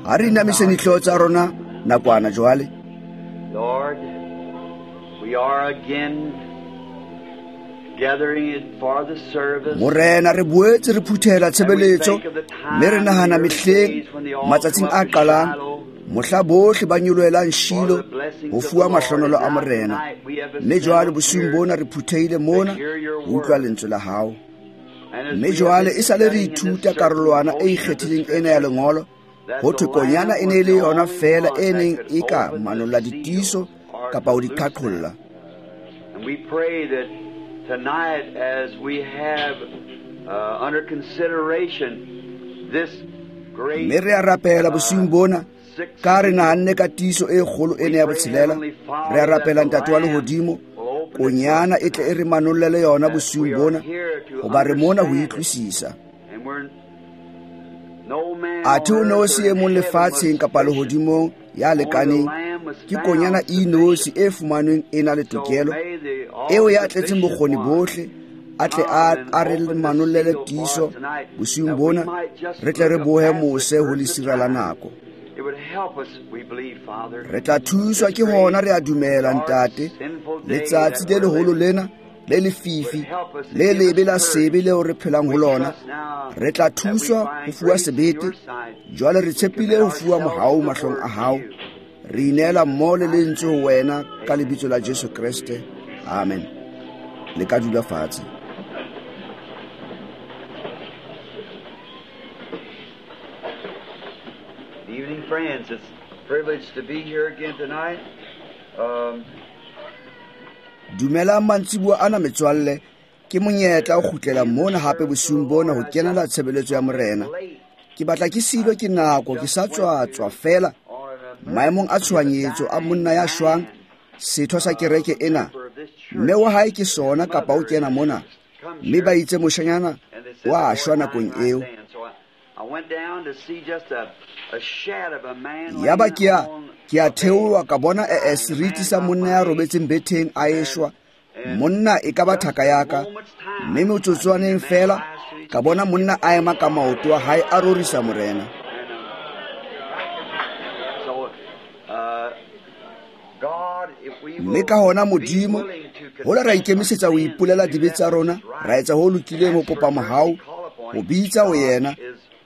Ha re inamiseng dihlooho tsa rona nakwana jwale. Lord, we are again gathering it for the service. Morena, re boetse re phuthela tshebeletso mme re nahana mehleng matsatsing a qalang mohla bohle ba nyolohelang Shilo ho fuwa mahlonolo a Morena. Mme jwale bosiung bona re phuthehile mona ho utlwa lentswe la hao. Mme jwale e sale re ithuta karolwana e ikgethileng ena ya lengolo, ho thwe konyana e ne e le yona feela e neng e ka manolla ditiiso kapa ho di qhaqholla. And we pray that tonight, as we have under consideration this great Mme re a rapela bosiung bona, ka re nahanne ka tiiso e kgolo ena ya botshelela, re a rapela Ntate wa lehodimo, konyana e tle e re manollele yona bosiung bona, hoba re mona ho utlwisisa. Athe ho ne ho se e mong lefatsheng kapa lehodimong ya lekaneng, ke konyana e nosi e fumanweng e na le tokelo, eo ya tletseng bokgoni bohle, a tle a re manollele tiiso bosiung bona, re tle re bohe mose ho lesira la nako. Re tla thuswa ke hona, re a dumela Ntate, letsatsi le leholo lena le lefifi le lebe la sebe leo re phelang ho lona, re tla thuswa ho fuwa sebete. Jwale re tshepile ho fuwa mohau mahlong a hao. Re ineela mmoho le lentswe ho wena ka lebitso la Jesu Kreste. Amen. Le ka dula fatshe. Good evening, friends. It's a privilege to be here again tonight. Dumelang mantsiboya ana metswalle, ke monyetla o kgutlela mona hape bosiung bona ho kenela tshebeletso ya Morena. Ke batla ke silwe ke nako, ke sa tswa feela maemong a tshohanyetso a monna ya shwang, setho sa kereke ena. Mme wa hae ke sona kapa o kena mona, mme ba itse moshanyana wa shwa nakong eo. Yaba ke a theoha ka bona seriti sa monna ya robetseng betheng a eshwa. Monna e ka ba thaka ya ka, mme motsotswaneng feela ka bona monna a ema ka maoto a hae a rorisa Morena. Mme ka hona Modimo, hola ra ikemisetsa ho ipolela dibe tsa rona, ra etsa ho lokileng ho kopa mohau, ho bitsa ho yena.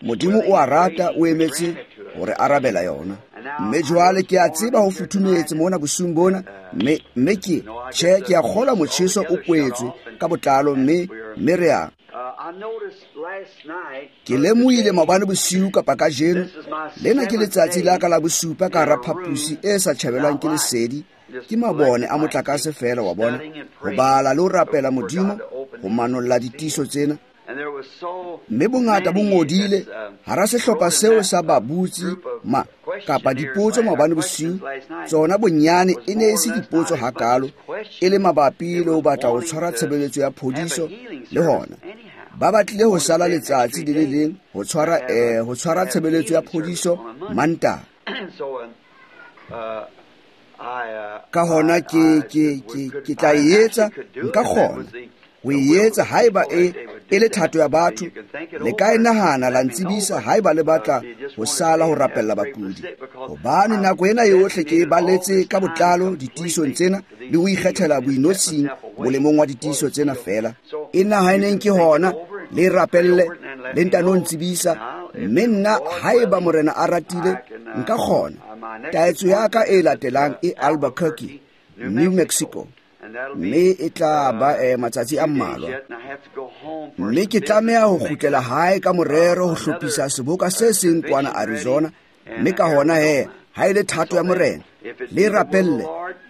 Modimo o a rata, o emetse hore arabela yona. Mme jwale ke a tseba ho futhumetse mona bosiung bona, mme ke tjhe, ke a kgolwa motjheso o kwetswe ka botlalo, mme re a. Ke lemohile maobane bosiu kapa kajeno, lena ke letsatsi la ka la bosupa ka hara phaposi e sa tjhabelwang ke lesedi, ke mabone a motlakase feela wa bona, ho bala le ho rapela Modimo ho manolla ditiiso tsena. Mme bongata bo ngodile hara sehlopha seo sa babutsi ma kapa dipotso maobane bosiu, tsona bonyane e ne e se dipotso hakalo, e le mabapi le ho batla ho tshwara tshebeletso ya phodiso le hona. Ba batlile ho sala letsatsi le le leng ho tshwara tshebeletso ya phodiso Mantaha. Ka hona ke tla e etsa, nka kgona ho e etsa haeba e le thato ya batho. Le ka e nahana la ntsebisa haeba le batla ho sala ho rapella bakudi, hobane nako ena yohle ke e baletse ka botlalo ditiisong tsena le ho ikgethela boinotshing molemong wa ditiiso tsena feela. E nahaneng ke hona, le rapelle, le ntano ntsebisa, mme nna haeba Morena a ratile nka kgona. Taetso ya ka e latelang e Albuquerque, New Mexico, mme e tla ba matsatsi a mmalwa. Mme ke tlameha ho kgutlela hae ka morero ho hlophisa seboka se seng kwana Arizona, mme ka hona he, ha e le thato ya Morena, le rapelle,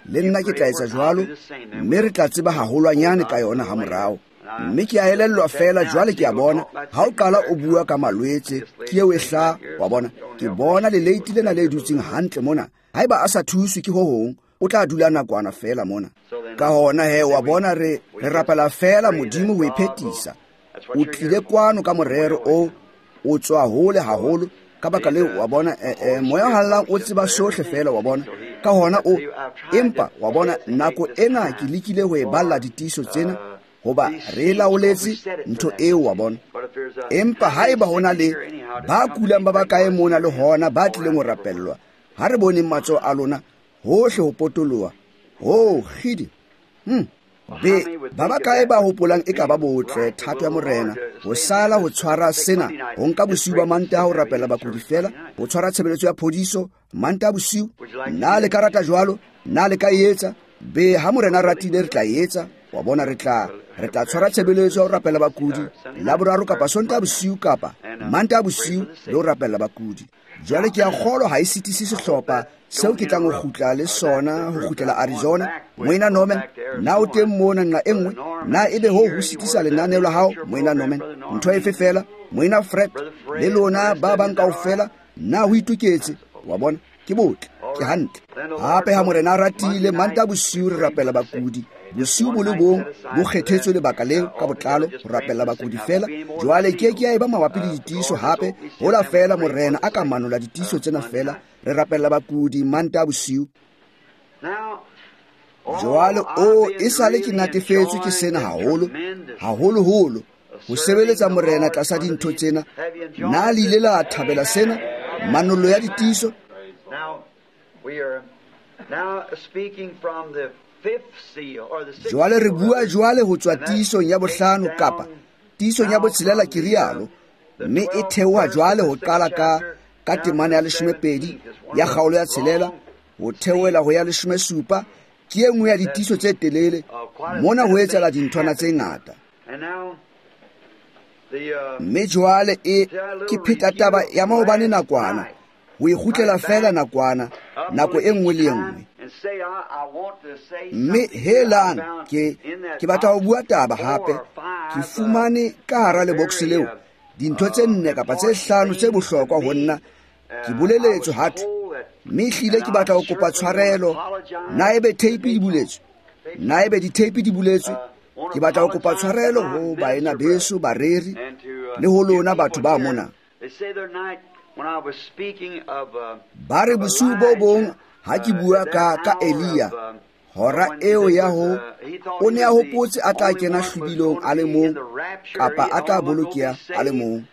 le nna ke tla etsa jwalo, mme re tla tseba haholwanyane ka yona ha morao. Mme ke a elellwa feela jwale ke a bona, ha o qala o bua ka malwetse, ke eo e hlaha, wa bona, ke bona leleiti lena le dutseng hantle mona. Haeba a sa thuswe ke ho hong, o tla dula nakwana feela mona. Ka hona he, wa bona, re rapela feela Modimo ho e phethisa. O tlile kwano ka morero o tswa hole haholo, ka baka leo, wa bona, moya o hallang o tseba sohle feela, wa bona. Ka hona o, empa wa bona, nako ena ke lekile ho e balla ditiiso tsena, Hoba re laoletse ntho eo wa bona. Empa haeba ho na le ba kulang ba bakae mona le hona ba tlileng ho rapellwa, ha re boneng matsoho a lona hohle ho potoloha. Oh, kgidi. Be ba bakae ba hopolang e ka ba botle thato ya Morena ho sala ho tshwara sena, ho nka bosiu ba Mantaha ho rapella bakudi fela, ho tshwara tshebeletso ya phodiso Mantaha bosiu? Na le ka rata jwalo? Na le ka etsa? Be ha Morena ratile re tla etsa. Wa bona, re tla tshwara tshebeletso ya ho rapella bakudi Laboraro kapa Sontaha bosiu kapa Mantaha bosiu le ho rapella bakudi. Jwale ke a kgolwa ha e sitise sehlopha seo ke tlang ho kgutla le sona ho kgutlela Arizona. Moena Norman, na o teng mona nqa e nngwe? Na ebe ho ho sitisa lenaneo la hao, Moena Norman? Ntho efe fela, Moena Fred le lona ba bang kaofela, na ho itoketse? Wa bona, ke botle, ke hantle. Hape ha Morena a ratile, Mantaha bosiu re rapela bakudi. Bosiu bo le bong bo kgethetswe lebaka leo ka botlalo ho rapella bakudi fela. Jwale ke ke ya eba mabapi le ditiiso hape, hola fela Morena a ka manola ditiiso tsena fela. Re rapella bakudi Mantaha bosiu. Jwale o e sale ke natefetswe ke sena haholo, haholoholo ho sebeletsa Morena tlasa dintho tsena. Na le ile la thabela sena, manollo ya ditiiso? Jwale re bua jwale ho tswa tiisong ya bohlano kapa tiisong ya botshelela, ke rialo, mme e theoha jwale ho qala ka temana ya 12 ya kgaolo ya 6 ho theohela ho ya 17. Ke e nngwe ya ditiiso tse telele. Mona ho etsahala dinthwana tse ngata. Mme jwale e ke pheta taba ya maobane nakwana, ho e kgutlela fela nakwana, nako e nngwe le e nngwe. Mme helang, ke batla ho bua taba hape. Ke fumane ka hara lebokse leo dintho tse 4 kapa tse 5 tse bohlokwa ho nna. Ke boleletswe hathwe, mme ehlile ke batla ho kopa tshwarelo. Na ebe tape di buletswe? Na ebe di-tape di buletswe? Ke batla ho kopa tshwarelo ho baena beso bareri le ho lona batho ba mona. Ba re bosiu bo bong ha ke bua ka Elia, hora eo ya ho o ne a hopotse a tla kena hlwibilong a le mong kapa a tla bolokeha a le mong.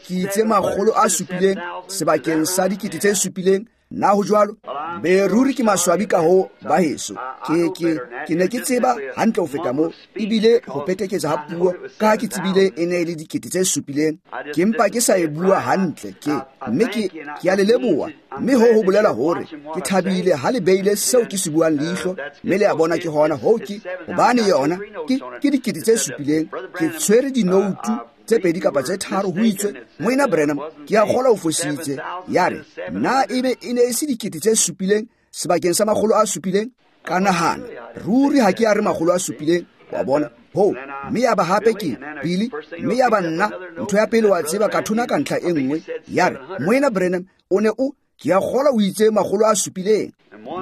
Ke itse 700 sebakeng sa 7,000. Na ho jwalo? Be ruri ke maswabi ka ho ba heso. Ke ne ke tseba hantle ho feta moo, ebile ho peteketsa ha puo ka ha ke tsebile e ne e le 7,000. Ke mpa ke sa e bua hantle ke, mme ke a le leboha. Mme ho bolela hore ke thabile ha le beile seo ke se buang leihlo, mme le a bona ke hona ho ke hobane yona ke 7,000. Ke tshwere dinoutu tse 2 kapa tse 3 ho itswe, Moena Branham, ke a kgolwa o fositse. Ya re, na ebe e ne e se 7,000 sebakeng sa 700? Ka nahana, ruri ha ke a re 700, wa bona. Ho, mme ya ba hape ke Billy, mme ya ba nna, ntho ya pele wa tseba ka thona ka ntlha e nngwe. Ya re, Moena Branham, o ne o, ke a kgolwa o itse 700.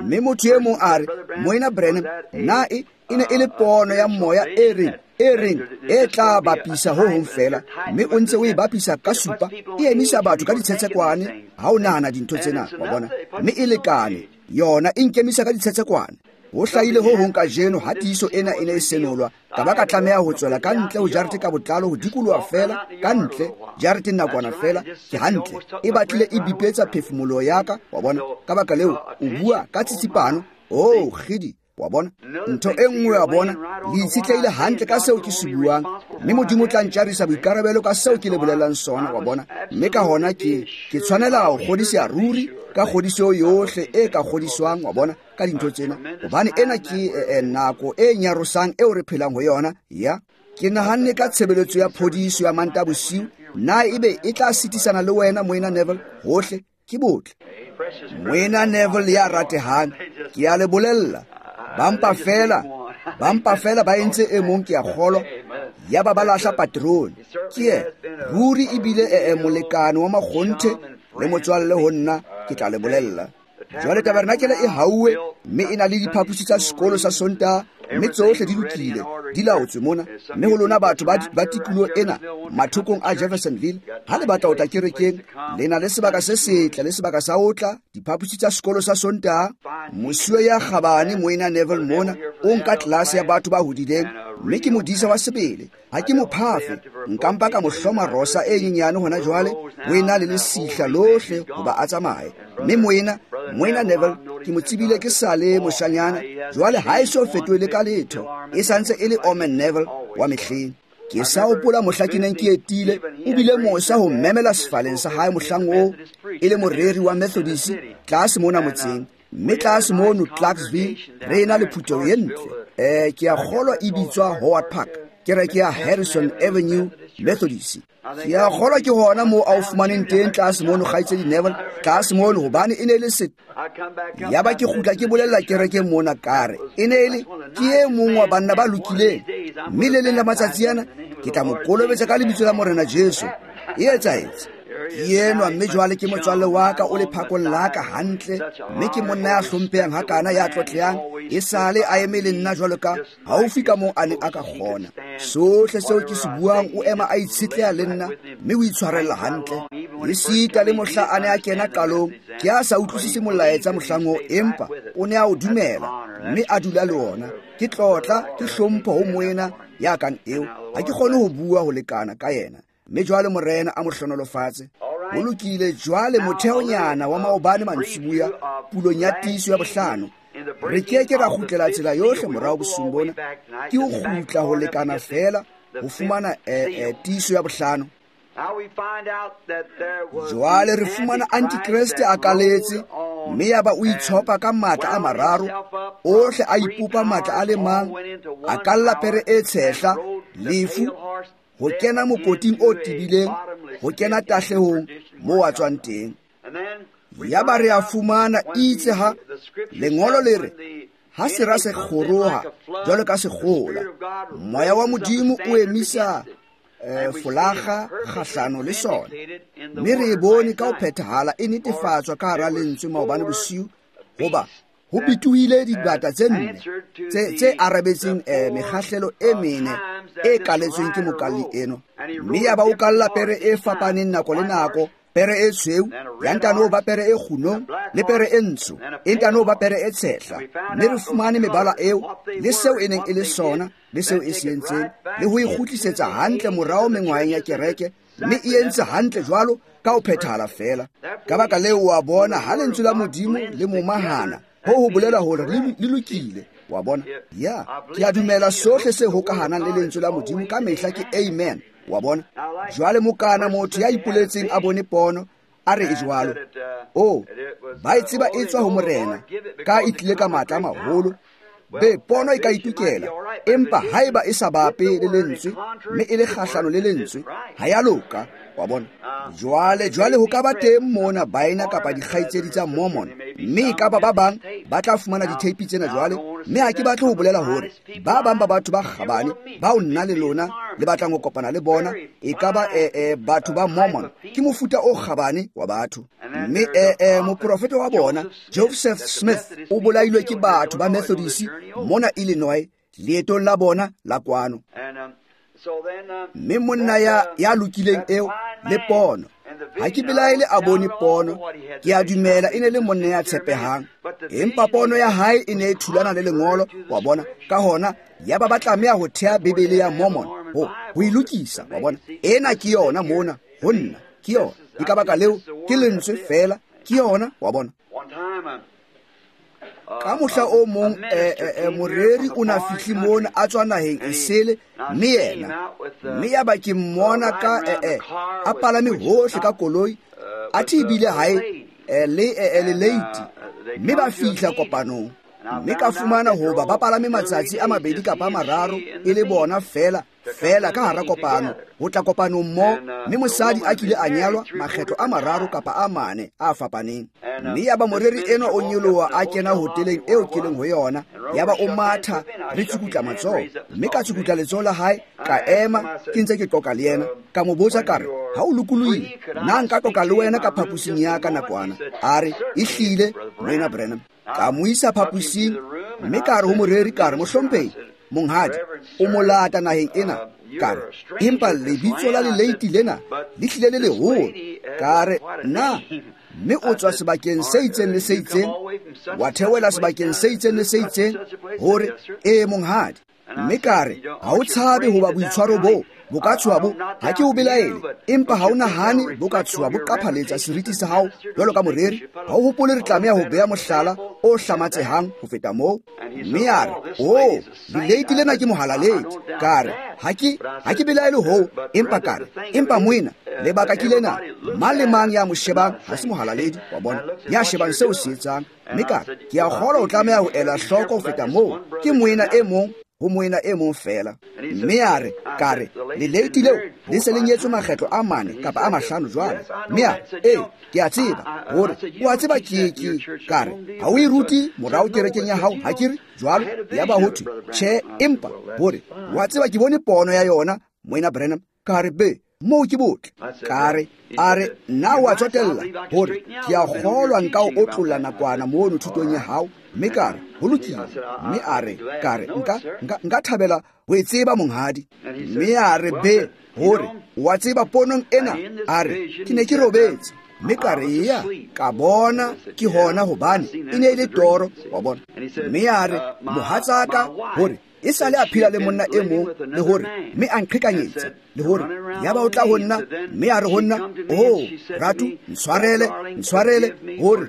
Mme motho e mong a re, Moena Branham, na e ne e le pono ya moya e reng e tla bapisa ho hong fela, mme o ntse o e bapisa ka 7, e emisa batho ka ditshetshekwane ha o nahana dintho tsena, wa bona, mme e lekane yona e nkemisa ka ditshetshekwane. Ho hlahile ho hong kajeno ha tiiso ena e ne e senolwa, ka ba ka tlameha ho tswela ka ntle ho jarete ka botlalo, ho dikoloha fela ka ntle jareteng nakwana fela. Ke hantle, e batlile e bipetsa phefumoloho ya ka, wa bona. Ka baka leo o bua ka tsitsipano. Oh, kgidi, wa bona, ntho e nngwe, wa bona, le itshetlehile hantle ka seo ke se buang, mme Modimo o tla ntjarisa boikarabelo ka seo ke le bolelang sona, wa bona. Mme ka hona ke tshwanela ho kgodiseha ruri ka kgodiso yohle e ka kgodiswang, wa bona, ka dintho tsena, hobane ena ke nako e nyarosang eo re phelang ho yona. Ya ke nahanne ka tshebeletso ya phodiso ya Mantaha bosiu, na ebe e tla sitisana le wena, Moena Neville? Hohle ke botle. Moena Neville ya ratehang, ke a le bolella, ba mpa fela ba entse e mong, ke a kgolwa, ya ba lahla patrone. Ke yena ruri ebile e molekane wa makgonthe le motswalle ho nna, ke tla le bolella. Jwale tabernakele e hauwe, mme e na le diphaposi tsa sekolo sa Sontaha, mme tsohle di lokile, di laotswe mona. Mme ho lona batho ba tikoloho ena mathokong a Jeffersonville, ha le batla ho tla kerekeng, le na le sebaka se setle le sebaka sa ho tla, diphaposi tsa sekolo sa Sontaha. Mosuwe ya kgabane Moena Neville mona o nka tlelase ya batho ba hodileng, Mme ke modisa wa sebele, ha ke mo phafe, nka mpa ka mo hloma rosa e nyenyane hona jwale, ho ena le lesihla lohle hoba a tsamaye. Mme moena Neville, ke mo tsebile ke sa le moshanyana, jwale ha e so fetohele ka letho, e sa ntse e le Orman Neville wa mehleng. Ke sa hopola mohla ke neng ke etile, o bile mosa ho mmemela sefaleng sa hae mohlang oo, e le moreri wa Methodist tlase mona motseng. Mme tlase mono Clarksville re ena le phutheho e ntle. Ke a kgolwa e bitswa Howard Park, kereke ya Harrison Avenue Methodist. Ke a kgolwa ke hona moo a o fumaneng teng tlase mono, kgaitsedi Neville, tlase mono, hobane e ne le se. Yaba ke kgutla ke bolella kereke mona ka re, e ne e le ke e mong wa banna ba lokileng, mme le leng la matsatsi ana ke tla mo kolobetsa ka lebitso la Morena Jesu. E etsahetse. Ke enwa, mme jwale ke motswalle wa ka, o lephakong la ka hantle, mme ke monna ya hlomphehang hakana, ya tlotlehang, e sale a eme le nna jwalo ka haufi ka moo a neng a ka kgona. Sohle seo ke se buang, o ema a itshetleha le nna, mme o itshwarella hantle. Esita le mohla a ne a kena qalong, ke a sa utlwisise molaetsa mohlang oo, empa o ne a o dumela, mme a dula le ona. Ke tlotla, ke hlompho ho moena ya kang eo. Ha ke kgone ho bua ho lekana ka yena. Mme jwale Morena a mo hlohonolofatse. Ho lokile jwale motheonyana wa maobane mantsibuya pulong ya tiiso ya bohlano. Re ke ke ra kgutlela tsela yohle morao bosiung bona. Ke ho kgutla ho lekana feela ho fumana tiiso ya bohlano. Jwale re fumana Antikreste a kaletse, mme yaba o itshopa ka matla a mararo, ohle a ipopa matla a le mang, a kalla pere e tshehla, lefu, ho kena mokoting o tebileng, ho kena tahlehong moo a tswang teng. Yaba re a fumana itse ha lengolo le re, ha sera se kgoroha jwalo ka sekgola, moya wa Modimo o emisa folaga kgahlano le sona. Mme re e bone ka ho phethahala e netefatswa ka hara lentswe maobane bosiu, hoba ho bitohile dibata tse nne tse arabetseng mekgahlelo e mene e kaletsweng ke mokalli eno. Mme yaba o kalla pere e fapaneng nako le nako, pere e tshweu, ya ntano ba pere e kgunong, le pere e ntsho, e ntano ba pere e tshehla. Mme re fumane mebala eo, le seo e neng e le sona, le seo e se entseng, le ho e kgutlisetsa hantle morao mengwaheng ya kereke, mme e entse hantle jwalo ka ho phethahala feela. Ka baka leo wa bona ha lentswe la Modimo le momahana, ho ho bolela hore le lokile. Wa bona? Ya, ke a dumela sohle se hokahanang le lentswe la Modimo ka mehla ke amen. Wa bona? Jwale mokana motho ya ipoletseng a bone pono, a re e jwalo. O, ba e tseba e tswa ho Morena, ka e tlile ka matla a maholo. Be, pono e ka itukela, empa haeba e sa bape le lentswe, mme e le kgahlano le lentswe, ha ya loka. Wa bona? Jwale ho ka ba teng mona baena kapa dikgaitsedi tsa Mormon, mme e ka ba ba bang ba tla fumana ditheipi tsena jwale. Mme ha ke batle ho bolela hore ba bang ba batho ba kgabane bao nna le lona le batlang ho kopana le bona, e ka ba batho ba Mormon, ke mofuta o kgabane wa batho. Mme moprofeta wa bona Joseph Smith o bolailwe ke batho ba Methodist mona Illinois leetong la bona la kwano. Mme monna ya lokileng eo le pono, ha ke belaele a bone pono, ke a dumela e ne le monna ya tshepehang, empa pono ya hae e ne e thulana le lengolo. Wa bona? Ka hona yaba ba tlameha ho thea Bibele ya Mormon ho e lokisa. Wa bona? Ena ke yona mona ho nna, ke yona. Ke ka baka leo ke lentswe feela, ke yona. Wa bona? Ka mohla o mong moreri o na fihle mona a tswa naheng e sele, mme yena, mme yaba ke mmona ka a palame hohle ka koloi, a thi ebile hae le leiti, mme ba fihla kopanong. Mme ka fumana hoba ba palame matsatsi a mabedi kapa a mararo e le bona feela feela ka hara kopano, ho tla kopanong mo, mme mosadi a kile a nyalwa makgetlo a mararo kapa a mane a fapaneng. Mme yaba moreri enwa o nyoloha a kena hoteleng eo ke leng ho yona, yaba o matha re tsukutla matsoho, mme ka tsukutla letsoho la hae, ka ema ke ntse ke qoqa le yena. Ka mo botsa ka re, ha o lokolohile, na nka qoqa le wena ka phaposing ya ka nakwana? A re, ehlile, Moena Branham. Ka mo isa phaposing, mme ka re ho moreri, ka re, mohlomphehi monghadi, o molata naheng ena. Ka re, empa lebitso la leleiti lena le hlile le leholo. Ka re, na mme o tswa sebakeng se itseng le se itseng, wa theohela sebakeng se itseng le se itseng? Hore, ee monghadi. Mme ka re, ha o tshabe hoba boitshwaro boo bo ka tshoha bo, ha ke o belaele, empa ha o nahane bo ka tshoha bo qaphaletsa seriti sa hao jwalo ka moreri. Ha o hopole re tlameha ho beha mohlala o hlamatsehang ho feta moo. Mme a re, "Oh, leleiti lena ke mohalaledi." Ka re, ha ke belaele hoo, empa ka re, empa moena, lebaka ke lena, mang le mang ya mo shebang ha se mohalaledi, wa bona, ya shebang seo se etsang. Mme ka re, ke a kgolwa o tlameha ho ela hloko ho feta moo, ke moena e mong ho moena e mong fela. Mme a re, ka re, leleiti leo le se le nyetswe makgetlo a 4 kapa a 5 jwale. Mme a, ee, ke a tseba, hore o a tseba ke ka re, ha o e rute morao kerekeng ya hao, ha ke re jwalo? Yaba ho thwe, tjhe, empa hore wa tseba ke bone pono ya yona, moena Branham. Ka re, be, moo ke botle. Ka re, a re, nna wa tsotella, hore ke a kgolwa nka o otlolla nakwana mono thutong ya hao. Mme ka re, ho lokile. Mme a re, ka re, nka thabela ho e tseba monghadi. Mme a re, be, hore wa tseba ponong ena, a re, ke ne ke robetse. Mme ka re, ya, ka bona ke hona hobane e ne e le toro, wa bona. Mme a re, mohatsaka, hore e sale a phela le monna e mong, le hore mme a nqhekanyetsa, le hore yaba o tla ho nna, mme a re ho nna, "Oh, ratu, ntshwarele, hore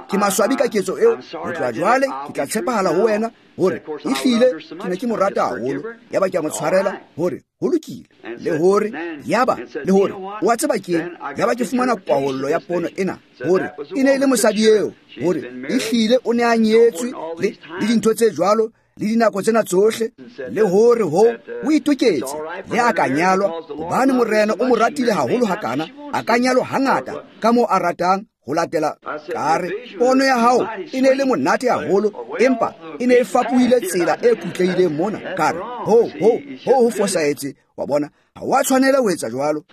ke maswabi ka ketso eo. Ho tloha jwale ke tla tshepahala ho wena, hore ehlile ke ne ke mo rata haholo." Yaba ke a mo tshwarela, hore ho lokile, le hore yaba, le hore wa tseba keng, yaba ke fumana kwahollo ya pono ena, hore e ne e le mosadi eo, hore ehlile o ne a nyetswe le dintho tse jwalo, le dinako tsena tsohle, le hore ho o itoketse, le a ka nyalwa, hobane morena o mo ratile haholo hakana, a ka nyalwa hangata ka moo a ratang ho latela. Ka re, pono ya hao e ne e le monate haholo, empa e ne e fapohile tsela e kutlehileng mona. Ka re, ho fosahetse, wa bona, ha wa tshwanela ho etsa jwalo.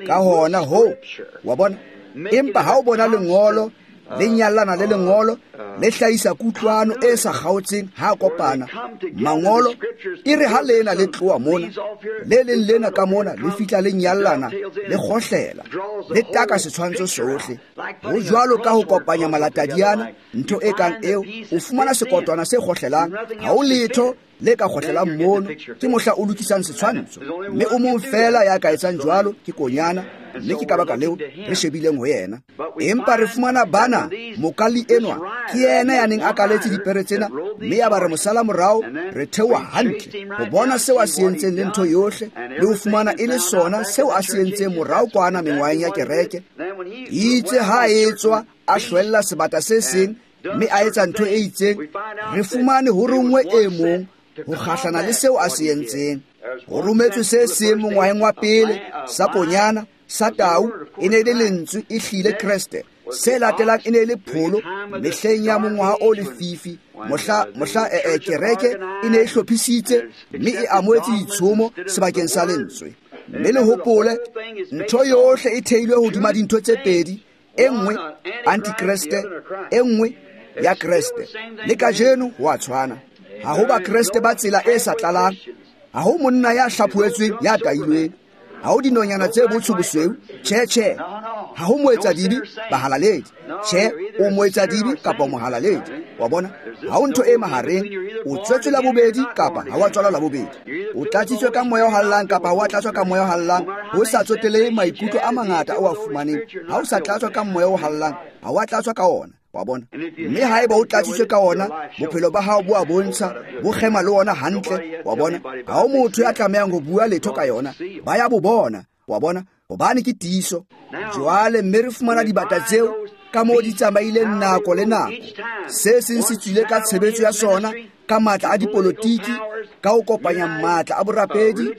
Ka hona ho, wa bona, empa ha o bona lengolo le nyallana le lengolo, le hlahisa kutlwano e sa kgaotseng ha kopana mangolo, e re ha lena le tloha mona, le leng lena ka mona le fihla le nyallana, le kgohlela, le taka setshwantsho sohle. Ho jwalo ka ho kopanya malatadiana, ntho e kang eo, o fumana sekotwana se kgohlelang, ha o letho le ka kgohlelang mono, ke mohla o lokisang setshwantsho. Mme o mong fela ya ka etsang jwalo ke konyana, mme ke ka baka leo re shebileng ho yena. Empa re fumana bana, mokalli enwa ke yena ya neng a kaletse dipere tsena, mme ya ba re mosala morao, re theoha hantle ho bona seo a se entseng le ntho yohle, le ho fumana e le sona seo a se entseng morao kwana mengwaheng ya kereke. Itse ha e tswa a hlwella sebata se seng, mme a etsa ntho e itseng, re fumane ho rongwe e mong ho kgahlana le seo a se entseng. Ho rometswe se seng mongwaheng wa pele, sa konyana, sa tau, e ne e le lentswe, e hlile Kreste. Se latelang e ne e le pholo, mehleng ya mongwaha o lefifi, mohla kereke e ne e hlophisitse mme e amohetse ditshomo sebakeng sa lentswe. Mme le hopole, ntho yohle e theilwe hodima dintho tse pedi, e nngwe antikreste, e nngwe ya Kreste. Le kajeno ho a tshwana. Ha ho bakreste ba tsela e sa tlalang, ha ho monna ya hlaphohetsweng ya tailweng, ha ho dinonyana tse botsho bosweu, tjhe tjhe, ha ho moetsadibe bahalaledi, tjhe, o moetsadibe kapa mohalaledi, wa bona, ha ho ntho e mahareng, o tswetswe la bobedi kapa ha wa tswalwa la bobedi, o tlatsitswe ka moya o hallang kapa ha wa tlatswa ka moya o hallang, ho sa tsotelehe maikutlo a mangata o a fumaneng, ha o sa tlatswa ka moya o hallang, ha wa tlatswa ka ona, wa bona. Mme haeba o tlatsitswe ka ona, bophelo ba hao bo a bontsha, bo kgema le ona hantle, wa bona. Ha ho motho ya tlamehang ho bua letho ka yona, ba ya bo bona, wa bona, hobane ke tiiso. Jwale mme re fumana dibata tseo ka moo di tsamaileng nako le nako. Se seng se tswile ka tshebetso ya sona, ka matla a dipolotiki, ka ho kopanya matla a borapedi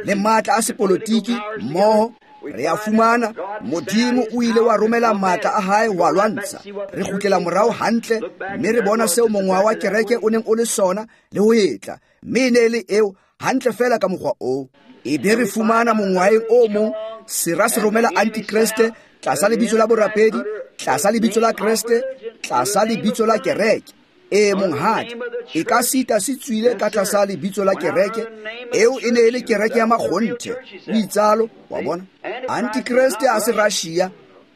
le matla a sepolotiki mmoho. Re a fumana Modimo o ile wa romela matla a hae wa lwantsha. Re kgutlela morao hantle, mme re bona seo mongwaha wa kereke o neng o le sona le ho etla, mme e ne e le eo hantle fela ka mokgwa oo. E be re fumana mongwaheng o mong sera se romela antikreste tlasa lebitso la borapedi, tlasa lebitso la Kreste, tlasa lebitso la kereke. E monghadi, e ka sita se tswile ka tlasa lebitso la kereke, eo e ne e le kereke ya makgonthe, o itsalo, wa bona. Antikreste a se Russia,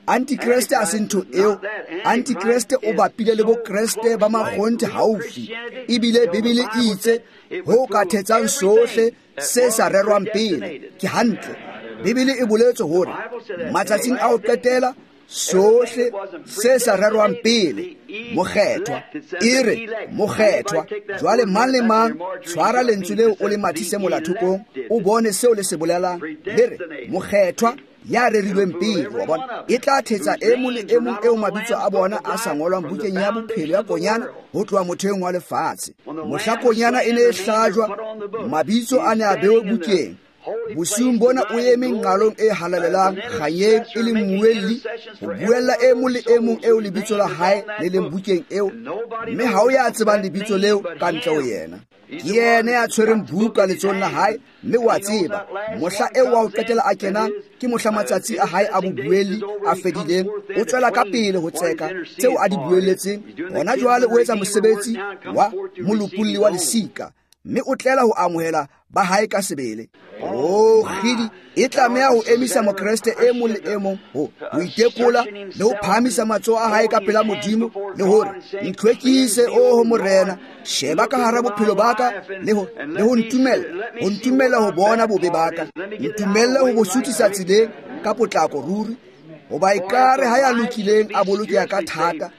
Antikreste a se ntho eo. Antikreste o bapile le bokreste ba makgonthe haufi. Ebile Bibele e itse ho ka thetsang sohle se sa rerwang pele. Ke hantle. Bibele e boletse hore matsatsing a ho qetela sohle se sa rerwang pele, mokgethwa e re mokgethwa. Jwale mang le mang tshwara lentswe leo o le mathise molathokong, o bone seo le se bolelang. Le re mokgethwa ya rerilweng pele, wa bona, e tla thetsa e mong le e mong eo mabitso a bona a sa ngolwang bukeng ya bophelo ya konyana ho tloha motheong wa lefatshe. Mohla konyana e ne e hlajwa, mabitso a ne a bewe bukeng. Bosiung bona o eme nqalong e halalelang kganyeng e le mmuelli ho buella e mong le e mong eo lebitso la hae le leng bukeng eo, mme ha o ya tsebang lebitso leo ka ntle ho yena. Ke yena ya tshwereng buka letsohong la hae, mme wa tseba mohla eo wa ho qetela a kenang ke mohla matsatsi a hae a bobuelli a fedileng. O tswela ka pele ho tseka tseo a di buelletseng. Hona jwale o etsa mosebetsi wa molopolli wa lesika, mme o tlela ho amohela ba hae ka sebele. Oh, kgidi, e tlameha ho emisa mokreste e mong le e mong ho itekola le ho phahamisa matsoho a hae ka pela Modimo le hore ntlhwekise, oho Morena, sheba ka hara bophelo ba ka le ho ntumella, ho ntumella ho bona bobe ba ka, ntumelle ho bo suthisa tseleng ka potlako ruri. Hoba ekare ha ya lokileng a bolokeha ka thata,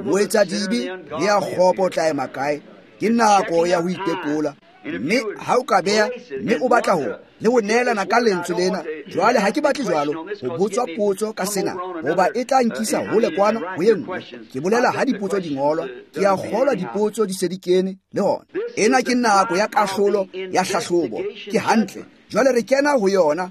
moetsadibe le ya kgopo o tla ema kae? Ke nako ya ho itekola. Mme ha o ka beha, mme o batla ho le ho neelana ka lentswe lena jwale, ha ke batle jwalo ho botswa potso ka sena, hoba e tla nkisa hole kwana ho e nngwe. Ke bolela ha dipotso di ngolwa, ke a kgolwa dipotso di se di kene le hona. Ena ke nako ya kahlolo ya hlahlobo. Ke hantle. Jwale re kena ho yona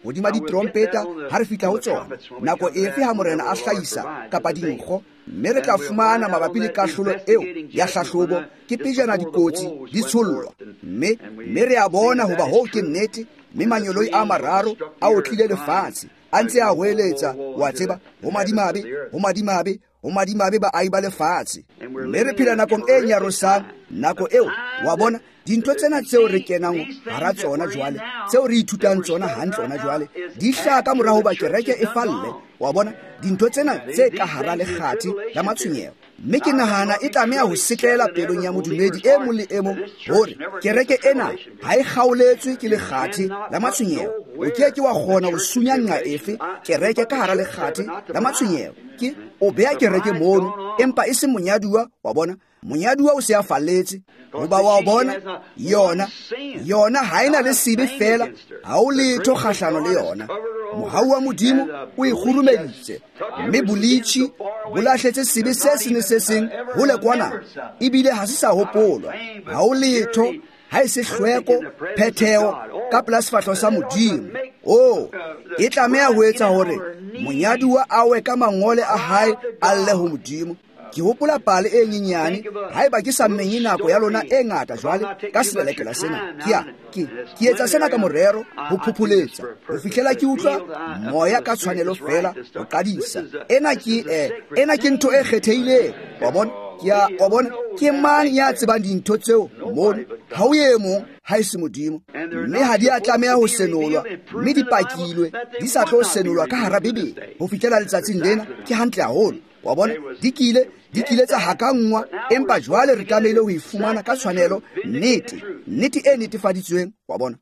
hodima ditrompeta ha re fihla ho tsona. Nako efe ha Morena a hlahisa kapa dinkgo, mme re tla fumana mabapi le kahlolo eo ya hlahlobo ke pejana dikotsi di tshollwa. Mme re a bona hoba hoo ke nnete, mme manyoloi a mararo a otlile lefatshe a ntse a hoeletsa, wa tseba, ho madimabe, ho madimabe, ho madimabe baahi ba lefatshe. Mme re phela nakong e nyarosang, nako eo, wa bona, dintho tsena tseo re kenang hara tsona jwale, tseo re ithutang tsona hantle hona jwale, di hlaha ka mora hoba kereke e falle. Wa bona, dintho tsena tse ka hara lekgathe la matshwenyeho. Mme ke nahana e tlameha ho setlela pelong ya modumedi e mong le e mong hore kereke ena ha e kgaoletswe ke lekgathe la matshwenyeho. O ke ke wa kgona ho sunya nqa efe kereke ka hara lekgathe la matshwenyeho. Ke o beha kereke mono, empa e se monyaduwa, wa bona. Monyaduwa o se a falletse, hoba wa bona yona ha ena le sebe fela, ha o letho kgahlano le yona. Mohau wa Modimo o e kgurumeditse, mme bolitjhi bo lahletse sebe se seng le se seng hole kwana, ebile ha se sa hopolwa. Ha o letho ha e se hlweko, phetheho ka pela sefahleho sa Modimo. Oh, e tlameha ho etsa hore monyaduwa a we ka mangole a hae a lle ho Modimo. Ke hopola pale e nyenyane, haeba ke sa menye nako ya lona e ngata jwale ka selelekela sena. Ke etsa sena ka morero ho phopholetsa ho fihlela ke utlwa moya ka tshwanelo fela ho qadisa. Ena ke ntho e kgethehileng, wa bona. Wa bona, ke mang ya tsebang dintho tseo mono? Ha o e mong ha e se Modimo. Mme ha di a tlameha ho senolwa, mme di pakilwe, di sa tlo senolwa ka hara Bibele ho fihlela letsatsing lena. Ke hantle haholo. Wa bona, di kile tsa hakanngwa, empa jwale re tlamehile ho e fumana ka tshwanelo, nnete, nnete e netefaditsweng, wa bona.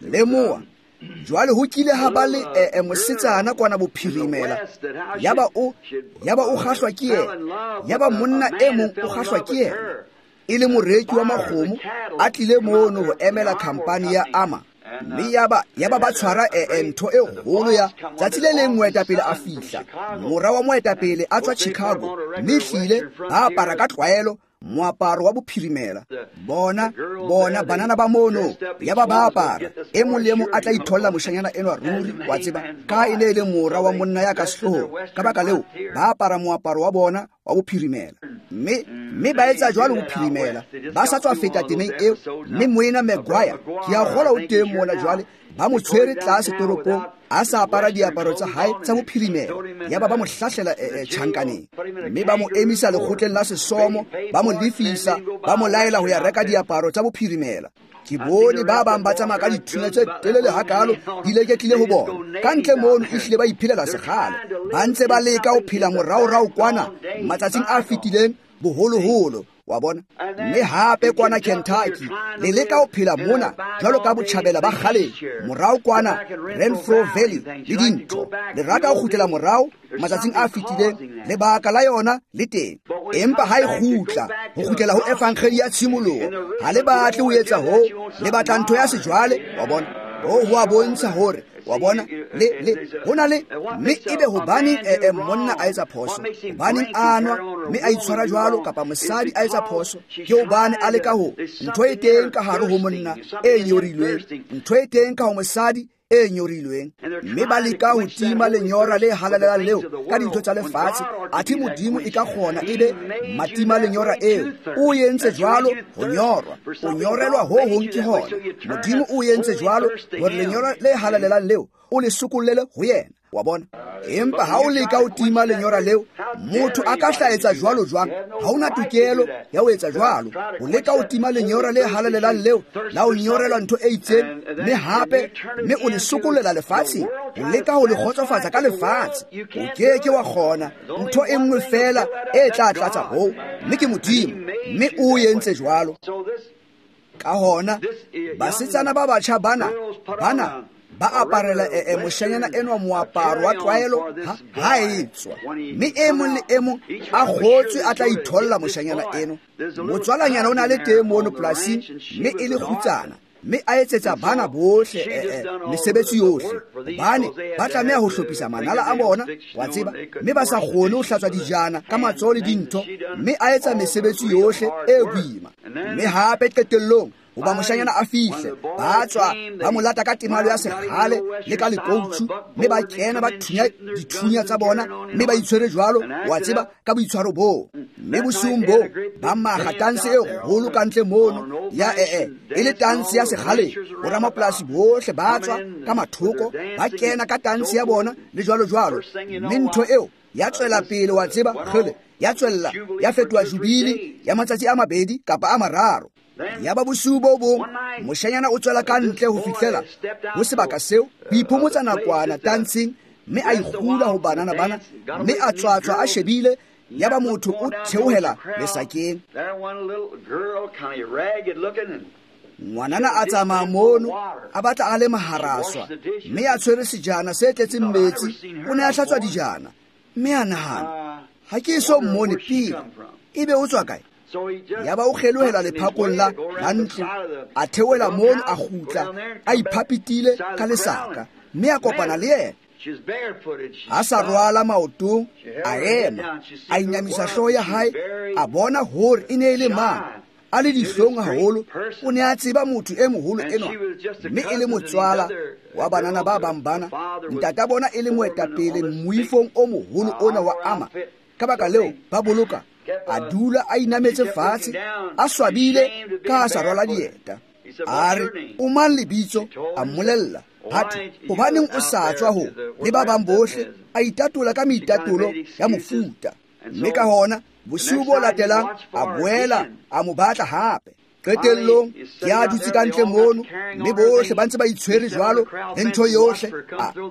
Lemoha, jwale ho kile ha ba le mosetsana kwana bophirimela, yaba o kgahlwa ke yena, yaba monna e mong o kgahlwa ke yena, e le moreki wa makgomo a tlile mono ho emela khampani ya Ama. Mme yaba ba tshwara ntho e kgolo ya tsatsi le leng moetapele a fihla, mora wa moetapele a tswa Chicago, mme hlile ba apara ka tlwaelo moaparo wa bophirimela. Bona banana ba mono yaba ba apara, e mong le e mong a tla itholla moshanyana enwa ruri, wa tseba, ka e ne e le mora wa monna ya ka sehloohong. Ka baka leo ba apara moaparo wa bona wa bophirimela, mme ba etsa jwalo bophirimela. Ba sa tswa feta temeng eo, mme moena Maguire, ke a kgolwa o teng mola jwale, ba mo tshwere tlase toropong a sa apara diaparo tsa hae tsa bophirimela, yaba ba mo hlahlela tjhankaneng, mme ba mo emisa lekgotleng la sesomo, ba mo lefisa, ba mo laela ho ya reka diaparo tsa bophirimela. Ke bone ba bang ba tsamaya ka dithunya tse telele hakalo di leketlile ho bona. Ka ntle mono ehlile ba iphelela sekgale. Ba ntse ba leka ho phela moraorao kwana matsatsing a fetileng boholoholo. Wa bona? Mme hape kwana Kentucky le leka ho phela mona jwalo ka botjhabela ba kgaleng, morao kwana Renfro Valley le dintho. Le rata ho kgutlela morao matsatsing a fetileng, lebaka la yona le teng. Empa ha e kgutla, ho kgutlela ho evangeli ya tshimoloho, ha le batle ho etsa hoo, le batla ntho ya sejwale. Wa bona? Hoo ho a bontsha hore, wa bona, le ho na le, mme ebe hobaneng monna a etsa phoso, hobaneng a nwa mme a itshwara jwalo, kapa mosadi a etsa phoso, ke hobane a leka ho ntho e teng ka hare ho monna e nyorilweng, ntho e teng ka ho mosadi e nyorilweng, mme ba leka ho tima lenyora le halalelang leo ka dintho tsa lefatshe. Athe Modimo e ka kgona ebe matima lenyora eo. O entse jwalo ho nyorwa, o nyorelwa ho hong ke hona. Modimo o entse jwalo hore lenyora le halalelang leo o le sokollele ho yena. Wa bona? Empa ha o leka ho tima lenyora leo, motho a ka hlaetsa jwalo jwang? Ha ona tokelo ya ho etsa jwalo. O leka ho tima lenyora le halalelang leo la ho nyorelwa ntho e itseng, mme hape mme o le sokollela lefatsheng, o leka ho le kgotsofatsa ka lefatshe. O ke ke wa kgona. Ntho e nngwe fela e tla tlatsa hoo, mme ke Modimo, mme o entse jwalo. Ka hona basetsana ba batjha bana ba aparela moshanyana enwa moaparo wa tlwaelo ha e tswa, mme e mong le e mong a kgotswe a tla itholla moshanyana eno. Motswalanyana o na le teng mono polasing, mme e le kgutsana, mme a etsetsa bana bohle mesebetsi yohle, hobane ba tlameha ho hlophisa manala a bona, wa tseba, mme ba sa kgone ho hlatswa dijana ka matsoho le dintho, mme a etsa mesebetsi yohle e boima. Mme hape qetellong hoba moshanyana a fihle, ba tswa ba mo lata ka temalo ya sekgale le ka lekoutsu, mme ba kena ba thunya dithunya tsa bona, mme ba itshwere jwalo, wa tseba, ka boitshwaro boo. Mme bosiung boo ba maga tanse e kgolo ka ntle mono ya e le tanse ya sekgale. Boramapolasi bohle ba tswa ka mathoko, ba kena ka tanse ya bona le jwalo jwalo, mme ntho eo ya tswela pele, wa tseba, kgele ya tswella ya fetoha jubili ya matsatsi a mabedi kapa a mararo. Ya ba bosiu bo bong moshanyana o tswela ka ntle ho fihlela ho sebaka seo ho iphomotsa nakwana tantseng, mme a ikgula ho banana bana, mme a tswatswa a shebile. Ya ba motho o theohela lesakeng. Ngwanana a tsamaya mono, a batla a le maharaswa, mme a tshwere sejana se tletseng metsi. O ne a hlatswa dijana, mme a nahana, ha ke eso mmone pele, ebe o tswa kae? Ya ba o kgelohela lephakong la ntlo, a theohela mono, a kgutla a iphapitile ka lesaka, mme a kopana le yena. A sa rwala maotong, a ema, a inamisa hlooho ya hae, a bona hore e ne e le mang. A le dihlong haholo, o ne a tseba motho e moholo enwa, mme e le motswala wa banana ba bang bana, ntata bona e le moetapele moifong o moholo ona wa ama. Ka baka leo ba boloka, a dula a inametse fatshe, a swabile ka a sa rwala dieta. A re, o mang lebitso? A mmolella. Hathwe, hobaneng o sa tswa ho le ba bang bohle? A itatola ka meitatolo ya mofuta. Mme ka hona bosiu bo latelang a boela a mo batla hape. Qetellong ke a dutse ka ntle mono, mme bohle ba ntse ba itshwere jwalo le ntho yohle.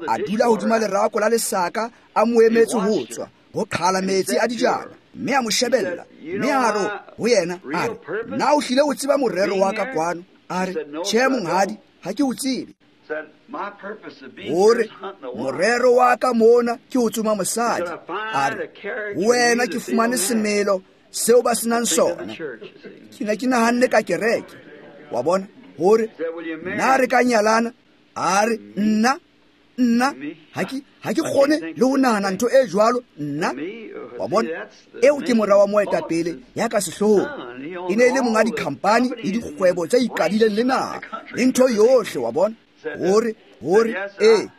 A dula hodima lerako la lesaka, a mo emetse ho tswa ho qhala metsi a dijana, mme a mo shebella, mme a re ho yena, a re, na o hlile o tseba morero wa ka kwano? A re, tjhe monghadi, ha ke o tsebe. Hore morero wa ka mona ke ho tsoma mosadi. A re, wena ke fumane semelo seo ba senang sona. Ke ne ke nahanne ka kereke. Wa bona? Hore na re ka nyalana? A re, nna ha ke kgone le ho nahana ntho e jwalo, nna. Wa bona? Eo ke mora wa moetapele ya ka sehloohong. E ne e le monga dikhampani le dikgwebo tse ikadileng le naha le ntho yohle, wa bona? Hore hore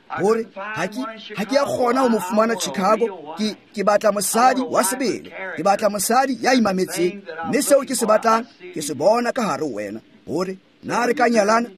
ha ke a kgona ho mo fumana Chicago. Ke batla mosadi wa sebele, ke batla mosadi ya imametseng, mme seo ke se batlang ke se bona ka hare ho wena. Hore na re ka nyalana?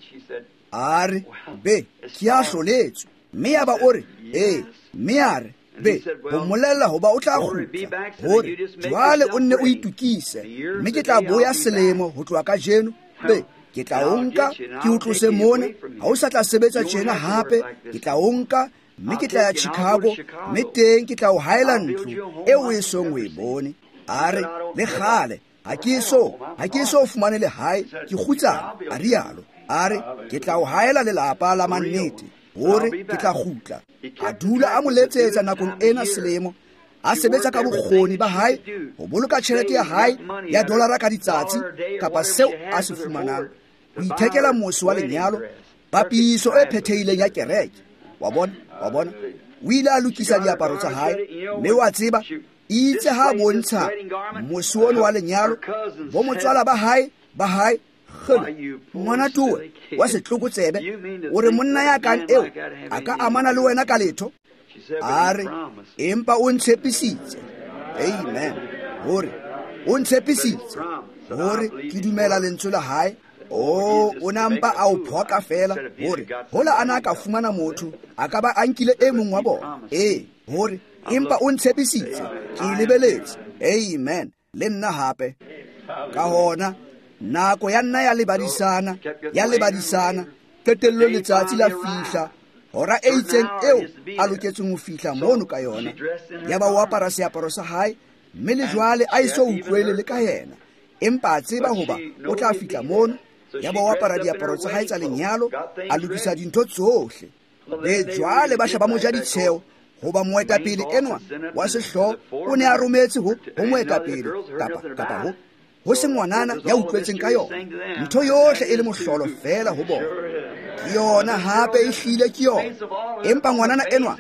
A re, be, ke a hloletswe. Mme ya ba o re, ee. Mme a re, be, ho mmolella hoba o tla kgutla. Hore jwale o nne o itukise, mme ke tla boya selemo ho tloha kajeno. Be, Ke tla o nka, ke o tlose mona, ha o sa tla sebetsa tjena hape, ke tla o nka, mme ke tla ya Chicago, mme teng ke tla o haela ntlo eo o esong o e bone. A re, le kgale, ha ke eso fumane lehae, ke kgutsana, a rialo. A re, ke tla o haela lelapa la mannete, hore ke tla kgutla. A dula a mo letsetsa nakong ena selemo, a sebetsa ka bokgoni ba hae ho boloka tjhelete ya hae ya dolara ka ditsatsi kapa seo a se fumanang, ho ithekela mose wa lenyalo, papiso e phethehileng ya kereke. Wa bona, wa bona. O ile a lokisa diaparo tsa hae, mme wa tseba, itse ha bontsha mose ono wa lenyalo, bo motswala ba hae kgele, ngwana towe wa setlokotsebe, o re monna ya kang eo a ka amana le wena ka letho? A re, empa o ntshepisitse. Amen. Hore o ntshepisitse, hore ke dumela lentswe la hae. O na mpa a o phoka fela, hore hola a na ka fumana motho, a ka ba a nkile e mong wa bona. Ee, hore empa o ntshepisitse, ke lebeletse. Amen. Le nna hape. Ka hona nako ya nna ya lebadisana, qetellong letsatsi la fihla, hora e itseng eo a loketseng ho fihla mono ka yona. Ya ba o apara seaparo sa hae, mme le jwale a eso utlwele le ka yena, empa a tseba hoba o tla fihla mono. Ya ba o apara diaparo tsa hae tsa lenyalo, a lokisa dintho tsohle. Le jwale ba sheba mo ja ditsheo, hoba moetapele enwa wa sehlooho o ne a rometse ho moetapele kapa ho se ngwanana ya utlwetseng ka yona. Ntho yohle e le mohlolo fela ho bona. Ke yona hape e hlile ke yona. Empa ngwanana enwa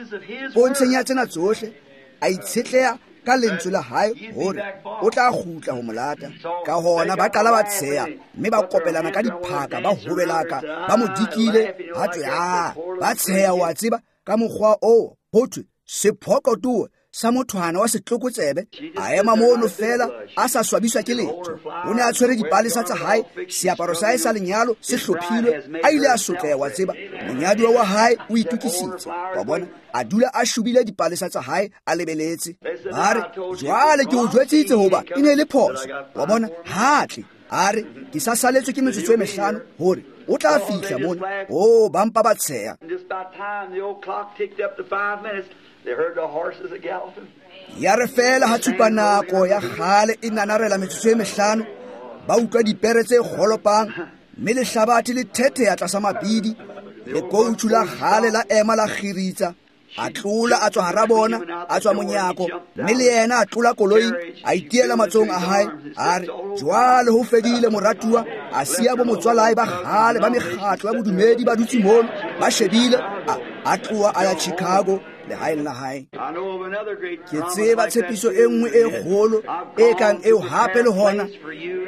pontsheng ya tsena tsohle a itshetleha ka lentswe la hae hore o tla kgutla ho molata. Ka hona ba qala ba tsheha, mme ba kopelana ka diphaka, ba hobelaka, ba mo dikile, ha tswe a ba tsheha, wa tseba, ka mokgwa oo ho thwe sephokotowe sa mothwana wa setlokotsebe. A ema mono fela a sa swabiswa ke letho. O ne a tshwere dipalesa tsa hae, seaparo sa hae sa lenyalo se hlophilwe, a ile a sotleha, wa tseba, monyaduwa wa hae o itokisitse. Wa bona, a dula a shubile dipalesa tsa hae, a lebeletse. Ba re, jwale ke o jwetsitse hoba e ne e le phoso. Wa bona, ha tle. A re, ke sa saletswe ke metsotso e mehlano hore o tla fihla mona. O ba mpa ba tsheha. Ya re fela ha tshupa nako ya kgale e nanarela metsotso e mehlano, ba utlwa dipere tse kgolopang, mme lehlabathe le thetheha tlasa mabidi, lekoutsu la kgale la ema la kgiritsa. A tlola a tswa hara bona, a tswa monyako, mme le yena a tlola koloing, a itiela matsohong a hae. A re, jwale ho fedile moratuwa. A siya bo motswalae ba kgale ba mekgatlo ya bodumedi ba dutse mono, ba shebile. A tloha a ya Chicago, lehaeng la hae. Ke tseba tshepiso e nngwe e kgolo e kang eo hape le hona.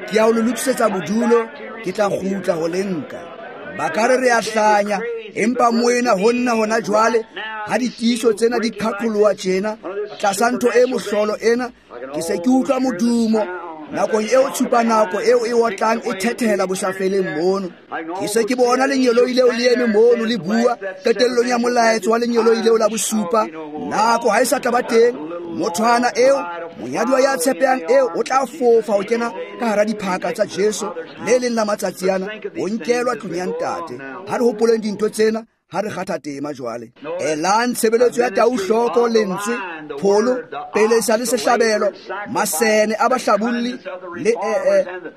Ke ya ho le lokisetsa bodulo, ke tla kgutla ho le nka. Ba ka re re a hlanya, empa moena ho nna hona jwale, ha ditiiso tsena di qhaqholoha tjena tlasa ntho e mohlolo ena, ke se ke utlwa modumo nakong eo tshupa nako eo e otlang e thethehela bosafeleng mono. Ke se ke bona lengeloi leo le eme mono le bua qetellong ya molaetso wa lengeloi leo la bosupa. Nako ha e sa tla ba teng. Mothwana eo, monyaduwa ya tshepehang eo, o tla fofa ho kena ka hara diphaka tsa Jesu le leng la matsatsi ana, o nkelwa tlung ya ntate. Ha re hopoleng dintho tsena ha re kgatha tema jwale. Elang tshebeletso ya tau hloko, lentswe, pholo, pelesa le sehlabelo, masene a bahlabolli le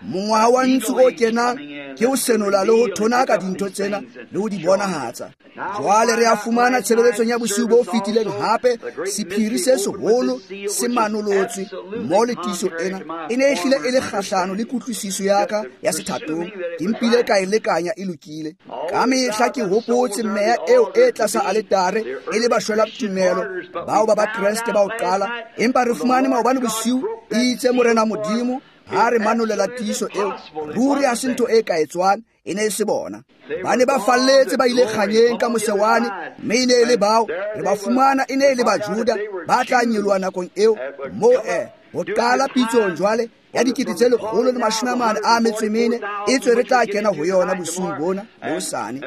mongwaha wa ntsu o kenang ke ho senola le ho thonaka dintho tsena le ho di bonahatsa. Jwale re a fumana tshebeletsong ya bosiu bo fetileng hape sephiri se seholo se manolotswe mo le tiiso ena e ne e hlile e le kgahlano le kutlwisiso ya ka ya sethatong. Ke mpile ka e lekanya e lokile. Ka mehla ke hopotse meya eo e tlasa aletare e le bashwela tumelo bao ba Bakreste ba ho qala, empa re fumane maobane bosiu e itse Morena Modimo ha re manolela tiiso eo, ruri ha se ntho e ka etswang, e ne e se bona. Ba ne ba falletse ba ile kganyeng ka mosewane, mme e ne e le bao re ba fumana e ne e le Bajuda ba tla nyoloha nakong eo mo ho qala pitsong jwale ya 144 e tswe re tla kena ho yona bosiung bona le hosane.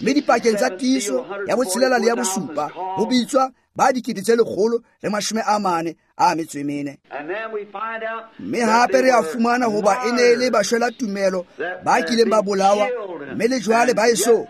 Mme dipakeng tsa tiiso ya botshelela le ya bosupa ho bitswa ba 144,000. Mme hape re a fumana hoba e ne e le bashwela tumelo ba kileng ba bolawa, mme le jwale ba eso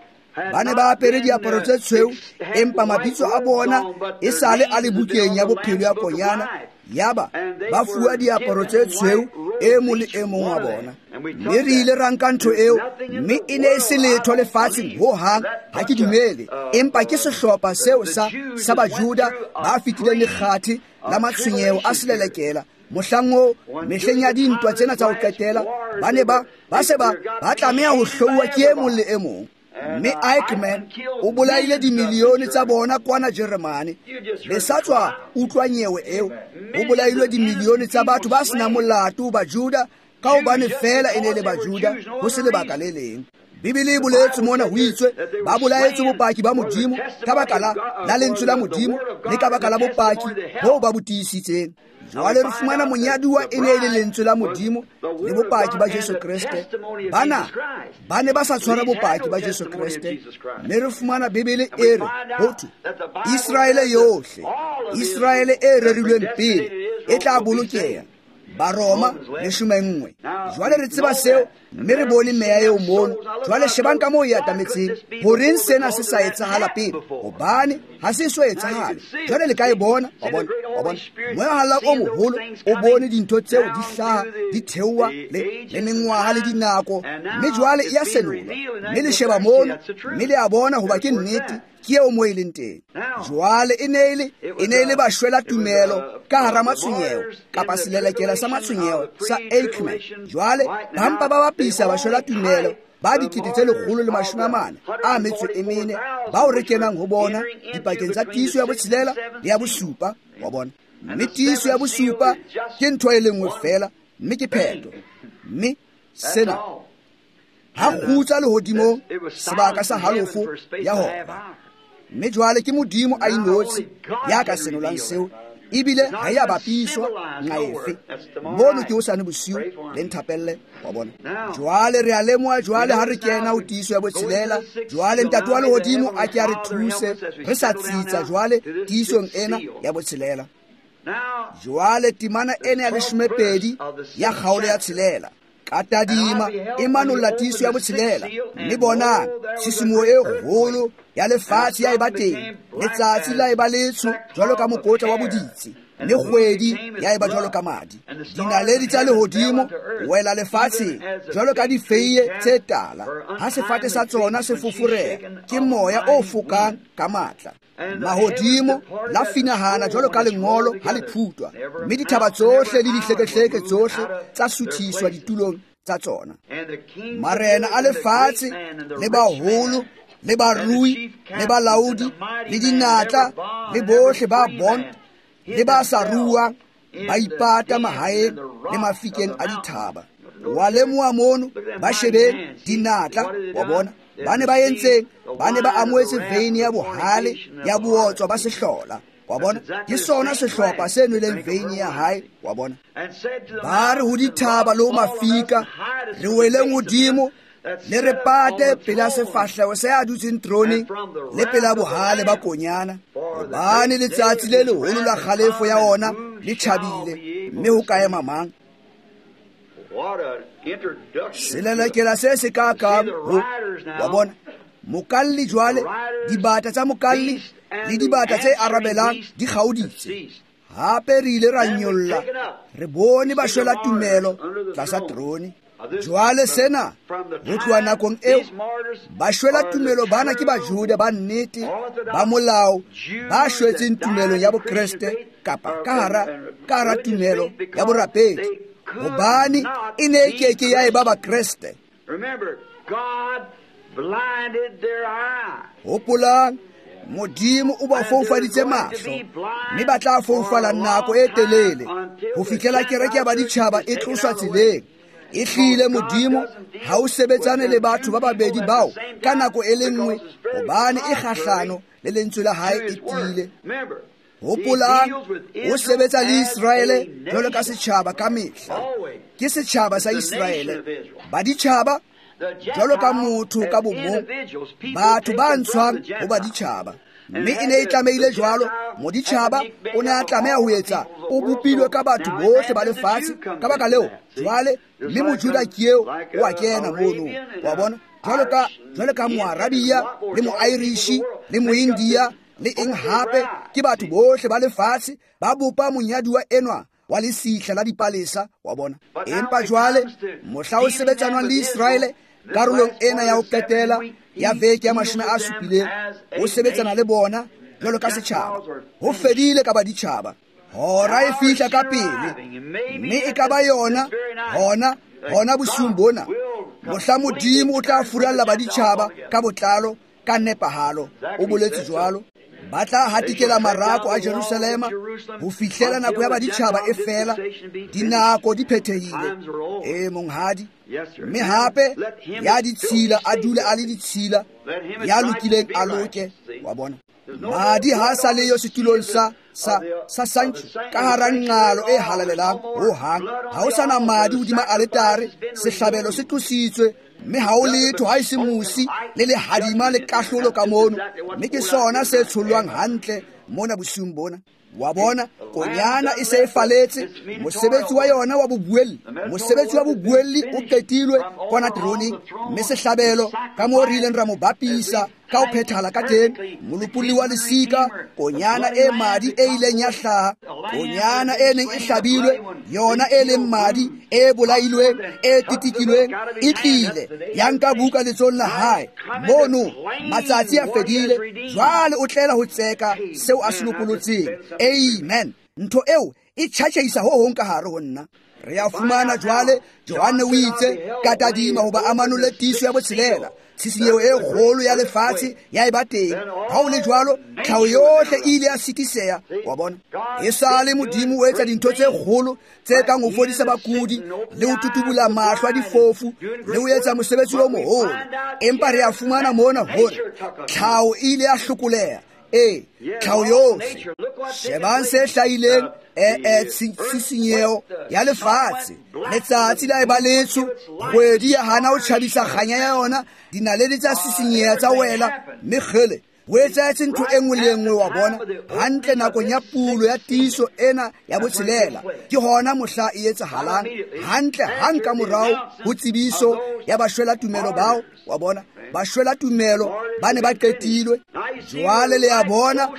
ba ne ba apere diaparo tse tshweu, empa mabitso a bona e sale a le bukeng ya bophelo ya Konyana. Yaba ba fuwa diaparo tse tshweu e mong le e mong wa bona. Mme re ile ra nka ntho eo, mme e ne e se letho lefatsheng ho hang, ha ke dumele, empa ke sehlopha seo sa Bajuda ba fetileng lekgathe la matshwenyeho a selelekela. Mohlang oo, mehleng ya dintwa tsena tsa ho qetela, ba ne ba se ba tlameha ho hlouwa ke e mong le e mong. Mme Eichmann o bolaile dimilione tsa bona kwana Jeremane. Le sa tswa utlwa nyewe eo, ho bolailwe dimilione tsa batho ba senang molato Bajuda, ka hobane feela e ne le Bajuda, ho se lebaka le leng. Bibele e boletse mona, ho itswe ba bolaetswe bopaki ba Modimo ka baka la lentswe la Modimo le ka baka la bopaki boo ba bo tiisitseng. Jwale re fumana monyaduwa e ne e le lentswe la Modimo le bopaki ba Jesu Kreste. Bana ba ne ba sa tshwara bopaki ba Jesu Kreste. Mme re fumana Bibele e re ho thwe Israele yohle, Israele e rerilweng pele e tla bolokeha. Baroma 11. Jwale re tseba seo, mme re bone meya eo mono. Jwale shebang ka moo e atametseng. Horeng sena se sa etsahala pele? Hobane ha se so etsahale. Jwale le ka e bona, wa bona, wa bona. Moya o moholo o bone dintho tseo di hlaha, di theoha le mengwaha le dinako, mme jwale e a senolwa. Mme le sheba mono, mme le a bona hoba ke nnete, ke eo mo e leng teng. Jwale e ne e le bashwela tumelo ka hara matshwenyeho, kapa selelekela sa matshwenyeho sa Eichmann. Jwale ba mpa ba bapisa bashwela tumelo ba 144,000 bao re kenang ho bona dipakeng tsa tiiso ya botshelela le ya bosupa, wa bona. Mme tiiso ya bosupa ke ntho e le nngwe feela, mme ke phetho. Mme sena ha kgutsa lehodimong sebaka sa halofo ya hora. Mme jwale ke Modimo a inotshi ya ka senolang seo, ebile ha ya bapiswa nqa efe. Mono ke hosane bosiu, le nthapelle, wa bona. Jwale re a lemoha jwale ha re kena ho tiiso ya botshelela. Jwale Ntate wa lehodimo a ke a re thuse re sa tsitsa jwale tiisong ena ya botshelela. Jwale temana ena ya 12 ya kgaolo ya 6. Ka tadima e manolla tiiso ya botshelela, mme bonang tshisimoho e kgolo ya lefatshe ya eba teng. Letsatsi la eba letsho jwalo ka mokotla wa boditse, mme kgwedi ya eba jwalo ka madi. Dinaledi tsa lehodimo wela lefatsheng jwalo ka difeiye tse tala, ha sefate sa tsona se foforeha ke moya o fokang ka matla. Mahodimo la finahana jwalo ka lengolo ha le phutwa, mme dithaba tsohle le dihlekehleke tsohle tsa suthiswa ditulong tsa tsona. Marena a lefatshe le baholo le barui le balaodi le dinatla le bohle ba bond le ba sa ruang ba ipata mahaeng le mafikeng a dithaba. Wa lemoha mono, ba shebeng dinatla, wa bona. Ba ne ba entseng? Ba ne ba amohetse veine ya bohale ya bootswa ba sehlola, wa bona. Ke sona sehlopha se nweleng veine ya hae, wa bona. Ba re ho dithaba le ho mafika, re weleng hodimo, le re pate pela sefahleho se a dutseng teroneng le pela bohale ba Konyana, hobane letsatsi le leholo la kgalefo ya ona le tjhabile, mme ho ka ema mang? Selelekela se se ka kang ho, wa bona. Mokalli jwale, dibata tsa mokalli le dibata tse arabelang di kgaoditse. Hape re ile ra nyolla, re bone bashwela tumelo tlasa terone. Jwale sena ho tloha nakong eo, bashwela tumelo bana ke Bajuda ba nnete ba molao ba shwetseng tumelong ya Bokreste kapa ka hara tumelo ya borapedi, hobane e ne e keke ya eba Bakreste. Hopolang, Modimo o ba foufaditse mahlo, mme ba tla foufala nako e telele ho fihlela kereke ya baditjhaba e tloswa tseleng. E hlile Modimo ha o sebetsane le batho ba babedi bao ka nako e le nngwe, hobane e kgahlano le lentswe la hae e tiile. Hopolang, o sebetsa le Israele jwalo ka setjhaba ka mehla. Ke setjhaba sa Israele. Baditjhaba jwalo ka motho ka bomong, batho ba ntshwang ho baditjhaba. Mme e ne e tlamehile jwalo, moditjhaba o ne a tlameha ho etsa, o bopilwe ka batho bohle ba lefatshe. Ka baka leo, jwale, mme Mojuda ke eo o a kena mono. Wa bona? Jwalo ka Moarabia le Moirishi le Moindia le eng hape, ke batho bohle ba lefatshe ba bopa monyaduwa enwa wa lesihla la dipalesa, wa bona. Empa jwale mohla o sebetsanwang le Israele karolong ena ya ho qetela ya veke ya 70, o sebetsana le bona jwalo ka setjhaba. Ho fedile ka baditjhaba. Hora e fihla ka pele, mme e ka ba yona hona bosiung bona, mohla Modimo o tla furalla baditjhaba ka botlalo, ka nepahalo. O boletse jwalo. Ba tla hatikela marako a Jerusalema ho fihlela nako ya baditjhaba e fela, dinako di phethehile. E monghadi. Mme hape ya ditshila a dule a le ditshila, ya lokileng a loke, wa bona. Madi ha sa le yo setulong sa santšu ka hara nqalo e halalelang ho hang. Ha ho sana madi hodima aletare, sehlabelo se tlositswe, mme ha o letho ha e se mosi le lehadima le kahlolo ka mono. Mme ke sona se tshollwang hantle mona bosiung bona. Wa bona, konyana e se e faletse, mosebetsi wa yona wa bobuelli, mosebetsi wa bobuelli o qetilwe kwana teroneng, mme sehlabelo ka moo re ileng ra mo bapisa ka ho phethahala ka teng, molopolli wa lesika, konyana e madi e ileng ya hlaha, konyana e neng e hlabilwe, yona e leng madi e bolailweng, e titikilweng, e tlile ya nka buka letsohong la hae. Mono matsatsi a fedile, jwale o tlela ho tseka seo a se lopolotseng. Amen. Ntho eo e tjhatjhaisa ho hong ka hare ho nna. Re a fumana jwale, Johanne o itse ka tadima hoba a manole tiiso ya botshelela, tshisinyeho e kgolo ya lefatshe ya eba teng. Ha ho le jwalo, tlhaho yohle e ile ya sitiseha, wa bona. Esale Modimo o etsa dintho tse kgolo tse kang ho fodisa bakudi le ho tutubula mahlo a difofu le ho etsa mosebetsi o moholo. Empa re a fumana mona hore tlhaho e ile ya hlokoleha. E, tlhaho yohle. Shebang se hlahileng, tshisinyeho ya lefatshe. Letsatsi la eba letsho, kgwedi ya hana ho tjhabisa kganya ya yona, dinaledi tsa sisinyeha tsa wela, mme kgele ho etsahetse ntho e nngwe le e nngwe, wa bona, hantle nakong ya pulo ya tiiso ena ya botshelela. Ke hona mohla e etsahalang hantle hang ka morao ho tsebiso ya bashwela tumelo bao, wa bona, bashwela tumelo ba ne ba qetilwe. Jwale le a bona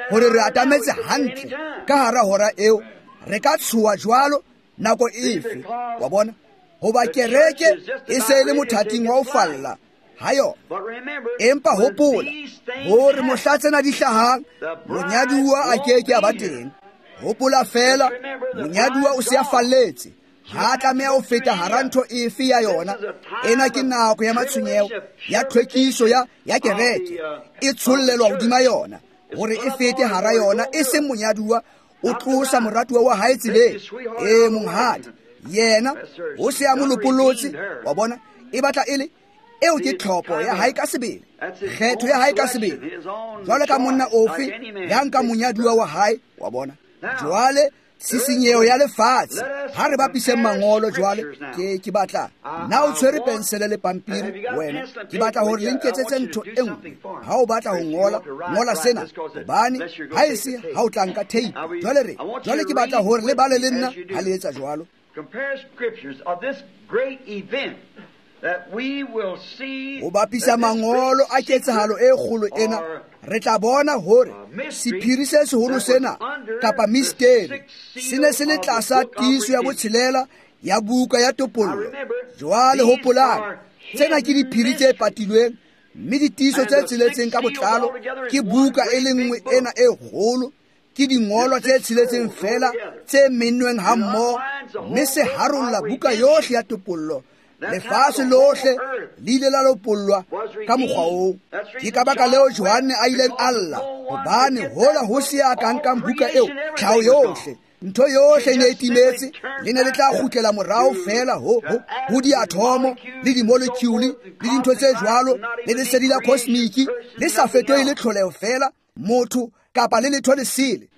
hore re atametse hantle ka hara hora eo. Re ka tshoha jwalo nako efe, wa bona, hoba kereke e se e le mothating wa ho falla ha yona. Empa hopola hore mohla tsena di hlahang, monyaduwa a ke ke a ba teng. Hopola fela, monyaduwa o se a falletse, ha tlameha ho feta hara ntho efe ya yona. Ena ke nako ya matshwenyeho ya tlhwekiso ya kereke, e tshollelwa hodima yona hore e fete hara yona, e seng monyaduwa o tlosa moratuwa wa hae tseleng. E monghadi, yena o se a mo lopolotse, wa bona, e batla e le eo ke tlhopho ya hae ka sebele, kgetho ya hae ka sebele, jwalo ka monna ofe ya nka monyaduwa wa hae, wa bona. Jwale tshisinyeho ya lefatshe, ha re bapiseng mangolo jwale. Ke batla na o tshwere pensele le pampiri wena, ke batla hore le nketsetse ntho e nngwe. Ha o batla ho ngola, ngola sena, hobane ha e se ha o tla nka tape. Jwale ke batla hore le bale le nna ha le etsa jwalo. Ho bapisa mangolo a ketsahalo e kgolo ena, re tla bona hore sephiri se seholo sena kapa misteri se ne se le tlasa tiiso ya botshelela ya buka ya topollo. Jwale hopolang, tsena ke diphiri tse patilweng, mme ditiiso tse tsheletseng ka botlalo ke buka e le nngwe ena e kgolo. Ke dingolwa tse tsheletseng fela tse mennweng hammoho, mme se harolla buka yohle ya topollo. Lefatshe lohle le ile la lopollwa ka mokgwa oo. Ke ka baka leo Johanne a ileng a lla, hobane hola ho se ya ka nkang buka eo, tlhaho yohle, ntho yohle e ne e timetse, le ne le tla kgutlela morao fela ho diathomo le di-molecule le dintho tse jwalo, le lesedi la cosmic le sa fetohe le tlholeho fela, motho kapa le letho lesele.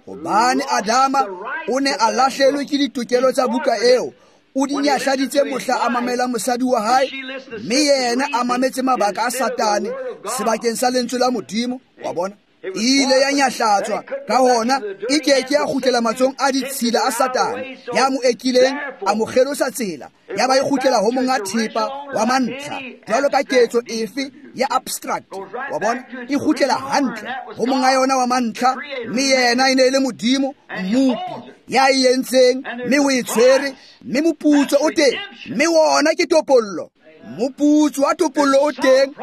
Hobane Adama o ne a lahlelwe ke ditokelo tsa buka eo, O di nyahladitse mohla a mamela mosadi wa hae, mme yena a mametse mabaka a Satane sebakeng sa lentswe la Modimo. Wa bona, e ile ya nyahlatswa, ka hona e ke ke ya kgutlela matsohong a ditshila a Satane ya mo ekileng a mo kgelosa tsela, ya ba e kgutlela ho monga thepa wa mantlha jwalo ka ketso efe ya abstract. Wa bona, e kgutlela hantle ho monga yona wa mantlha, mme yena e ne e le Modimo Mmopi ya e entseng, mme o e tshwere, mme moputso o teng, mme wona ke topollo. Moputso wa topollo o teng,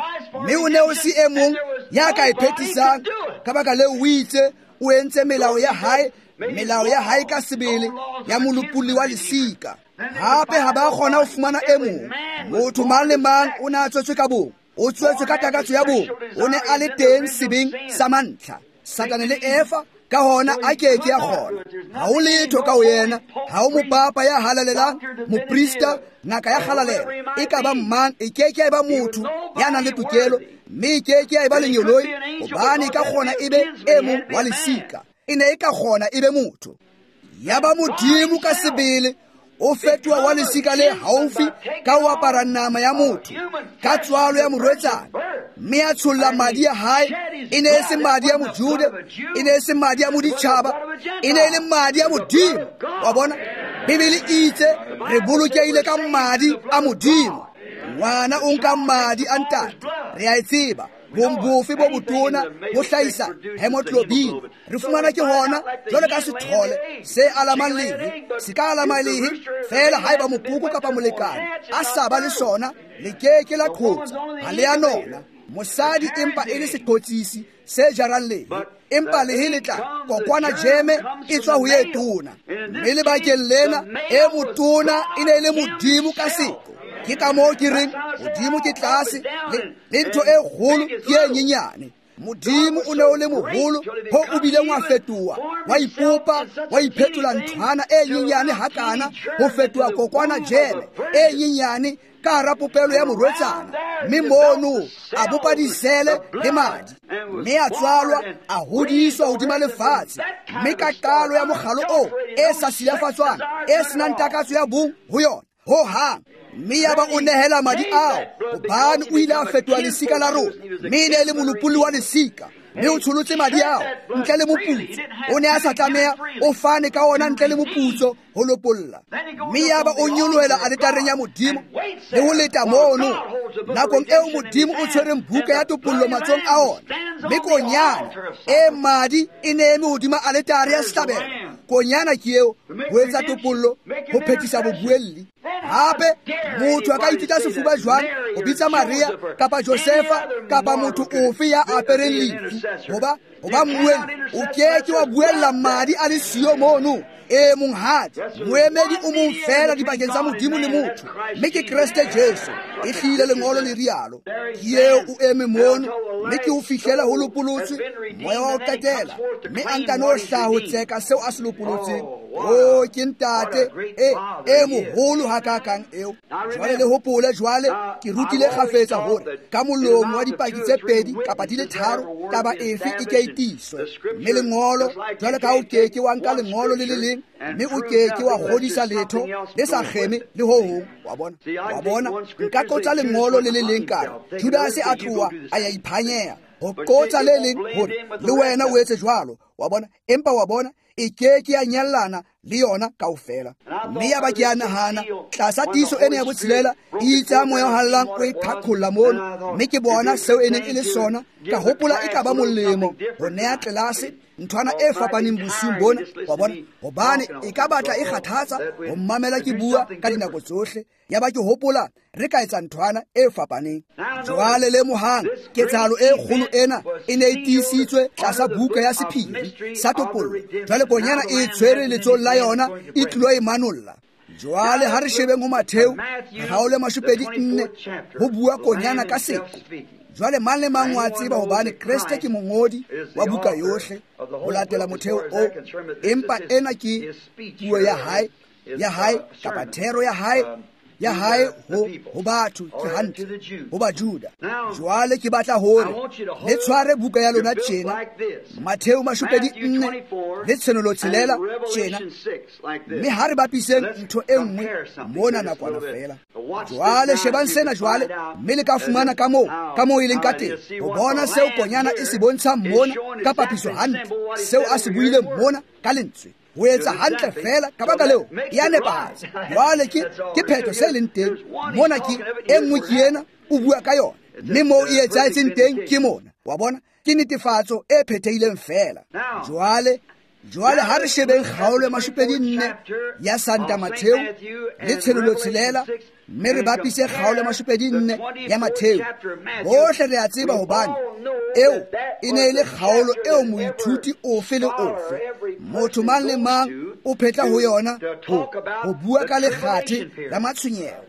mme o ne o se e mong ya ka e phethisang. Ka baka leo o itse o entse melao ya hae, melao ya hae ka sebele ya molopolli wa lesika. Hape ha ba kgona ho fumana e mong. Motho mang le mang o ne a tswetswe ka bong, o tswetswe ka takatso ya bong, o ne a le teng sebeng sa mantlha, Satane le Eva. Ka hona a ke ke ya kgona. Ha ho letho ka ho yena, ha ho mopapa ya halalelang, moprista, ngaka ya kgalalelo, e ka ba mang, e ke ke ya eba motho ya nang le tokelo, mme e ke ke ya eba lengeloi, hobane e ka kgona e be e mong wa lesika. E ne e ka kgona e be motho. Ya ba Modimo ka sebele o fetoha wa lesika le haufi ka ho apara nama ya motho ka tswalo ya morwetsana, mme a tsholla madi a hae. E ne e se madi a Mojude, e ne e se madi a moditjhaba, e ne e le madi a Modimo. Wa bona, Bibele e itse re bolokehile ka madi a Modimo. Ngwana o nka madi a ntate, re a e tseba. Bong bofe bo botona bo hlahisa hemoglobin. Re fumana ke hona jwalo ka sethole se alamang lehe, se ka alama lehe feela haeba mokoko kapa molekane a sa ba le sona, le ke ke la qhotsa, ha le a nona. Mosadi empa e le seqhotsisi se jarang lehe, empa lehe le tla kokwana jeme e tswa ho e tona. Mme lebakeng lena e motona e ne e le Modimo ka seqo. Ke ka moo ke reng Modimo ke tlase, le ntho e kgolo ke e nyenyane. Modimo o ne o le moholo ho o bileng wa fetoha, wa ipopa, wa iphetola nthwana e nyenyane hakana ho fetoha kokwana jeme e nyenyane ka hara popelo ya morwetsana. Mme mono a bopa disele le madi, mme a tswalwa, a hodiswa hodima lefatshe, mme ka qalo ya mokgalo oo e sa silafatswang, e senang takatso ya bong ho yona ho hang. Mme ya ba o nehela madi ao, hobane o ile a fetoha lesika la rona, mme e ne e le molopolli wa lesika, mme o tsholotse madi ao ntle le moputso. O ne a sa tlameha, o fane ka ona ntle le moputso ho lopolla. Mme ya ba o nyolohela aletareng ya Modimo le ho leta mono nakong eo Modimo o tshwereng buka ya topollo matsohong a ona, mme konyana e madi e ne eme hodima aletare ya sehlabelo. Konyana ke eo ho etsa topollo, ho phethisa bobuelli. Hape motho a ka itita sefuba jwang ho bitsa Maria kapa Josefa kapa motho ofe ya apereng lefi hoba mmuelli? O ke ke wa buella madi a le siyo mono. E monghadi, moemedi o mong feela dipakeng tsa Modimo le motho, mme ke Kreste Jesu. E hlile lengolo le rialo. Ke eo o eme mono, mme ke ho fihlela ho lopolotswe moya wa ho qetela, mme a nkano hlaha ho tseka seo a se lopolotseng. O ke ntate e moholo hakakang eo. Jwale le hopole, jwale ke rutile kgafetsa hore ka molomo wa dipaki tse pedi kapa di le tharo taba efe e ke e tiiswe. Mme lengolo, jwale ka o ke ke wa nka lengolo le le leng, mme o ke ke wa kgodisa letho le sa kgeme le ho hong. Wa bona, wa bona, nka qotsa lengolo le le leng ka re Judase a tloha a ya iphanyeha, ho qotsa le leng hore le wena o etse jwalo. Wa bona, empa wa bona e ke ke ya nyallana le yona kaofela. Mme ya ba ke a nahana tlasa tiiso ena ya botshelela e itse ha moya o hallang o e qhaqholla mono, mme ke bona seo e neng e le sona. Ka hopola e ka ba molemo ho neha tlelase nthwana e fapaneng bosiung bona. Wa bona, hobane e ka batla e kgathatsa ho mmamela ke bua ka dinako tsohle. Ya ba ke hopola re ka etsa nthwana e fapaneng. Jwale lemohang ketsahalo e kgolo ena e ne e tiisitswe tlasa buka ya sephiri sa topollo. Jwale konyana e tshwere letsohong la yona e tlilo e manolla. Jwale ha re shebeng ho Matheu kgaolo 24 ho bua konyana ka seqo. Jwale mang le mang wa tseba hobane Kreste ke mongodi wa buka yohle ho latela motheo o, empa ena ke puo ya hae kapa thero ya hae ya hae ho batho, ke hantle, ho Bajuda. Jwale ke batla hore le tshware buka ya lona tjena, Mattheu 24 le Tshenolo 6 tjena, mme ha re bapiseng ntho e nngwe mona nakwana feela. Jwale shebang sena jwale, mme le ka fumana ka moo e leng ka teng, ho bona seo konyana e se bontshang mona ka papiso hantle, seo a se buileng mona ka lentswe. Ho etsa hantle feela, ka baka leo ya nepahatsa. Jwale ke phetho se leng teng mona, ke e nngwe ke ena o bua ka yona, mme moo e etsahetseng teng ke mona. Wa bona, ke netefatso e phethehileng feela. Jwale ha re shebeng kgaolo ya 24 ya Santa Mattheu le Tshenolo 6, mme re bapise kgaolo ya 24 ya Mattheu. Bohle re a tseba hobane eo e ne e le kgaolo eo moithuti ofe le ofe, motho mang le mang o phetla ho yona ho bua ka lekgathe la matshwenyeho.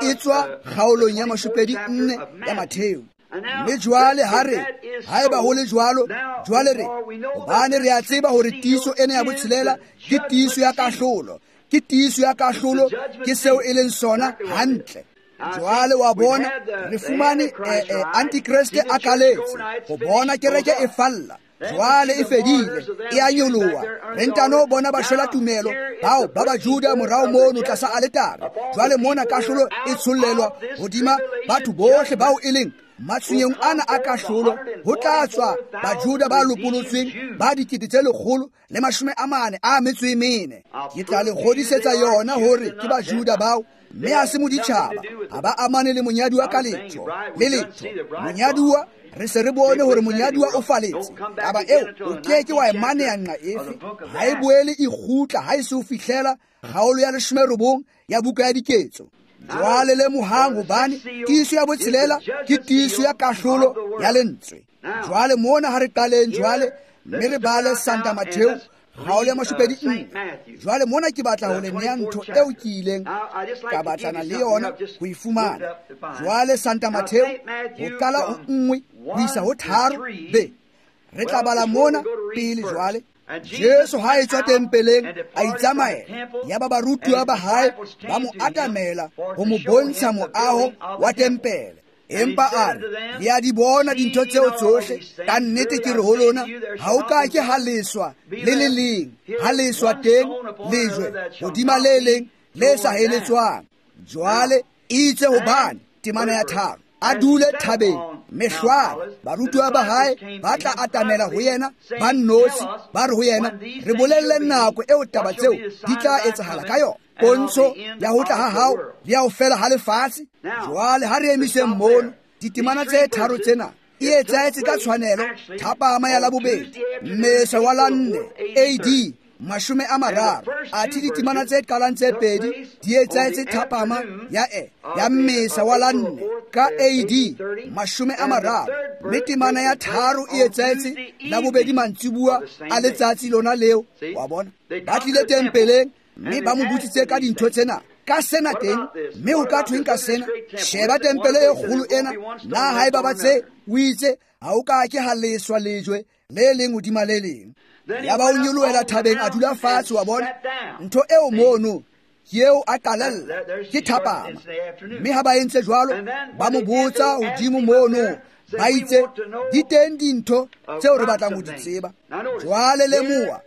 E tswa kgaolong ya 24 ya Mattheu. Mme jwale ha re, haeba ho le jwalo, jwale re, hobane re a tseba hore tiiso ena ya botshelela ke tiiso ya kahlolo, ke tiiso ya kahlolo, ke seo e leng sona hantle. Jwale wa bona, re fumane antikreste a kaletse, ho bona kereke e falla. Jwale e fedile, e a nyoloha. Re ntano bona ba shwela tumelo bao ba Bajuda morao mono tlasa aletare. Jwale mona kahlolo e tshollelwa hodima batho bohle bao e leng matshwenyehong ana a kahlolo. Ho tla tswa Bajuda ba lopolotsweng ba 144,000. Ke tla le kgodisetsa yona hore ke Bajuda bao, mme ha se moditjhaba, ha ba amane le monyaduwa ka letho le letho. Monyaduwa, re se re bone hore monyaduwa o faletse. Taba eo o ke ke wa e maneha nqa efe, ha e boele e kgutla ha e se ho fihlela kgaolo ya 19 ya buka ya Diketso. Jwale lemohang hobane tiiso ya botshelela ke tiiso ya kahlolo ya lentswe. Jwale mona ha re qaleng jwale, mme re bale Santa Mattheu kgaolo ya 24. Jwale mona ke batla ho le nea ntho eo ke ileng ka batlana le yona ho e fumana. Jwale Santa Mattheu ho qala ho 1 ho isa ho 3 be re tla bala mona pele. Jwale Jesu ha e tswa tempeleng a itsamaela, yaba barutuwa ba hae ba mo atamela ho mo bontsha moaho wa tempele. Empa a re, le a di bona dintho tseo tsohle, ka nnete ke re ho lona, ha o ka ke ha leswa le le leng, ha leswa teng lejwe hodima le leng le sa heletswang. Jwale itse hobane temana ya 3, a dule thabeng mehlware, barutuwa ba hae ba tla atamela ho yena ba nnotshi, ba re ho yena, re bolelle nako eo taba tseo di tla etsahala ka yona, pontsho ya ho tla ha hao le ya ho fela ha lefatshe. Jwale ha re emiseng mono ditemana tse 3 tsena e etsahetse ka tshwanelo thapama ya Labobedi, mmesa wa la 4 AD 30. Athe ditemana tse qalang tse 2 di etsahetse thapama ya mmesa wa la 4 ka AD 30, mme temana ya 3 e etsahetse Labobedi mantsibuwa a letsatsi lona leo. Wa bona, ba tlile tempeleng mme ba mo botsitse ka dintho tsena, ka sena teng, mme o ka thweng ka sena? Sheba tempele e kgolo ena, na haeba ba tse o itse ha o ka ke ha leswa lejwe le leng hodima le leng. Yaba o nyolohela thabeng a dula fatshe. Wa bona ntho eo mono ke eo a qalella ke thapama. Mme ha ba entse jwalo, ba mo botsa hodimo mono, ba itse di teng dintho tseo re batlang ho di tseba. Jwale lemoha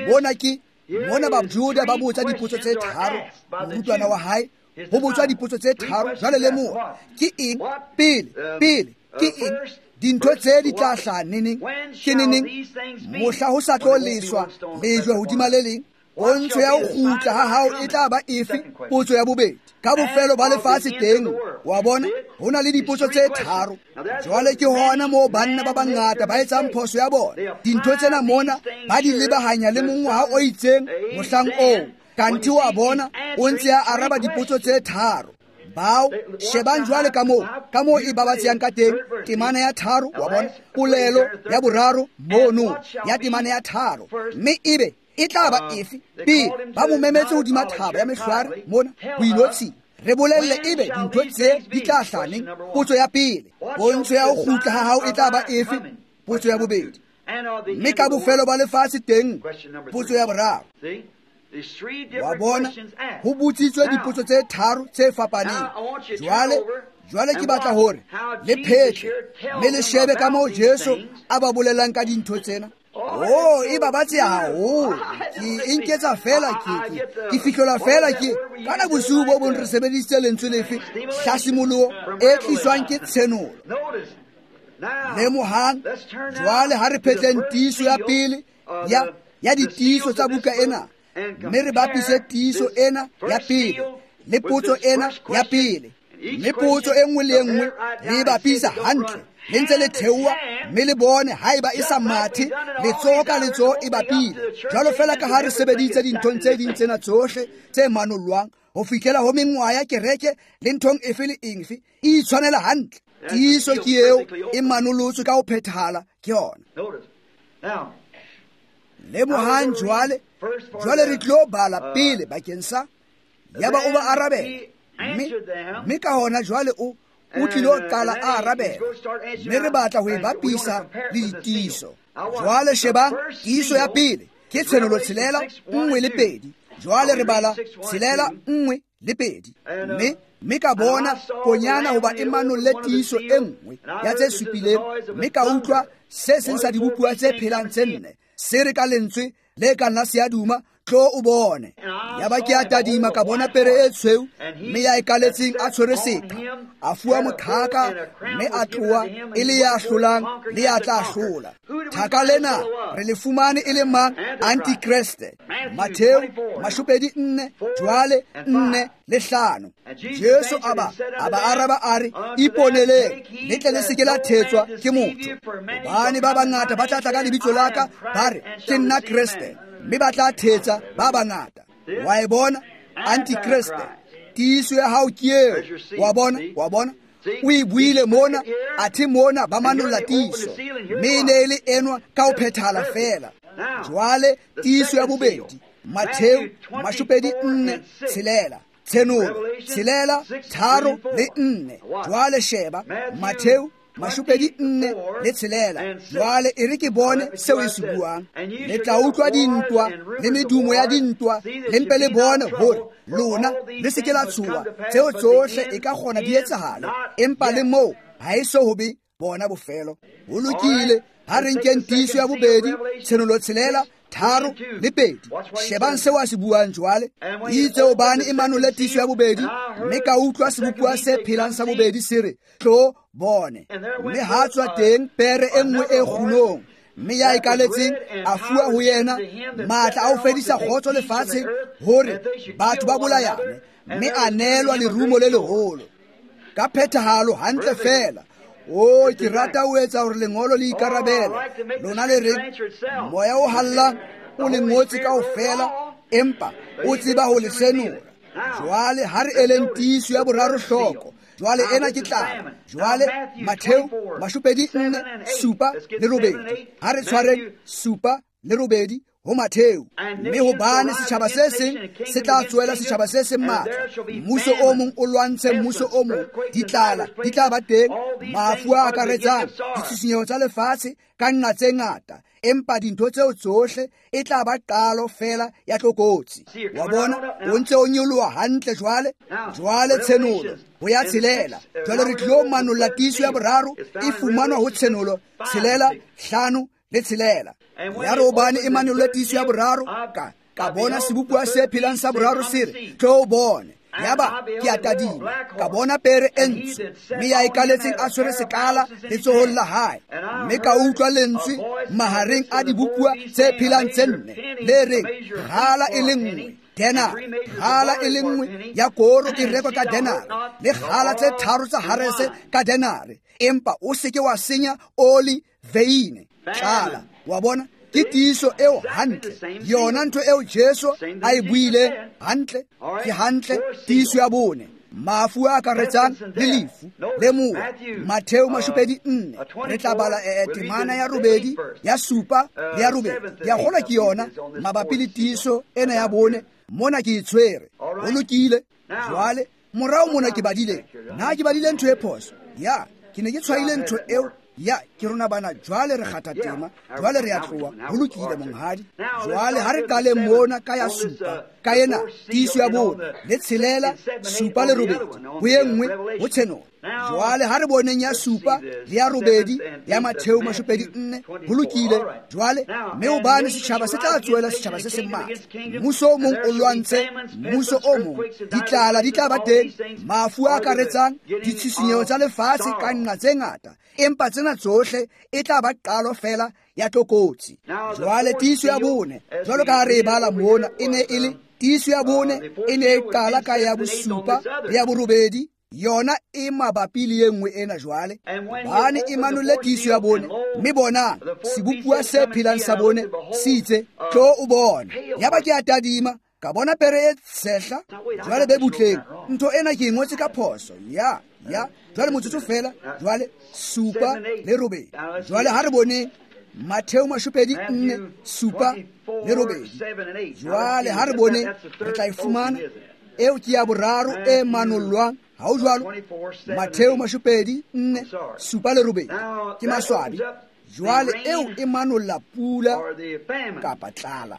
mona ke mona Bajuda ba botsa dipotso tse 3, morutwana wa hae ho botswa dipotso tse 3. Jwale lemoha ke eng pele ke eng dintho tse di tla hlaha neneng, ke neneng mohla ho sa tlo leswa lejwe hodima le leng? Pontsho ya ho kgutla ha hao e tla ba efe? Potso ya bobedi. Ka bofelo ba lefatshe teng, wa bona, ho na le dipotso tse 3. Jwale ke hona moo banna ba bangata ba etsang phoso ya bona. Dintho tsena mona ba di lebahanya le mongwaha o itseng mohlang oo, kanthe wa bona o ntse a araba dipotso tse 3. Bao shebang jwale ka moo e babatsehang ka teng temana ya 3, wa bona, polelo ya boraro mono ya temana ya 3, mme ebe e tla ba efe? Pele ba mo memetse hodima thaba ya mehlware mona ho inotshing, re bolelle ebe dintho tse di tla hlaha neng? Potso ya pele. Pontsho ya ho kgutla ha hao e tla ba efe? Potso ya bobedi. Mme ka bofelo ba lefatshe teng, potso ya boraro. Wa bona, ho botsitswe dipotso tse tharo tse fapaneng. Jwale ke batla hore le phetle mme le shebe ka moo Jesu a ba bolelang ka dintho tsena. Oh, e babatse haholo. Ke e nketsa fela ke fihlola fela ke kana bosiu bo bong re sebedisitse lentswe lefe hlasimoloho e tliswang ke tshenolo. Lemohang jwale ha re phetleng tiiso ya pele ya ditiiso tsa buka ena, mme re bapise tiiso ena ya pele le potso ena ya pele. Mme potso e nngwe le e nngwe le e bapisa hantle, le ntse le theoha mme le bone haeba e sa mathe letsoho ka letsoho e bapile. Jwalo fela ka ha re sebeditse dinthong tse ding tsena tsohle tse manollwang ho fihlela ho mengwaha ya kereke le nthong efe le efe, e itshwanela hantle. Tiiso ke eo e manolotswe ka ho phethahala ke yona. Lemohang jwale re tlo bala pele bakeng sa yaba o ba arabela. Mme ka hona jwale o tlilo qala a arabela, mme re batla ho e bapisa le ditiiso. Jwale shebang tiiso ya pele ke Tshenolo 6, 1 le 2. Jwale re bala 6, 1 le 2. Mme ka bona konyana hoba e manolle tiiso e nngwe ya tse supileng, mme ka utlwa se seng sa dibopuwa tse phelang tse nne se re ka lentswe le ka nna seaduma, tlo o bone. Yaba ke a tadima ka bona pere e tshweu, mme ya e kaletseng a tshwere seqha, a fuwa moqhaka, mme a tloha e le ya hlolang le ya tla hlola. Thaka lena re le fumane e le mang? Antikreste. Mattheu 24, jwale 4 le 5. Jesu a ba araba a re, iponeleng le tle le se ke la thetswa ke motho, hobane ba bangata ba tla tla ka lebitso la ka, ba re ke nna Kreste, mme ba tla thetsa ba bangata. Wa e bona? Antikreste. Tiiso ya hao ke eo. Wa bona? Wa bona? O e buile mona, athe mona ba manolla tiiso, mme e ne e le enwa ka ho phethahala fela. Jwale tiiso ya bobedi, Mattheu 24, 6. Tshenolo 6, 3 le 4. Jwale sheba Mattheu 24 le 6. Jwale e re ke bone seo e se buang. Le tla utlwa dintwa le medumo ya dintwa, le mpe le bone hore lona le se ke la tshoha. Tseo tsohle e ka kgona di etsahale, empa le moo ha e so ho be bona bofelo. Ho lokile, ha re nkeng tiiso ya bobedi, Tshenolo 6, 3 le 2. Shebang seo a se buang jwale. Itse hobane e manolle tiiso ya bobedi, mme ka utlwa sebopuwa se phelang sa bobedi se re, tlo bone. Mme ha tswa teng pere e nngwe e kgunong, mme ya e kaletseng a fuwa ho yena matla a ho fedisa kgotso lefatsheng, hore batho ba bolayane, mme a neelwa lerumo le leholo. Ka phethahalo hantle fela. O ke rata ho etsa hore lengolo le ikarabele. Lona le reng moya o hallang o le ngotse kaofela, empa o tseba ho le senola. Jwale ha re eleng tiiso ya boraro hloko. Jwale ena ke tlala. Jwale Mattheu 24, 7 le 8. Ha re tshwareng 7 le 8 ho Mattheu. Mme hobane setjhaba se seng se tla tsoela setjhaba se seng matla, mmuso o mong o lwantshe mmuso o mong, ditlala di tla ba teng, mafu a akaretsang, ditshisinyeho tsa lefatshe ka nna tse ngata, empa dintho tseo tsohle e tla ba qalo fela ya tlokotsi. Wa bona, o ntse o nyoloha hantle jwale. Jwale Tshenolo ho ya 6. Jwale re tlo manolla tiiso ya boraro e fumanwa ho Tshenolo 6, 5 le 6. Ya re hobane e manolle tiiso ya boraro, ka bona sebopuwa se phelang sa boraro se re, tlo bone. Yaba ke a tadima, ka bona pere e ntsho, mme ya e kaletseng a tshwere sekala letsohong la hae. Mme ka utlwa lentswe mahareng a dibopuwa tse phelang tse nne le reng, kgala e le nngwe denare, kgala e le nngwe ya koro e rekwa ka denare, le kgala tse tharo tsa harese ka denare, empa o se ke wa senya oli veine. Tlala. Wa bona? Ke tiiso eo hantle, yona ntho eo Jesu a e buileng hantle. Ke hantle tiiso ya bone, mafu a akaretsang le lefu. Lemoha Mattheu 24, re tla bala temana ya 8, ya 7 le ya 8. Ke a kgolwa ke yona mabapi le tiiso ena ya bone. Mona ke e tshwere. Ho lokile. Jwale morao mona ke badile, nna ke badile ntho e phoso. Ya, ke ne ke tshwaile ntho eo Ya ke rona bana jwale re kgatha tema, jwale re a tloha, ho lokile monghadi. Jwale ha re qale mona ka ya supa, ka ena tiiso ya bone le tshelela, supa le robedi, ho e nngwe ho Tshenolo. Jwale ha re boneng ya supa le ya robedi ya Matheo 24, ho lokile. Jwale mme hobane setjhaba se tla tsohela setjhaba se seng matla, mmuso o mong o lwantshe mmuso o mong, ditlala di tla ba teng, mafu a akaretsang, ditshisinyeho tsa lefatshe ka nqa tse ngata, empa tsena tsohle e tla ba qalo fela ya tlokotsi. Jwale tiiso ya bone, jwalo ka ha re e bala mona, e ne e le tiiso ya bone, e ne e qala ka ya bosupa le ya borobedi. Yona e mabapi le e nngwe ena jwale. Bane e manolle tiiso ya bone, mme bonang sebopuwa se phelang sa bone se itse, tlo o bone. Yaba ke a tadima, ka bona pere e tshehla. Jwale be butleng, ntho ena ke e ngotse ka phoso. Ya jwale motsotso fela. Jwale supa le robedi. Jwale ha re boneng Matheo 24, supa le robedi. Jwale ha re boneng, re tla e fumana. Eo ke ya boraro e manollwang. Ha o jwalo? Matheo 24, supa le robedi. Ke maswabi. Jwale eo e manolla pula kapa tlala,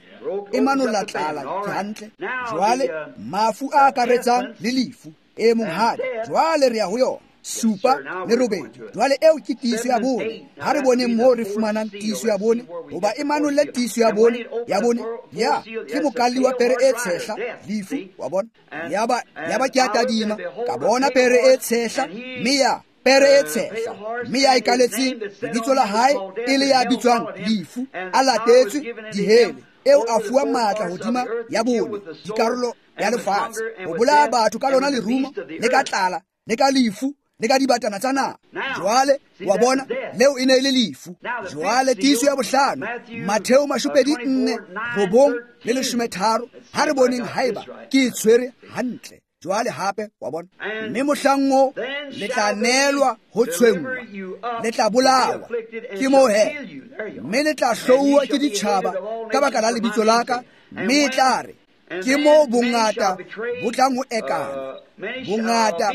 e manolla tlala, ke hantle. Jwale mafu a akaretsang le lefu, e monghadi. Jwale re ya ho yona, supa le robedi. Jwale eo ke tiiso ya bone. Ha re boneng moo re fumanang tiiso ya bone, hoba e manolle tiiso ya bone, ya bone, ya ke mokalli wa pere e tshehla, lefu, wa bona. Yaba ke a tadima, ka bona pere e tshehla, mme ya pere e tshehla, mme ya e kaletseng lebitso la hae e le ya bitswang lefu, a latetswe dihele. Eo a fuwa matla hodima ya bone dikarolo ya lefatshe, ho bolaya batho ka lona lerumo, le ka tlala, le ka lefu, le ka dibatana tsa naha. Jwale wa bona, leo e ne e le lefu. Jwale tiiso ya bohlano, Matheo 24, 9 le 13. Ha re boneng haeba ke e tshwere hantle. Jwale hape wa bona, mme mohlang oo le tla neelwa ho tshwenngwa, le tla bolawa ke moo he, mme le tla hlouwa ke ditjhaba ka baka la lebitso la ka, mme e tla re ke moo bongata bo tlang ho ekana, bongata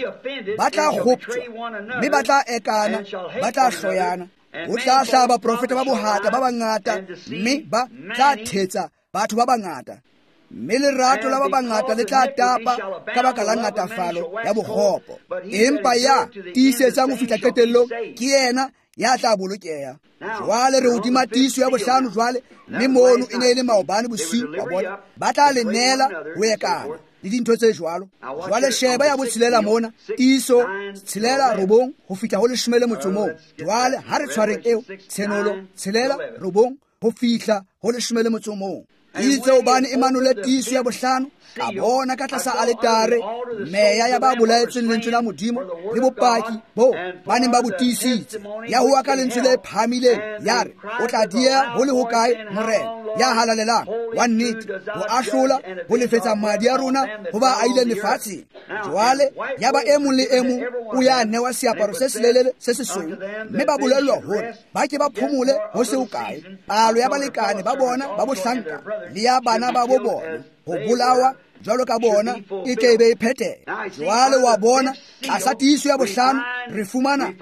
ba tla kgoptjwa, mme ba tla ekana, ba tla hloyana. Ho tla hlaha baprofeta ba bohata ba bangata, mme ba tla thetsa batho ba bangata, mme lerato la ba bangata le tla tapa ka baka la ngatafalo ya bokgopo. Empa ya tiisetsang ho fihla qetellong ke yena ya tla bolokeha. Jwale re hodima tiiso ya bohlano jwale, mme mono e ne e le maobane bosiu, wa bona. Ba tla le neela ho ekana le dintho tse jwalo. Jwale sheba ya botshelela mona, tiiso tshelela robong ho fihla ho 11. Jwale ha re tshwareng eo, Tshenolo tshelela robong ho fihla ho 11. Itse hobane e manole tiiso ya bohlano, ka bona ka tlasa aletare meya ya ba bolaetsweng lentswe la Modimo le bopaki bo ba neng ba bo tiisitse, ya howa ka lentswe le phahamileng, ya re, o tla dieha ho le hokae, Morena ya halalelang wa nnete, ho ahlola ho lefetsa madi a rona ho ba aileng lefatsheng. Jwale ya ba e mong le e mong o ya newa seaparo se selelele se sesweu, mme ba bolellwa hore ba ke ba phomole ho se hokae, palo ya balekane ba bona ba bohlanka le ya bana ba bo bona ho bolawa jwalo ka bona e tle be e phetheha. Jwale wa bona, tlasa tiiso ya bohlano re fumana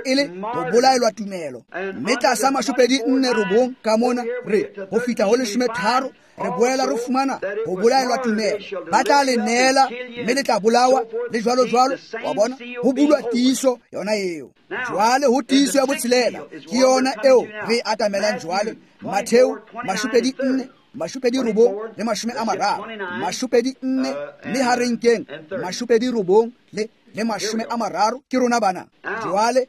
e le ho bolaelwa tumelo, mme tlasa 24 ka mona re ho fihla ho 13 re boela re fumana ho bolaelwa tumelo. Ba tla le neela mme le tla bolawa le jwalo jwalo, wa bona, ho bulwa tiiso yona eo. Jwale ho tiiso ya botshelela ke yona eo re atamelang jwale, Matheo 24, 29 le 30, 24 mme ha re nkeng 29 le 30 ke rona bana. Jwale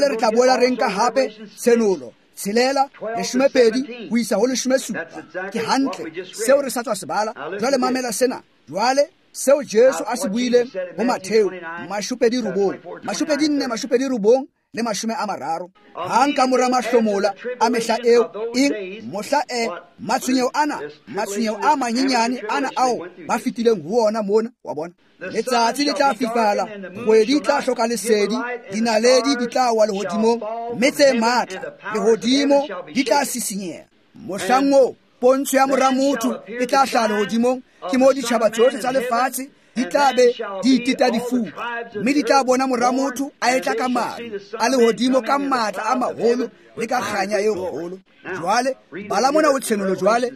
re tla boela re nka hape Tshenolo tshelela 12 ho isa ho 17. Ke hantle seo re sa tswa se bala. Jwale mamela sena. Jwale seo Jesu a se buileng ho Matheo 29, 24, 29 le 30. Hang ka mora mahlomola a mehla eo, eng mohla e matshwenyeho ana, matshwenyeho a manyenyane ana ao ba fetileng ho ona mona, wa bona. Letsatsi le tla fifala, kgwedi e tla hloka lesedi, dinaledi di tla wa lehodimong, mme tse matla lehodimo di tla sisinyeha. Mohlang oo pontsho ya mora motho e tla hlaha lehodimong, ke moo ditjhaba tsohle tsa lefatshe di tla be di iteta difuba, mme di tla bona mora motho a etla ka maru a lehodimo ka matla a maholo le ka kganya e kgolo. Jwale bala mona o tshenolo jwale,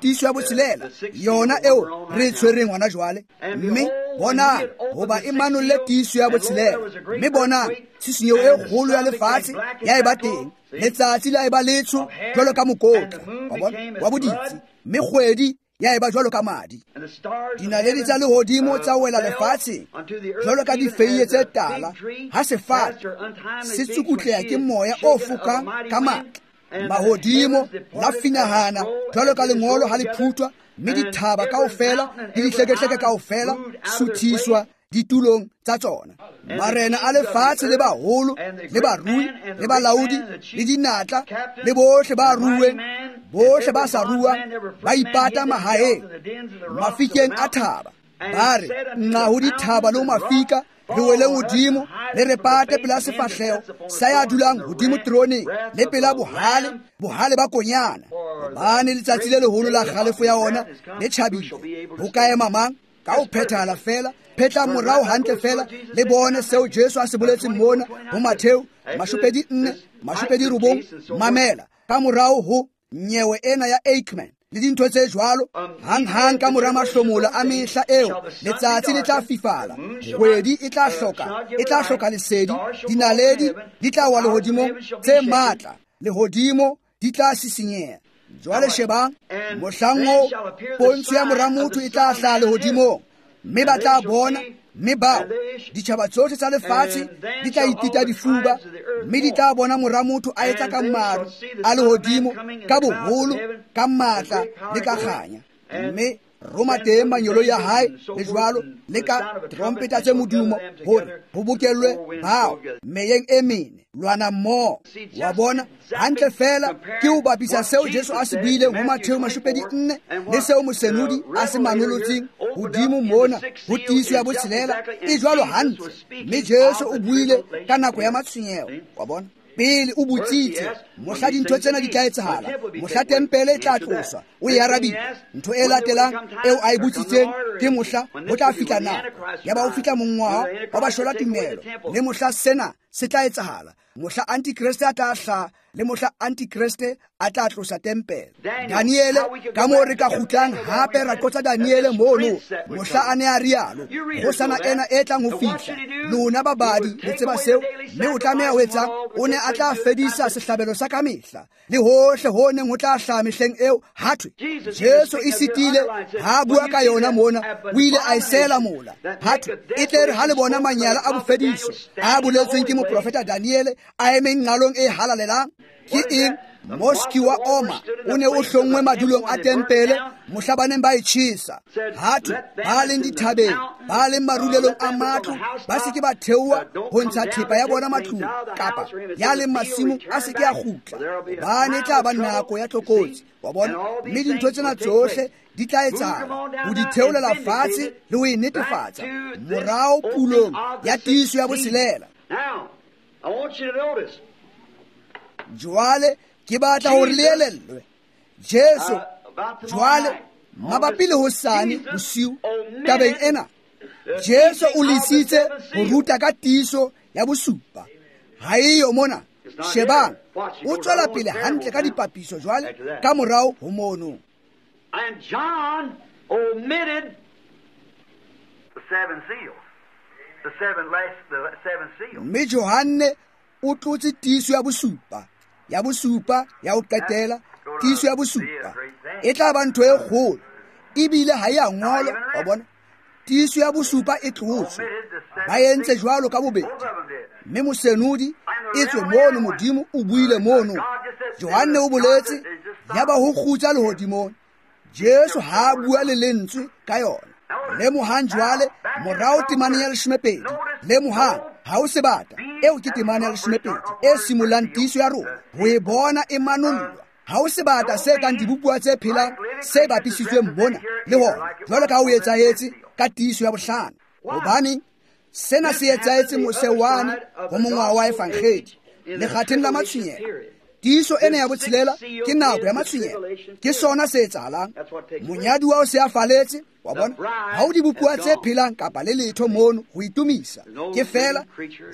tiiso ya botshelela yona eo re e tshwereng hona jwale. Mme bonang, hoba e manolle tiiso ya botshelela, mme bonang tshisinyeho e kgolo ya lefatshe ya eba teng, letsatsi la eba letsho jwalo ka mokotla wa bona wa boditsi, mme kgwedi ya eba jwalo ka madi. Dinaledi tsa lehodimo tsa wela lefatsheng jwalo ka difeiye tse tala, ha sefate se tsukutleha ke moya o fokang ka matla. Mahodimo la finahana jwalo ka lengolo ha le phuthwa, mme dithaba kaofela le dihlekehleke kaofela suthiswa ditulong tsa tsona. Marena a lefatshe le baholo le barui le balaodi le dinatla le bohle ba rueng, bohle ba sa ruang, ba ipata mahaeng mafikeng a thaba. Ba re, nqa ho dithaba le ho mafika, re weleng hodimo, le re pate pela sefahleho sa ya dulang hodimo teroneng, le pela bohale, bohale ba konyana. Hobane letsatsi le leholo la kgalefo ya ona le tjhabile, ho ka ema mang? Ka ho phethahala fela, phetlang morao hantle fela, le bone seo Jesu a se boletseng mona ho Mattheu 24, 29. Mamela ka morao ho nyewe ena ya Aikman le dintho tse jwalo. Hang-hang ka mora mahlomola a mehla eo, letsatsi le tla fifala, kgwedi e tla hloka lesedi, dinaledi di tla wa lehodimong tse matla, lehodimo di tla sisinyeha. Jwale shebang, mohlang oo pontsho ya mora motho e tla hlaha lehodimong, mme ba tla bona, mme bao ditjhaba tsohle tsa lefatshe di tla itita difuba, mme di tla bona mora motho a etla ka maru a lehodimo, ka boholo, ka matla le ka kganya. Mme roma teng manyolo ya hae le jwalo, le ka trompeta tse modumo, hore ho bokellwe bao meyeng e mene lwana mmoho. Wa bona hantle fela ke ho bapisa seo Jesu a se buileng ho Mattheu 24 le seo mosenodi a se manolotseng hodimo mona ho tiiso ya botshelela, e jwalo hantle. Mme Jesu o buile ka nako ya matshwenyeho. Wa bona, pele o botsitse mohla dintho tsena di tla etsahala, mohla tempele e tla tloswa, o e arabile. Ntho e latelang eo a e botsitseng ke mohla ho tla fihla nako ya ba ho fihla mongwaha wa bashola tumelo, le mohla sena se tla etsahala, mohla antikreste a tla hlaha, le mohla antikreste a tla tlosa tempele. Daniele, ka moo re ka kgutlang hape ra qotsa Daniele mono, mohla a ne a rialo, kgosana ena e tlang ho fihla. Lona babadi le tseba seo, mme o tlameha ho etsang? O ne a tla fedisa sehlabelo sa kamehla le hohle ho neng ho tla hlaha mehleng eo. Hathwe Jesu e sitile ha a bua ka yona mona, o ile a e sela mola. Hathwe e tle re ha le bona manyala a bofediso a boletsweng ke moprofeta Daniele a emeng nqalong e halalelang. Ke eng? Moski wa Oma o ne o hlonngwe madulong a tempele mohla ba neng ba e tjhesa. Hathwe ba leng dithabeng, ba leng marulelong a matlo, ba se ke ba theoha ho ntsha thepa ya bona matlung, kapa ya leng masimong a se ke a kgutla, hobane e tla ba nako ya tlokotsi. Wa bona, mme dintho tsena tsohle di tla etsahala ho di theolela fatshe le ho e netefatsa morao pulong ya tiiso ya botshelela. Jwale ke batla hore le elellwe Jesu jwale mabapi le hosane bosiu tabeng ena. Jesu o lesitse ho ruta ka tiiso ya bosupa. Ha eyo mona. Shebang, o tswela pele hantle ka dipapiso jwale ka morao ho mono. And John omitted the seven seals. The seven seals. Mme Johanne o tlotse tiiso ya bosupa, ya bosupa ya ho qetela, tiiso ya bosupa e tla ba ntho e kgolo, ebile ha e a ngolwa. Wa bona, tiiso ya bosupa e tlotswe, ba entse jwalo ka bobedi. Mme mosenodi e tswe mono, Modimo o buile mono, Johanne o boletse, ya ba ho kgutsa lehodimong. Jesu ha a bua le lentswe ka yona. Lemohang jwale morao temaneng ya 12. Lemohang, ha o sebata, eo ke temana ya 12 e simollang tiiso ya rona, ho e bona e manollwa. Ha o sebata se kang dibopuwa tse phelang se bapisitsweng mona le hona, jwalo ka ha o etsahetse ka tiiso ya bohlano. Hobane sena se etsahetse mose wane ho mongwaha wa evangedi, lekgatheng la matshwenyeho. Tiiso ena ya botshelela ke nako ya matshwenyeho. Ke sona se etsahalang. Monyaduwa o se a faletse, wa bona. Ha o dibopuwa tse phelang kapa le letho mono ho itumisa. Ke fela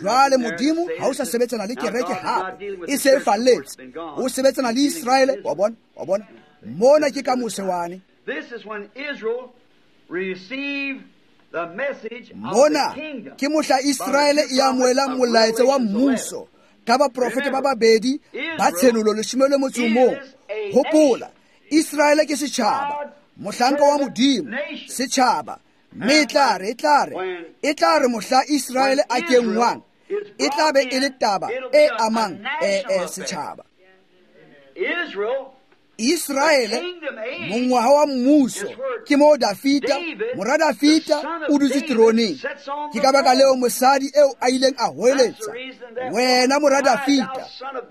jwale Modimo ha o sa sebetsana le kereke hape, e se e falletse. O sebetsana le Israele, wa bona, wa bona. Mona ke ka mose wane. Mona ke mohla Israele e amohelang molaetsa wa mmuso ka baprofeta ba babedi ba tshenolo 11. Hopola, Israele ke setjhaba, mohlanka wa Modimo, setjhaba. Mme e tla re mohla Israele a kenngwang, e tla be e le taba e amang setjhaba. Israele, mongwaha wa mmuso, ke moo Dafita, mora Dafita, o dutse teroneng. Ke ka baka leo mosadi eo a ileng a hoeletsa, wena mora Dafita.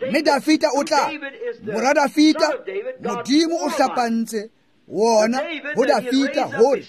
Mme Dafita o tla, mora Dafita, Modimo o hlapantse wona ho Dafita hore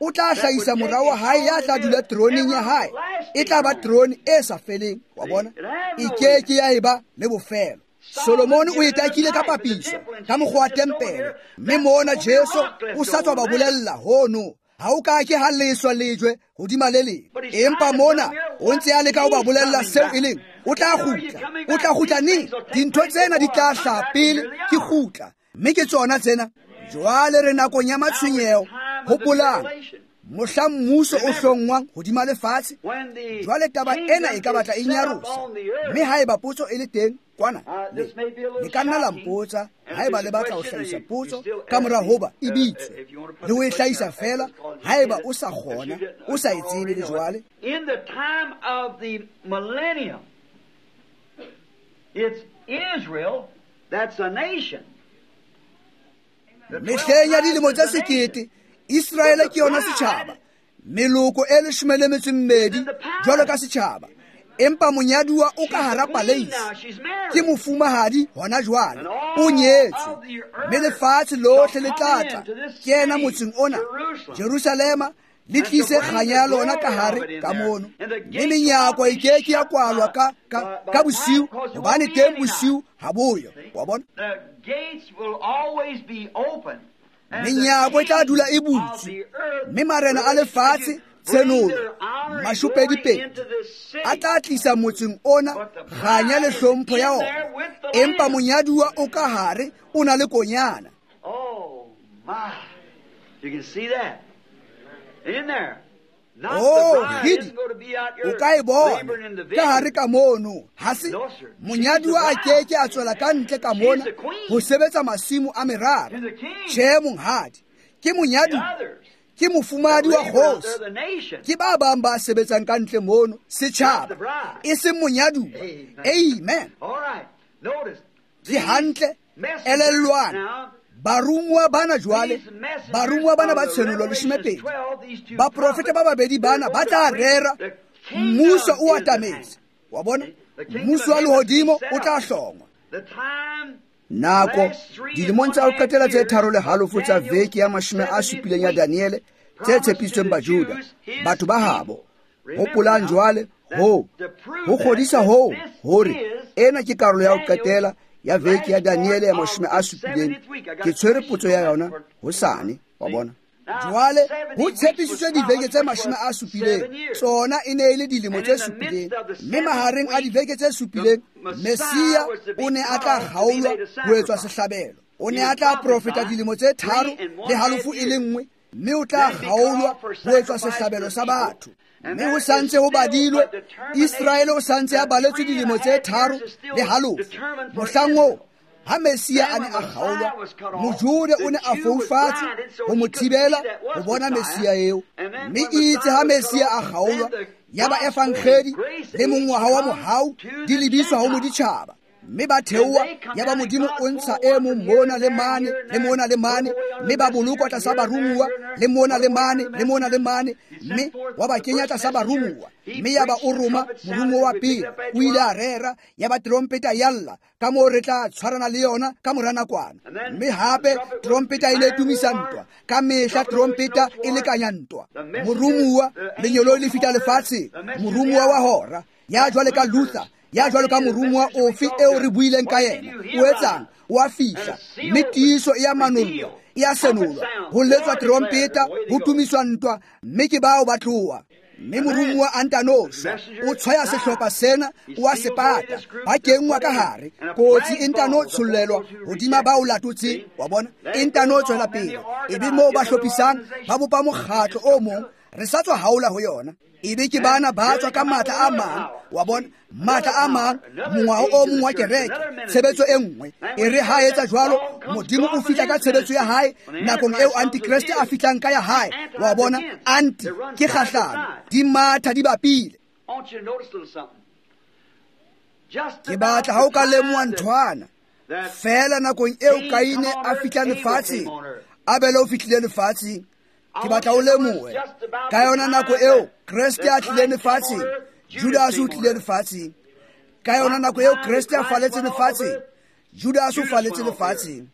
o tla hlahisa mora wa hae ya tla dula teroneng ya hae. E tla ba terone e sa feleng, wa bona, e ke ke ya eba le bofelo. Solomon o itakile ka papiso ka mokgwa wa tempele, mme mona Jesu o sa tswa ba bolella hono ha o ka ke ha leswa lejwe hodima le leng. Empa mona o ntse a leka ho ba bolella seo e leng o tla kgutla. O tla kgutla neng? Dintho tsena di tla hlaha pele ke kgutla, mme ke tsona tsena. Jwale re nakong ya matshwenyeho. Hopolang, mohla mmuso o hlongwang hodima lefatshe. Jwale taba ena e ka batla e nyarosa, mme haeba potso e le teng kwana, le ka nna la mpotsa haeba le batla ho hlahisa potso ka mora hoba e bitswe, le ho e hlahisa fela haeba o sa kgona, o sa e tsebe le jwale. In the time of the millennium, it's Israel that's a nation. Mehleng ya dilemo tse 1000, Israele ke yona setjhaba, meloko e 12 jwalo ka setjhaba. Empa monyaduwa o ka hara paleisi, ke mofumahadi hona jwale, o nyetswe, mme lefatshe lohle le tla tla kena motseng ona, Jerusalema, le tlise kganya ya lona ka hare ka mono. Mme menyako e ke ke ya kwalwa ka bosiu, hobane teng bosiu ha boyo, wa bona. Menyako e tla dula e butswe, mme marena a lefatshe, tshenolo 22, a tla tlisa motseng ona kganya le hlompho ya ona. Empa monyaduwa o ka hare o na le konyana. Oh, kgidi, o ka e bona ka hare ka mono. Ha se monyaduwa a keke a tswela ka ntle ka mona ho sebetsa masimo a merara. Tjhe, monghadi, ke monyaduwa, ke mofumahadi wa kgosi. Ke ba bang ba sebetsang ka ntle mono, setjhaba, e seng monyaduwa. Amen. Ke hantle, elellwang. Barumuwa bana jwale, barumuwa bana ba tshenolo 12, baprofeta ba babedi bana ba tla rera mmuso o atametse, wa bona, mmuso wa lehodimo o tla hlongwa. Nako dilemong tsa ho qetela tse 3.5 tsa veke ya 70 ya Daniele tse tshepisitsweng Bajuda, batho ba habo. Hopolang jwale ho kgodisa hoo hore ena ke karolo ya ho qetela ya veke ya Daniele ya 70. Ke tshwere potso ya yona hosane, wa bona. Jwale ho tshepisitswe diveke tse 70, tsona e ne e le dilemo tse 7, mme mahareng a diveke tse 7 Messia o ne a tla kgaolwa ho etswa sehlabelo. O ne a tla profeta dilemo tse 3.5 e le nngwe, mme o tla kgaolwa ho etswa sehlabelo sa batho. Mme ho santse ho badilwe, Israele o santse a baletswe dilemo tse 3.5. Mohlang oo ha Messia a ne a kgaolwa, Mojude o ne a foufatswe ho mo thibela ho bona Messia eo. Mme itse ha Messia a kgaolwa, ya ba efankgedi le mongwaha wa mohau di lebiswa ho moditjhaba. Mme ba theoha, ya ba Modimo o ntsha e mong mona le mane, le mona le mane, mme ba bolokwa tlasa barumuwa, le mona le mane, le mona le mane, mme wa ba kenya tlasa barumuwa. Mme ya ba o roma morumuwa wa pele, o ile a rera, ya ba trompeta ya lla, ka moo re tla tshwarana le yona ka mora nakwana. Mme hape trompeta ile tumisa ntwa, ka mehla trompeta e lekanya ntwa. Morumuwa, lenyoloi le fihla lefatsheng, morumuwa wa hora, ya jwale ka Luther, Ya jwalo ka morumuwa ofe eo re buileng ka yena, o etsang? O a fihla, mme tiiso e a manollwa, e a senolwa, ho letswa terompeta, ho tumiswa ntwa, mme ke bao ba tloha. Mme morumuwa a ntano shwa, o tshwaya sehlopha sena, o a se pata, ba kenngwa ka hare, kotsi e ntano tshollelwa hodima ba o latotseng, wa bona, e ntano tswela pele. Ebe moo ba hlophisang, ba bopa mokgatlo o mong, re sa tswa haola ho yona. Ebe ke bana ba tswa ka matla a mang, wa bona, matla a mang, mongwaho o mong wa kereke, tshebetso e nngwe. E re ha etsa jwalo, Modimo o fihla ka tshebetso ya hae nakong eo Antikreste a fihlang ka ya hae, wa bona, anti ke kgahlano, di matha di bapile. Ke batla ha o ka lemoha nthwana feela nakong eo Kaine a fihlang lefatsheng, Abele o fihlile lefatsheng. Ke batla o lemohe ka yona nako eo Kreste a tlileng lefatsheng, Judas o tlile lefatsheng. Ka yona nako eo Kreste a faletse lefatsheng, Judas o faletse lefatsheng.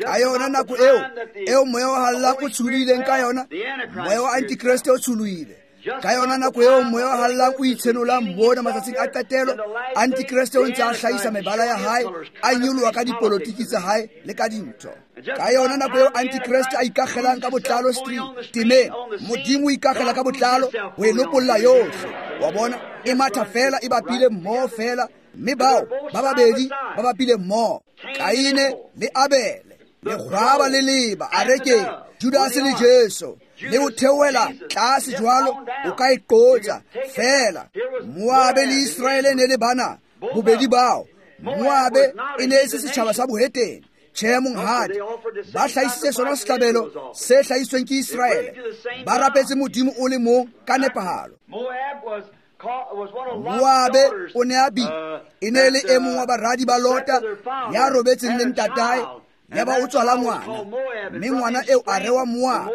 Ka yona nako eo moya o hallang o tsholohileng ka yona, moya wa Antikreste o tsholohile. Ka yona nako eo moya o hallang o itshenolang mona matsatsing a qetelo, Antikreste o ntse a hlahisa mebala ya hae, a nyoloha ka dipolotiki tsa hae le ka dintho. Ka yona nako eo Antikreste a ikakgelang ka botlalo stream temeng, Modimo o ikakgela ka botlalo ho e lopolla yohle. Wa bona, e matha fela e bapile mmoho fela, mme bao ba babedi ba bapile mmoho, Kaine le Abele, lekgwaba le leba arekeng, Judas le Jesu, le ho theohela tlase jwalo, o ka e qotsa fela. Moabe le Israele ne le bana bobedi bao. Moabe e ne e se setjhaba sa bohetene. Tjhe, monghadi, ba hlahisitse sona sehlabelo se hlahisitsweng ke Israele. Ba rapetse Modimo o le mong ka nepahalo. Moabe o ne a e ne le e mong wa baradi ba Lota ya robetseng le ntatae, yaba o tswala ngwana, mme ngwana eo a rewa Moabe,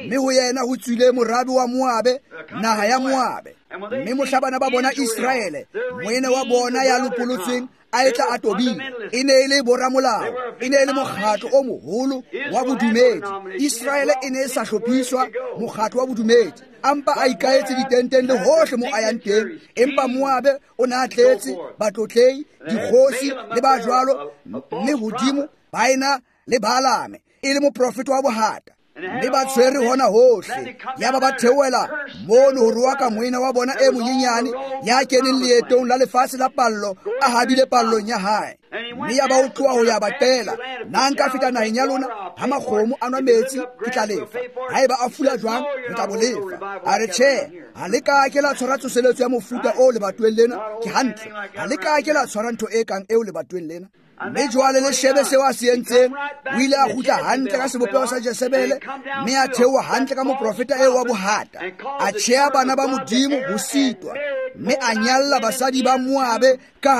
mme ho yena ho tswile morabe wa Moabe, naha ya Moabe. Mme mohla bana ba bona Israele, moene wa bona ya lopolotsweng a etla a tobile, e ne e le boramolao, e ne e le mokgatlo o moholo wa bodumedi. Israele e ne e sa hlophiswa mokgatlo wa bodumedi, a mpa a ikaetse ditenteng le hohle mo a yang teng. Empa Moabe o ne a tletse batlotlei, dikgosi le ba jwalo, mme hodimo ba ena le Balaame e le moprofeta wa bohata, mme ba tshwere hona hohle. Yaba ba theohela mono ho roaka moena wa bona e monyenyane ya keneng leetong la lefatshe la pallo, a habile pallong ya hae. Mme yaba o tloha ho ya ba qela, na nka feta naheng ya lona? Ha makgomo a nwa metsi, ke tla lefa. Haeba a fula jwang, re tla bo lefa. A re tjhe, ha le ka ke la tshwara tsoseletso ya mofuta o lebatoweng lena. Ke hantle, ha le ka ke la tshwara ntho e kang eo lebatoweng lena. Mme jwale le shebe seo a se entseng. O ile a kgutla hantle ka sebopeho sa Jezebele, mme a theoha hantle ka moprofeta eo wa bohata, a tjheha bana ba Modimo ho sitwa, mme a nyalla basadi ba Moabe ka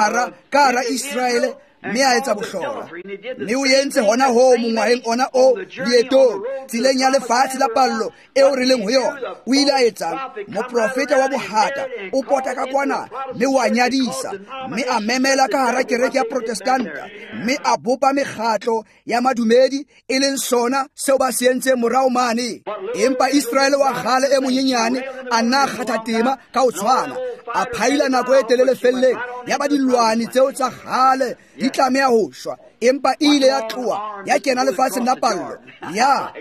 hara Israele, mme a etsa bohlola. Mme o entse hona hoo mongwaheng ona o leetong, tseleng ya lefatshe la pallo eo re leng ho yona. O ile a etsang? Moprofeta wa bohata o pota ka kwana mme o a nyadisa, mme a memela ka hara kereke ya Protestanta, mme a bopa mekgatlo ya madumedi, e leng sona seo ba se entseng morao mane. Empa Israele wa kgale e monyenyane a nna a kgatha tema ka ho tshwana, a phaila nako e telele felleng, ya ba dilwane tseo tsa kgale di tlameha ho shwa. Empa e ile ya tloha ya kena lefatsheng la pallo, ya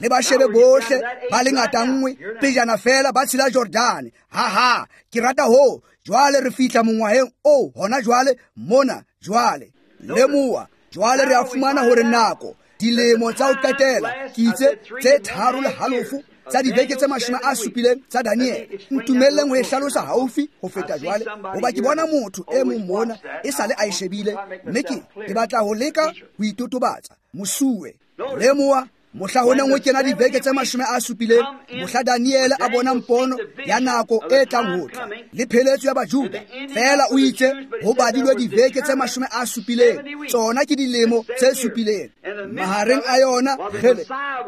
le ba shebe bohle ba le ngata nngwe pejana fela ba tshela Jordane. Ha ha, ke rata ho. Jwale re fihla mongwaheng o hona jwale mona. Jwale lemoha, jwale re a fumana hore nako dilemo tsa ho qetela, ke itse tse 3.5 tsa dibeke tse 70 tsa Daniel. Ntumelleng ho e hlalosa haufi ho feta jwale, hoba ke bona motho e mong mona e sale a e shebile, mme ke batla ho leka ho itotobatsa. Mosuwe, lemoha, mohla ho neng ho kena dibeke tse 70, mohla Daniel a bona mpono ya nako e tlang ho tla le pheletso ya Bajuda, fela o itse ho badilwe dibeke tse 70, tsona ke dilemo tse 7. Mahareng a yona kgele,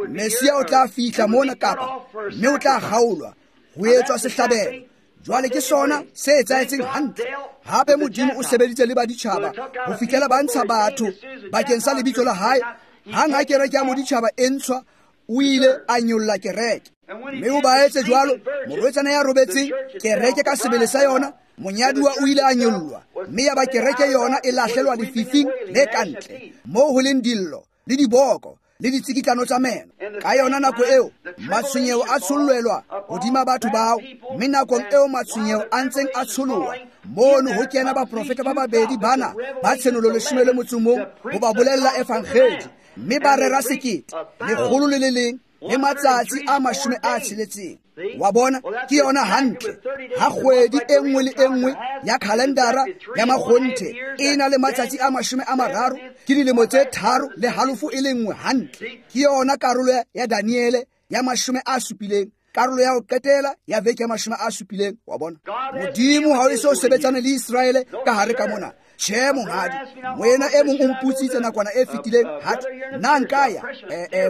Mesia o tla fihla mona kapa, mme o tla kgaolwa ho etswa sehlabelo. Jwale ke sona se etsahetseng hantle. Hape Modimo o sebeditse le baditjhaba ho fihlela ba ntsha batho bakeng sa lebitso la hae. Hang ha kereke ya moditjhaba e ntshwa, o ile a nyolla kereke. Mme o ba etse jwalo, morwetsana ya robetseng, kereke ka sebele sa yona, Monyaduwa o ile a nyollwa, mme ya ba kereke yona e lahlelwa lefifing le kantle, moo ho leng dillo le diboko le ditsikitlano tsa meno. Ka yona nako eo matshwenyeho a tshollelwa hodima batho bao, mme nakong eo matshwenyeho a ntseng a tsholoha mono ho kena baprofeta ba babedi bana ba tshenolo 11 ho ba bolella evangedi, mme ba rera 1160 le matsatsi a 60. Wa bona, ke yona hantle ha kgwedi e nngwe le e nngwe ya kalendara ya makgonthe e na le matsatsi a 30, ke dilemo tse 3.5 e le nngwe hantle. Ke yona karolo ya Daniele ya 70, karolo ya ho qetela ya veke ya 70. Wa bona, Modimo ha o eso sebetsane le Iseraele ka hare ka mona. Tjhe monghadi, moena e mong o mputsitse nakwana e fetileng, hathwe nna nka ya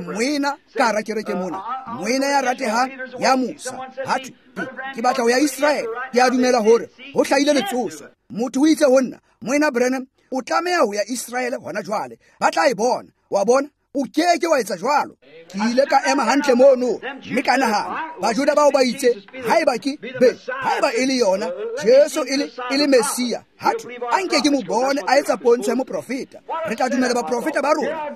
moena ka hara kereke mona, moena ya ratehang ya mosa, hathwe ke batla ho ya Iseraele, ke a dumela hore ho hlahile letsoso. Motho o itse ho nna, moena Branham, o tlameha ho ya Iseraele hona jwale, ba tla e bona. Wa bona, o keke wa etsa jwalo. Ke ile ka ema hantle mono, mme ka nahana, Bajuda bao ba itse, haeba ke be, haeba e le yona Jesu e le Messia, hathwe a nke ke mo bone a etsa pontsho ya moprofeta, re tla dumela baprofeta ba rona,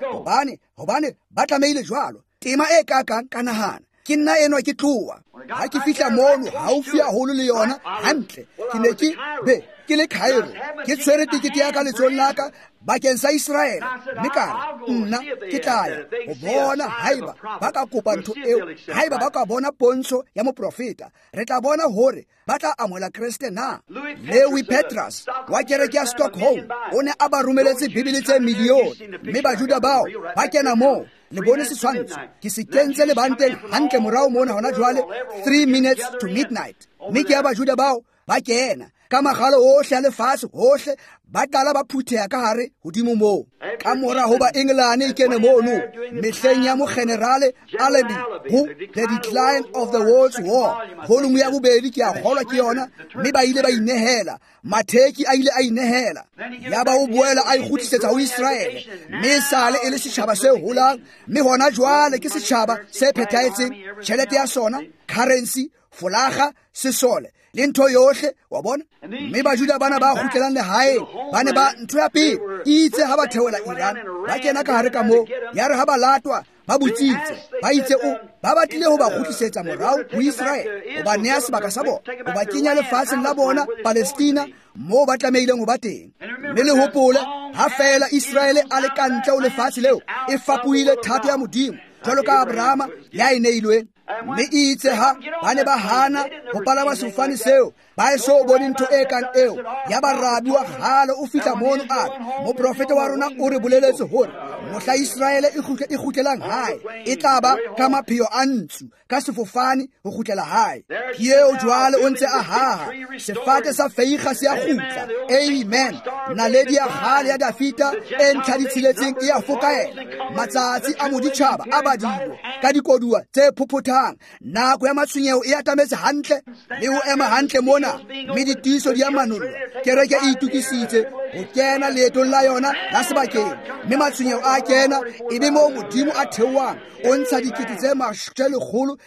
hobane ba tlamehile jwalo. Tema e kakang, ka nahana, ke nna enwa ke tloha. Ha ke fihla mono haufi haholo le yona hantle, ke ne ke be ke le Cairo, ke tshwere tekete ya ka letsohong la ka bakeng sa Iseraele, mme ka re nna ke tla ya ho bona haeba ba ka kopa ntho eo, haeba ba ka bona pontsho ya moprofeta, re tla bona hore ba tla amohela Kreste na. Lewi Petras wa kereke ya Stockholm o ne a ba romeletse Bibele tse milione, mme Bajuda bao ba kena moo. Le bone setshwantsho, ke se kentse lebanteng hantle morao mona hona jwale, 3 minutes to midnight. Mme ke ya Bajuda bao ba kena ka magalo ohle a lefatshe hohle, ba qala ba phutheha ka hare hodimo moo. Ka mora hoba England e kene mono mehleng ya mogenerale Allenby ho The Decline of the World's War, volume ya 2 ke a kgolwa ke yona, mme ba ile ba inehela, Matheki a ile a inehela, ya ba o boela a ikgutlisetsa ho Iseraele, mme sale e le setjhaba se holang, mme hona jwale ke setjhaba se phethahetseng, tjhelete ya sona, currency, folaga, sesole le ntho yohle. Wa bona, mme Bajuda bana ba kgutlelang lehaeng ba ne ba ntho ya pele itse ha ba theola Iran, ba kena ka hare ka moo, ya re ha ba latwa ba botsitse, ba itse o ba batlile ho ba kgutlisetsa morao ho Iseraele, ho ba nea sebaka sa bona, ho ba kenya lefatsheng la bona Palestina, moo ba tlamehileng ho ba teng. Mme le hopole, ha feela Iseraele a le ka ntle ho lefatshe leo, e fapohile thato ya Modimo jwalo ka Abrahama ya e neilweng. Mme itse ha ba ne ba hana ho palama sefofane seo, ba eso bone ntho e kang eo, ya ba rabi wa kgale o fihla mono a re, moprofeta wa rona o re boleletse hore mohla Iseraele e kgutlelang hae, e tla ba ka mapheo a ntsu, ka sefofane ho kgutlela hae. Ke eo jwale o ntse a haha, sefate sa feiga se a kgutla. Amen. Naledi ya kgale ya Dafita e ntlha di tsheletseng e a fokaela. Matsatsi a moditjhaba a badilwe ka dikoduwa tse phophothang. Nako ya matshwenyeho e atametse hantle le ho ema hantle mona, mme ditiiso di a manollwa. Kereke e itokisitse ho kena leetong la yona la sebakeng, mme matshwenyeho a kena, e be moo Modimo a theohang, o ntsha 1,144.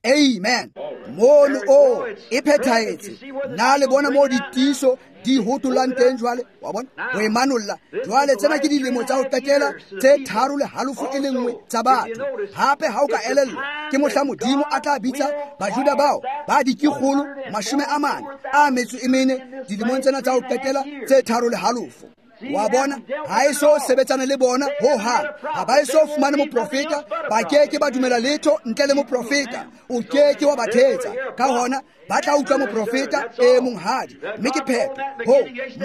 Amen. Mono o e phethahetse. Na le bona moo ditiiso di hotolang teng jwale? Wa bona, ho e manolla jwale. Tsena ke dilemo tsa ho qetela tse 3.5 e le nngwe tsa batho. Hape ha o ka elellwa, ke mohla Modimo a tla bitsa Bajuda bao ba 444 dilemong tsena tsa ho qetela tse 3.5. Wa bona, ha eso sebetsane le bona ho hang, ha ba eso fumane moprofeta, ba keke ba dumela letho ntle le moprofeta. O keke wa ba thetsa. Ka hona ba tla utlwa moprofeta e monghadi, mme ke phetho ho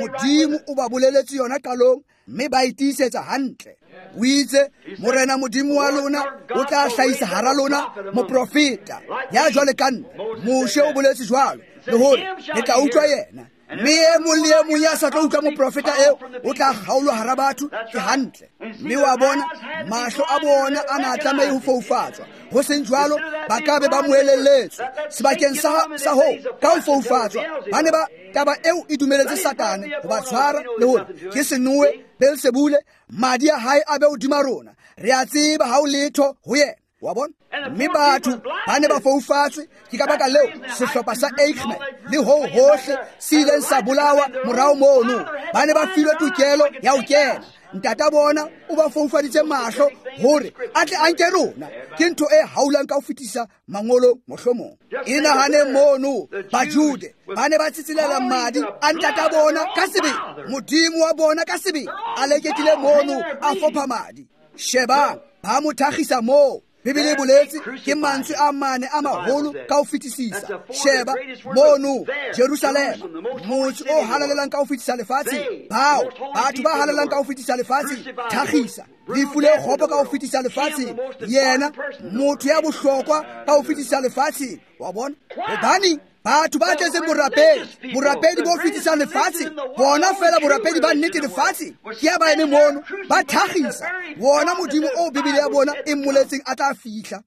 Modimo o ba boleletse yona qalong, mme ba e tiisetsa hantle. O itse, Morena Modimo wa lona o tla hlahisa hara lona moprofeta ya jwale ka nna. Moshe o boletse jwalo, le hore le tla utlwa yena. Mme e mong le e mong ya sa tlo utlwa moprofeta eo o tla kgaolwa hara batho. Ke hantle. Mme wa bona, mahlo a bona a na tlameha ho foufatswa, ho seng jwalo ba ka be ba mo elelletswe. Sebakeng sa ho ka ho foufatswa, ba ne ba taba eo e dumeletse Satane ho ba tshwara, le hore ke senoe Beelzebule, madi a hae a be hodima rona. Re a tseba ha o letho ho yena. Wa bona? Mme batho ba ne ba foufatswe. Ke ka baka leo sehlopha sa Eichmann le ho hohle se ileng sa bolawa morao mono. Ba ne ba filwe tokelo ya ho kena. Ntata bona o ba foufaditse mahlo hore a tle a nke rona. Ke ntho e haulang ka ho fetisa mangolo mohlomong. E nahane mono Bajude ba ne ba tsitsilela madi a ntata bona ka sebele, Modimo wa bona ka sebele a leketile mono a fopha madi. Shebang, ba mo thakgisa moo. Bibele e boletse ke mantswe a mane a maholo ka ho fetisisa. Sheba mono Jerusalema, motse o halalelang ka ho fetisa lefatsheng. Bao batho ba halalelang ka ho fetisa lefatsheng, thakgisa lefu le kgopo ka ho fetisa lefatsheng. Yena motho ya bohlokwa ka ho fetisa lefatsheng. Wa bona? Hobane batho ba tletseng borapedi, borapedi bo fetisang lefatsheng, bona fela borapedi ba nnete lefatsheng, ke ya ba eme mono ba thakgisa wona Modimo o Bibele ya bona e mmoletseng a tla fihla.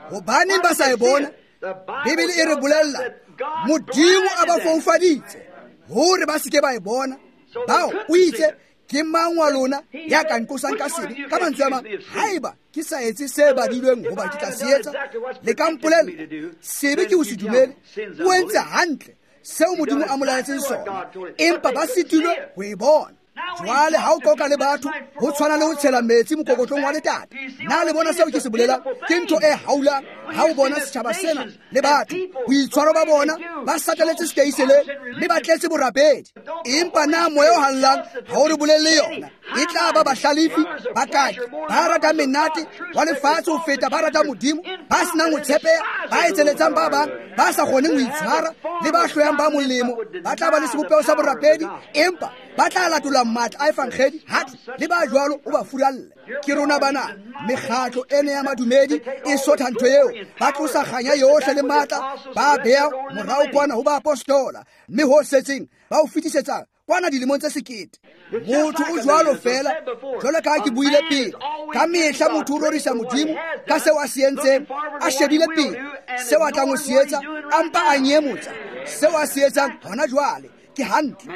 Hobaneng ba sa e bona? Bibele e re bolella Modimo a ba foufaditse hore ba seke ba e bona. Bao o itse, ke mang wa lona ya ka nqosang ka sebe? Ka mantswe a mang, haeba ke sa etse se badilweng hoba ke tla se etsa, le ka mpolella sebe ke ho se dumele. O entse hantle seo Modimo a mo laetseng sona, empa ba sitilwe ho e bona. Jwale ha o qoqa le batho, ho tshwana le ho tshela metsi mokokotlong wa letata. Na le bona seo ke se bolelang? Ke ntho e haulang ha o bona setjhaba sena le batho, boitshwaro ba bona ba sataletse seteiseleng mme ba tletse borapedi. Empa na moya o hallang ha o re bolelle yona? E tla ba bahlalefi, ba kaki, ba ratang menate wa lefatshe ho feta ba ratang Modimo, ba senang ho tshepeha, ba etseletsang ba bang, ba sa kgoneng ho itshwara, le ba hloyang ba molemo. Ba tla ba le sebopeho sa borapedi, empa ba tla latola matla a evangedi. Hatle le ba jwalo o ba furalle. Ke rona bana, mekgatlo ena ya madumedi e sotha ntho eo. Ba tlosa kganya yohle le matla, ba bea morao kwana ho baapostola, mme ho setseng ba o fetisetsa kwana dilemong tse 1000. Motho o jwalo fela, jwalo ka ha ke buile pele. Ka mehla motho o rorisa Modimo ka seo a se entseng, a shebile pele seo a tlang ho se etsa, a mpa a nyemotsa seo a se etsang hona jwale. Ke hantle,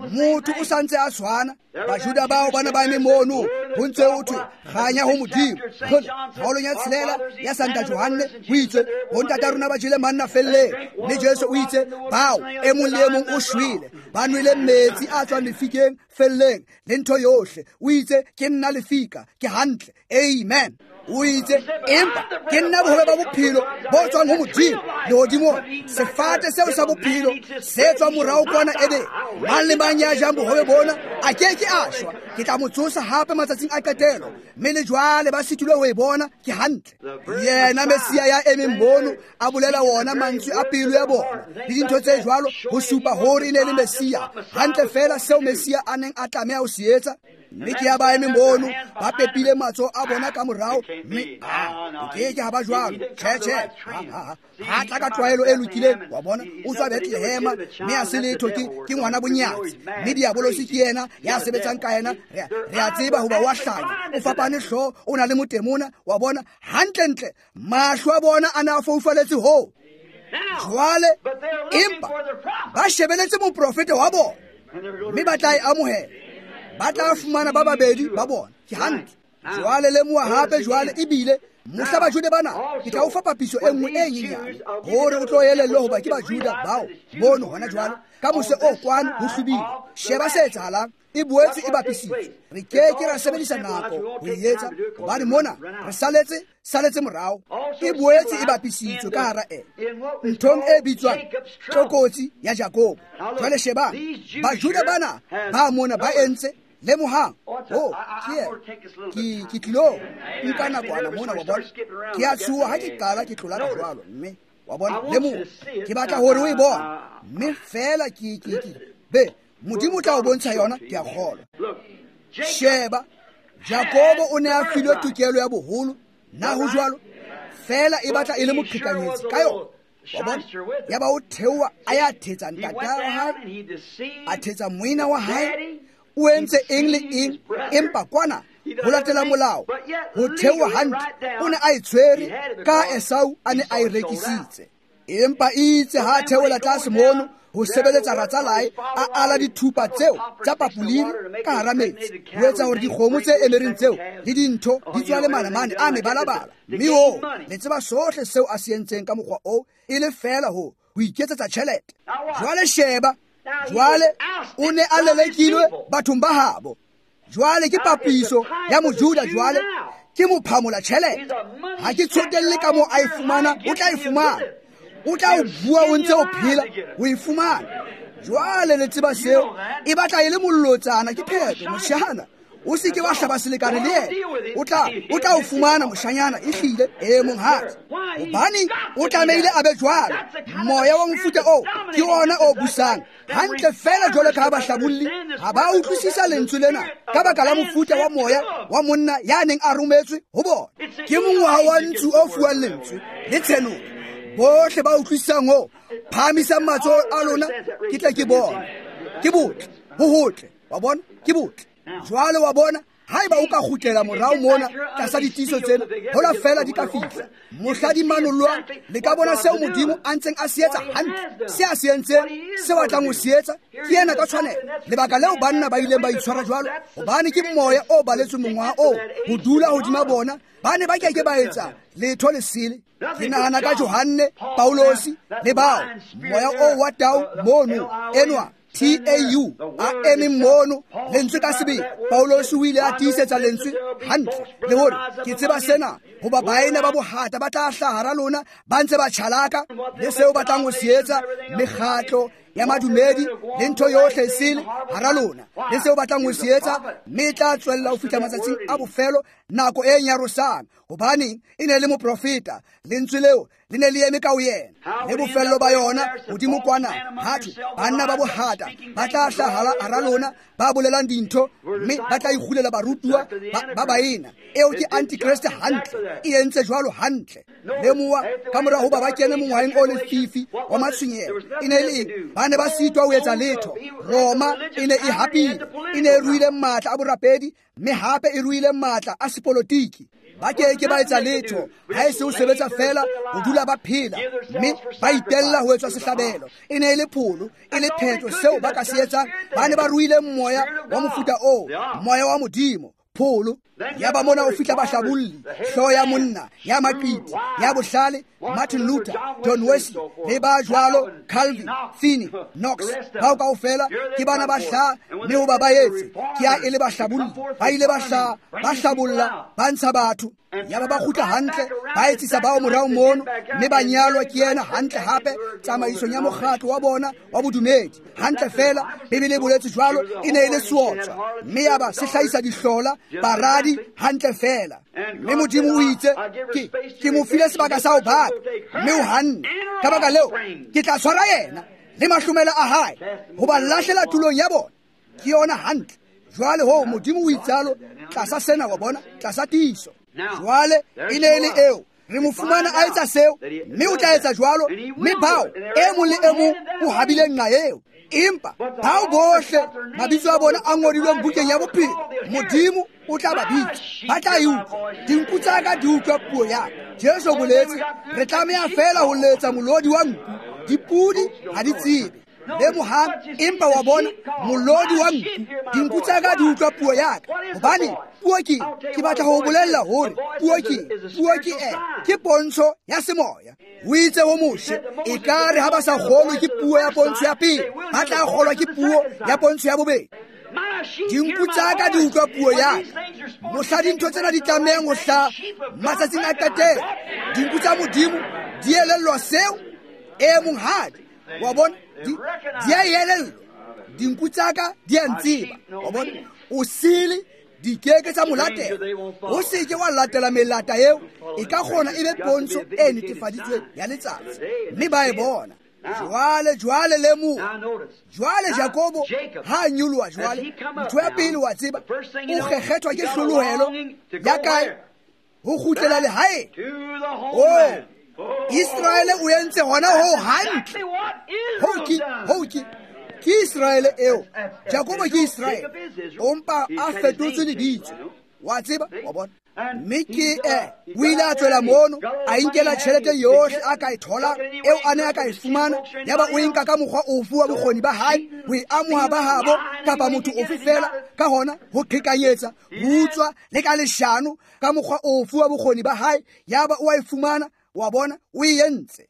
motho o sa ntse a tshwana. Bajuda bao ba ne ba eme mono, ho ntse ho thwe kganya ho Modimo. Kgole, kgaolong ya 6 ya Santa Johanne ho itswe, bontata rona ba jele manna felleng, mme Jesu o itse, bao e mong le e mong o shwele, ba nwele metsi a tswang lefikeng felleng le ntho yohle. O itse, ke nna lefika. Ke hantle, amen. O itse, empa ke nna bohobe ba bophelo bo tswang ho Modimo lehodimong. Sefate seo sa bophelo se tswang morao kwana Edene. Mang le mang ya jang bohobe bona a ke ke a shwa. Ke tla mo tsosa hape matsatsing a qetelo. Mme le jwale ba sitilwe ho e bona. Ke hantle. Yena Mesia ya emeng mono a bolela wona mantswe a pelo ya bona le dintho tse jwalo, ho supa hore e ne le Mesia. Hantle fela seo Mesia a neng a tlameha ho se etsa. Mme ke ya ba eme mono, ba pepile matsoho a bona ka morao, mme o ke ke ha ba jwalo. Tjhe, tjhe, ha tla ka tlwaelo e lokileng. Wa bona, o tswa Bethlehema, mme a se letho, ke ngwana bonyatsi. Mme diabolosi ke yena ya sebetsang ka yena. Re a tseba hoba wa hlanya, o fapane hlooho, o na le motemona. Wa bona, hantlentle mahlo a bona a ne a foufaletse hoo. Jwale empa ba shebeletse moprofeta wa bona, mme ba tla e amohela. Ba tla fumana ba babedi ba bona. Ke hantle. Jwale lemoha hape jwale ebile mohla Bajude bana, ke tla o fa papiso e nngwe e nyenyane hore o tlo elellwe hoba ke Bajuda bao mono hona jwale ka mose o kwano ho hlwibile. Sheba se etsahalang. E boetse e bapisitswe. Re ke ke ra sebedisa nako ho e etsa, hobane mona re saletse morao. E boetse e bapisitswe ka hara e nthong e bitswang tlokotsi ya Jakobo. Jwale shebang, Bajuda bana ba mona ba entse. Lemohang, oh, ke tlilo nka nakwana mona, wa bona. Ke a tshoha ha ke qala ke tlola ka jwalo, mme wa bona, lemoha, ke batla hore o e bone, mme fela ke be Modimo o tla o bontsha yona, ke a kgolwa. Sheba, Jakobo o ne a filwe tokelo ya boholo, na ho jwalo? Fela e batla e le moqhekanyetsi ka yona. Wa bona? Ya ba o theoha a ya thetsa ntata wa hae, a thetsa moena wa hae, o entse eng le eng, empa kwana ho latela molao, ho theoha hantle, o ne a e tshwere ka Esau a ne a e rekisitse. Empa itse ha theola tlase mono ho sebeletsa ratsalae a ala dithupa tseo tsa papoliri ka hara metsi ho etsa hore dikgomo tse emereng tseo le dintho di tswale manamane a mebalabala. Mme oo le tseba sohle seo a se entseng ka mokgwa oo e le feela ho iketsetsa tjhelete. Jwale sheba, jwale o ne a lelekilwe bathong ba habo. Jwale ke papiso ya Mojuda, jwale ke mophamola tjhelete. Ha ke tsotelle ka moo a e fumana, o tla e fumana. O tla o bua o ntse o phela o e fumana. Jwale le tseba seo e batla e le mollotsana, ke phetho moshana. O se ke wa hlaba selekane le yena, o tla o fumana moshanyana ehlile e monghadi. Hobane o tlamehile a be jwalo. Moya wa mofuta oo ke ona o busang hantle feela jwalo ka ha bahlabolli ha ba utlwisisa lentswe lena ka baka la mofuta wa moya wa monna ya neng a rometswe ho bona. Ke mongwaha wa ntsu o fuwang lentswe le tshenolo. Bohle ba utlwisisang ho phahamisang matsoho a lona, ke tle ke bone. Ke botle, ho hotle, wa bona, ke botle. Jwale wa bona, haeba o ka kgutlela morao mona tlasa ditiiso tsena, hola feela di ka fihla mohla di manollwang, le ka bona seo Modimo a ntseng a se etsa hantle, se a se entseng, seo a tlang ho se etsa, ke yena ka tshwanelo. Lebaka leo banna ba ileng ba itshwara jwalo, hobane ke moya o baletsweng mongwaha oo ho dula hodima bona, ba ne ba keke ba etsa letho lesele. Ke nahana ka Johanne, Paulosi le bao, moya oo wa tau mono enwa TAU a eme mono lentswe ka sebele. Paulosi o ile a tiisetsa lentswe hantle le hore ke tseba sena, hoba baena ba bohata ba tla hlaha hara lona ba ntse ba tjhalaka le seo ba tlang ho se etsa, mekgatlo ya madumedi le ntho yohle e sele hara lona le seo ba tlang ho se etsa, mme e tla tswella ho fihla matsatsing a bofelo, nako e nyarosang. Hobane e ne le moprofeta, lentswe leo le ne le eme ka ho yena. Le bofello ba yona hodimo kwana hathwe banna ba bohata ba tla hlaha hara lona ba bolelang dintho, mme ba tla ikgulela barutuwa ba baena. Eo ke antikreste hantle, e entse jwalo hantle. Lemoha ka mora hoba ba kene mongwaheng o lefifi wa matshwenyeho, e ne le eng? Ba ne ba sitwa ho etsa letho. Roma e ne e hapile, e ne e ruile matla a borapedi, mme hape e ruile matla a sepolotiki. Ba keke ba etsa letho ha e se ho sebetsa feela ho dula ba phela, mme ba itella ho etswa sehlabelo. E ne e le pholo, e le phetho seo ba ka se etsang. Ba ne ba ruile moya wa mofuta oo, moya wa Modimo, pholo. Yaba mona o fihla bahlabolli, hlooho ya monna, ya maqiti, ya bohlale, Martin Luther, John Wesley, le ba jwalo, Calvin, Finney, Knox, bao kaofela ke bana ba hlaha, mme hoba ba etse, ke ha e le bahlabolli. Ba ile ba hlaha, ba hlabolla, ba ntsha batho. Yaba ba kgutla hantle, ba etsisa bao morao mono, mme ba nyalwa ke yena hantle hape tsamaisong ya mokgatlo wa bona wa bodumedi. Hantle feela, Bibele e boletse jwalo, e ne e le seotswa, mme yaba se hlahisa dihlola, baradi hantle feela. Mme Modimo o itse, ke mo file sebaka sa ho baka, mme o hanne. Ka baka leo, ke tla tshwara yena le mahlomela a hae ho ba lahlela tulong ya bona. Ke yona hantle. Jwale ho Modimo o itsalo tlasa sena, wa bona, tlasa tiiso. Jwale e ne e le eo, re mo fumana a etsa seo, mme o tla etsa jwalo, mme bao e mong le e mong o habile nqa eo. Empa bao bohle mabitso a bona a ngodilweng bukeng ya bophelo, Modimo o tla ba bitsa, ba tla e utlwa. Dinku tsa ka di utlwa puo ya ka. Jesu o boletse, re tlameha feela ho letsa molodi wa nku, dipudi ha di tsebe. Lemohang, empa wa bona molodi wa nku, dinku tsa ka di utlwa puo ya ka. Hobane puo ke batla ho bolella hore puo ke ke pontsho ya semoya. O itse ho Moshe, ekare ha ba sa kgolwe ke puo ya pontsho ya pele, ba tla kgolwa ke puo ya pontsho ya bobedi. Dinku tsa ka di utlwa puo ya ka. Mohla dintho tsena di tlamehang ho hlaha matsatsing a qetelo, dinku tsa Modimo di elellwa seo e monghadi. Wa bona, di a elellwa. Dinku tsa ka di a ntseba. Wa bona, o sele di keke tsa mo latela. O se ke wa latela melata eo, e ka kgona e be pontsho e netefaditsweng ya letsatsi, mme ba e bona. Jwale lemoha. Jwale Jakobo ha nyoloha jwale, ntho ya pele wa tseba, o kgekgethwa ke hlolohelo ya kae? Ho kgutlela lehaeng. Oh, Israele o entse hona ho hantle. Ho ke Israele eo. Jakobo ke Israele. O mpa a fetotswe lebitso. Wa tseba, wa bona. Mme ke o ile a tswela mono, a inkela tjhelete yohle a ka e tholang, eo a ne a ka e fumana, yaba o e nka ka mokgwa ofe wa bokgoni ba hae, ho e amoha ba habo kapa motho ofe fela, ka hona ho qhekanyetsa, ho utswa le ka leshano, ka mokgwa ofe wa bokgoni ba hae, yaba o a e fumana, wa bona, o e entse.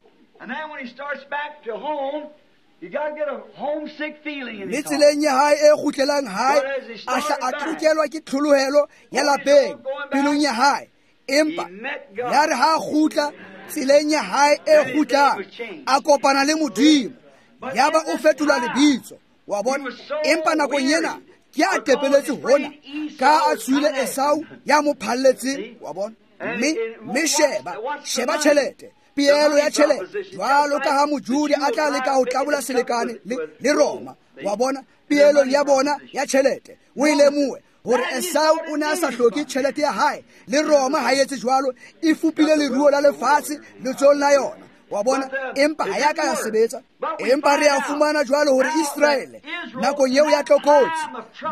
Mme tseleng ya hae e kgutlelang hae, a hla a tlokelwa ke tlholohelo ya lapeng pelong ya hae. Empa ya re ha kgutla tseleng ya hae e kgutlang, a kopana le Modimo, yaba o fetolwa lebitso, wa bona. Empa nakong ena ke a tepeletse hona, ka a tswile Esau ya mo phalletseng, wa bona. Mme sheba tjhelete, peelo ya tjhelete, jwalo ka ha Mojudi a tla leka ho tlabola selekane le Roma, wa bona, peelong ya bona ya tjhelete. O e lemohe hore Esau o ne a sa hloke tjhelete ya hae, le Roma ha e etse jwalo, e fupile leruo la lefatshe letsohong la yona, wa bona. Empa ha ya ka ya sebetsa. Empa re a fumana jwalo hore Israele nakong eo ya tlokotsi,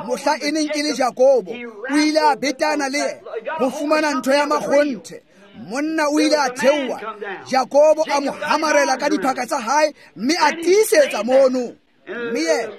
mohla e neng e le Jakobo, o ile a betana le yena ho fumana ntho ya makgonthe. Monna o ile a theoha, Jakobo a mo hamarela ka diphaka tsa hae, mme a tiisetsa mono. Mme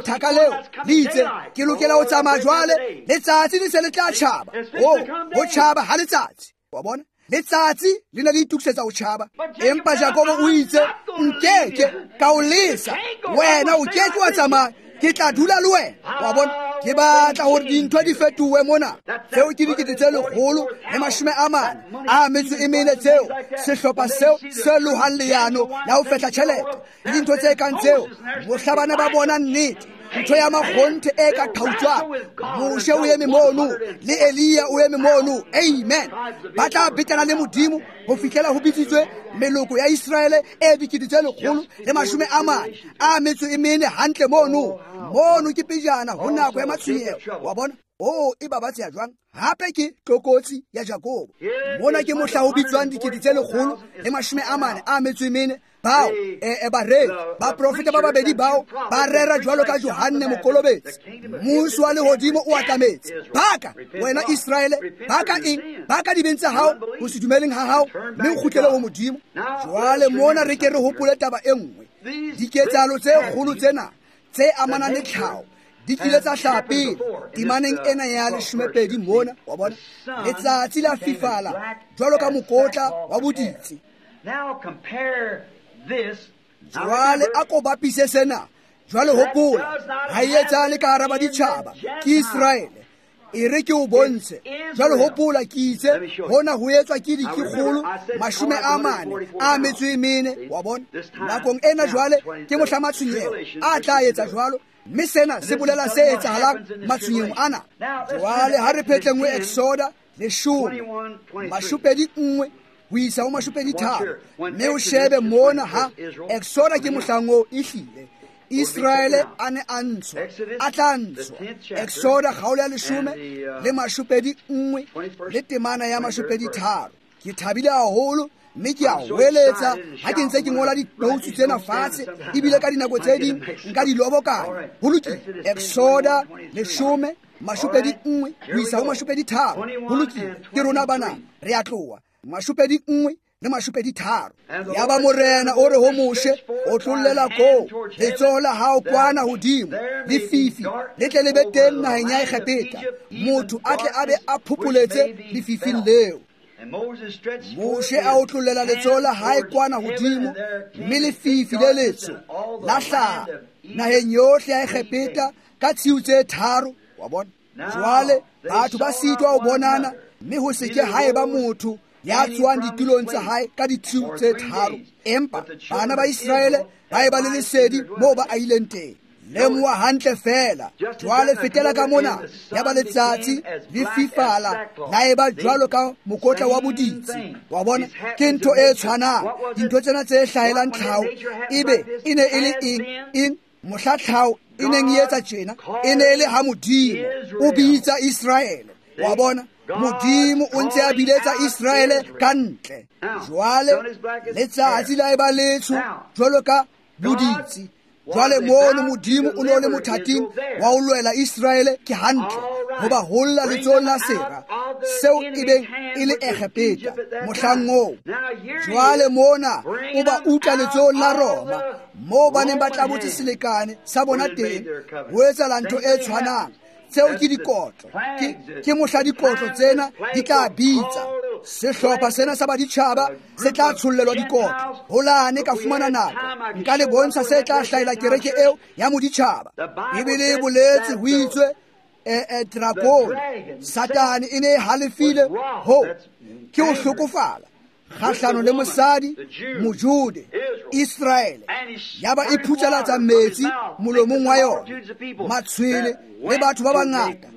thaka leo le itse, ke lokela ho tsamaya jwale, letsatsi le se le tla tjhaba. Ho tjhaba ha letsatsi, wa bona, letsatsi le ne le itokisetsa ho tjhaba. Empa Jakobo o itse, nkeke ka o lesa, wena o keke wa tsamaya, ke tla dula le wena, wa bona. Ke batla hore dintho di fetohe mona. Tseo ke 144 tseo sehlopha seo se lohang leano la ho fehla tjhelete le dintho tse kang tseo. Mohla bana ba bona nnete, ntho ya makgonthe e ka qhautswang, Moshe o eme mono, le Elia o eme mono, amen. Ba tla betana le Modimo ho fihlela ho bitsitswe meloko ya Israele e 144 hantle mono. Mono ke pejana ho nako ya matshwenyeho, wa bona. O e babatseha jwang? Hape ke tlokotsi ya Jakobo. Mona ke mohla ho bitswang 144 bao bareri, baprofeta ba babedi bao ba rera jwalo ka Johanne Mokolobetsi. Mmuso wa lehodimo o atametse. Baka wena Israele, baka eng? Baka dibeng tsa hao, ho se dumeleng ha hao, mme o kgutlele ho Modimo. Jwale mona re ke re hopole taba e nngwe. Diketsahalo tse kgolo tsena tse amanang le tlhaho di kile tsa hlaha pele temaneng ena ya 12 mona, wa bona. Letsatsi la fifala jwalo ka mokotla wa boditsi. Jwale a ko bapise sena. Jwale hopola, ha e etsahale ka hara baditjhaba, ke Israele. E re ke o bontshe. Jwale hopola, ke itse hona ho etswa ke 444, wa bona. Nakong ena jwale ke mohla matshwenyeho a tla etsa jwalo, mme sena se bolela se etsahalang matshwenyehong ana. Jwale ha re phetleng ho Exoda 10 21 ho isa ho 23, mme o shebe mona ha Exoda ke mohlang oo ehlile Israele a ne a ntshwa, a tla ntshwa. Exoda kgaolo ya 10 le 21 le temana ya 23. Ke thabile haholo mme ke a hweletsa ha ke ntse ke ngola dinotes tsena fatshe, ebile ka dinako tse ding nka di lobokanya. Ho lokile. Exoda 10 21 ho isa ho 23. Ho lokile. Ke rona bana, re a tloha. 21 le 23. Yaba Morena o re ho Moshe, o tlollela koo letsoho la hao kwana hodimo lefifi le tle le be teng naheng ya Egepeta, motho a tle a be a phopholetse lefifing leo. Moshe a otlollela letsoho la hae kwana hodimo, mme lefifi le letsho la hlaha naheng yohle ya Egepeta ka tshiu tse 3, wa bona. Jwale batho ba sitwa ho bonana, mme ho se ke ha eba motho ya tswang ditulong tsa hae ka ditshiu tse 3. Empa bana ba Israele ba eba le lesedi moo ba aileng teng. Lemoha hantle fela. Jwale fetela ka mona, ya ba letsatsi le fifala la eba jwalo ka mokotla wa boditsi, wa bona. Ke ntho e tshwanang. Dintho tsena tse hlahelang tlhaho ebe e ne e le eng? Eng mohla tlhaho e neng e etsa tjena, e ne e le ha Modimo o bitsa Israele, wa bona. Modimo o ntse a biletsa Israele ka ntle. Jwale letsatsi la eba letsho jwalo ka boditsi. Jwale mono Modimo o ne o le mothating wa ho lwela Israele ke hantle, ho ba holla letsohong la sera. seo e beng e le Egepeta mohlang oo. Jwale mona o ba utla letsohong la Roma moo ba neng ba tlabotse selekane sa bona teng ho etsahala ntho e tshwanang. Tseo ke dikotlo, ke mohla dikotlo tsena di tla bitsa. Sehlopha sena sa baditjhaba se tla tshollelwa dikotlo. Holane ka fumana nako nka le bontsha se tla hlahela kereke eo ya moditjhaba. Bibele e boletse ho itswe drakone Satane e ne e halefile ho ke ho hlokofala kgahlano le mosadi Mojude Israele, yaba e phutsalatsa metsi molomong wa yona, matshwele le batho ba bangata,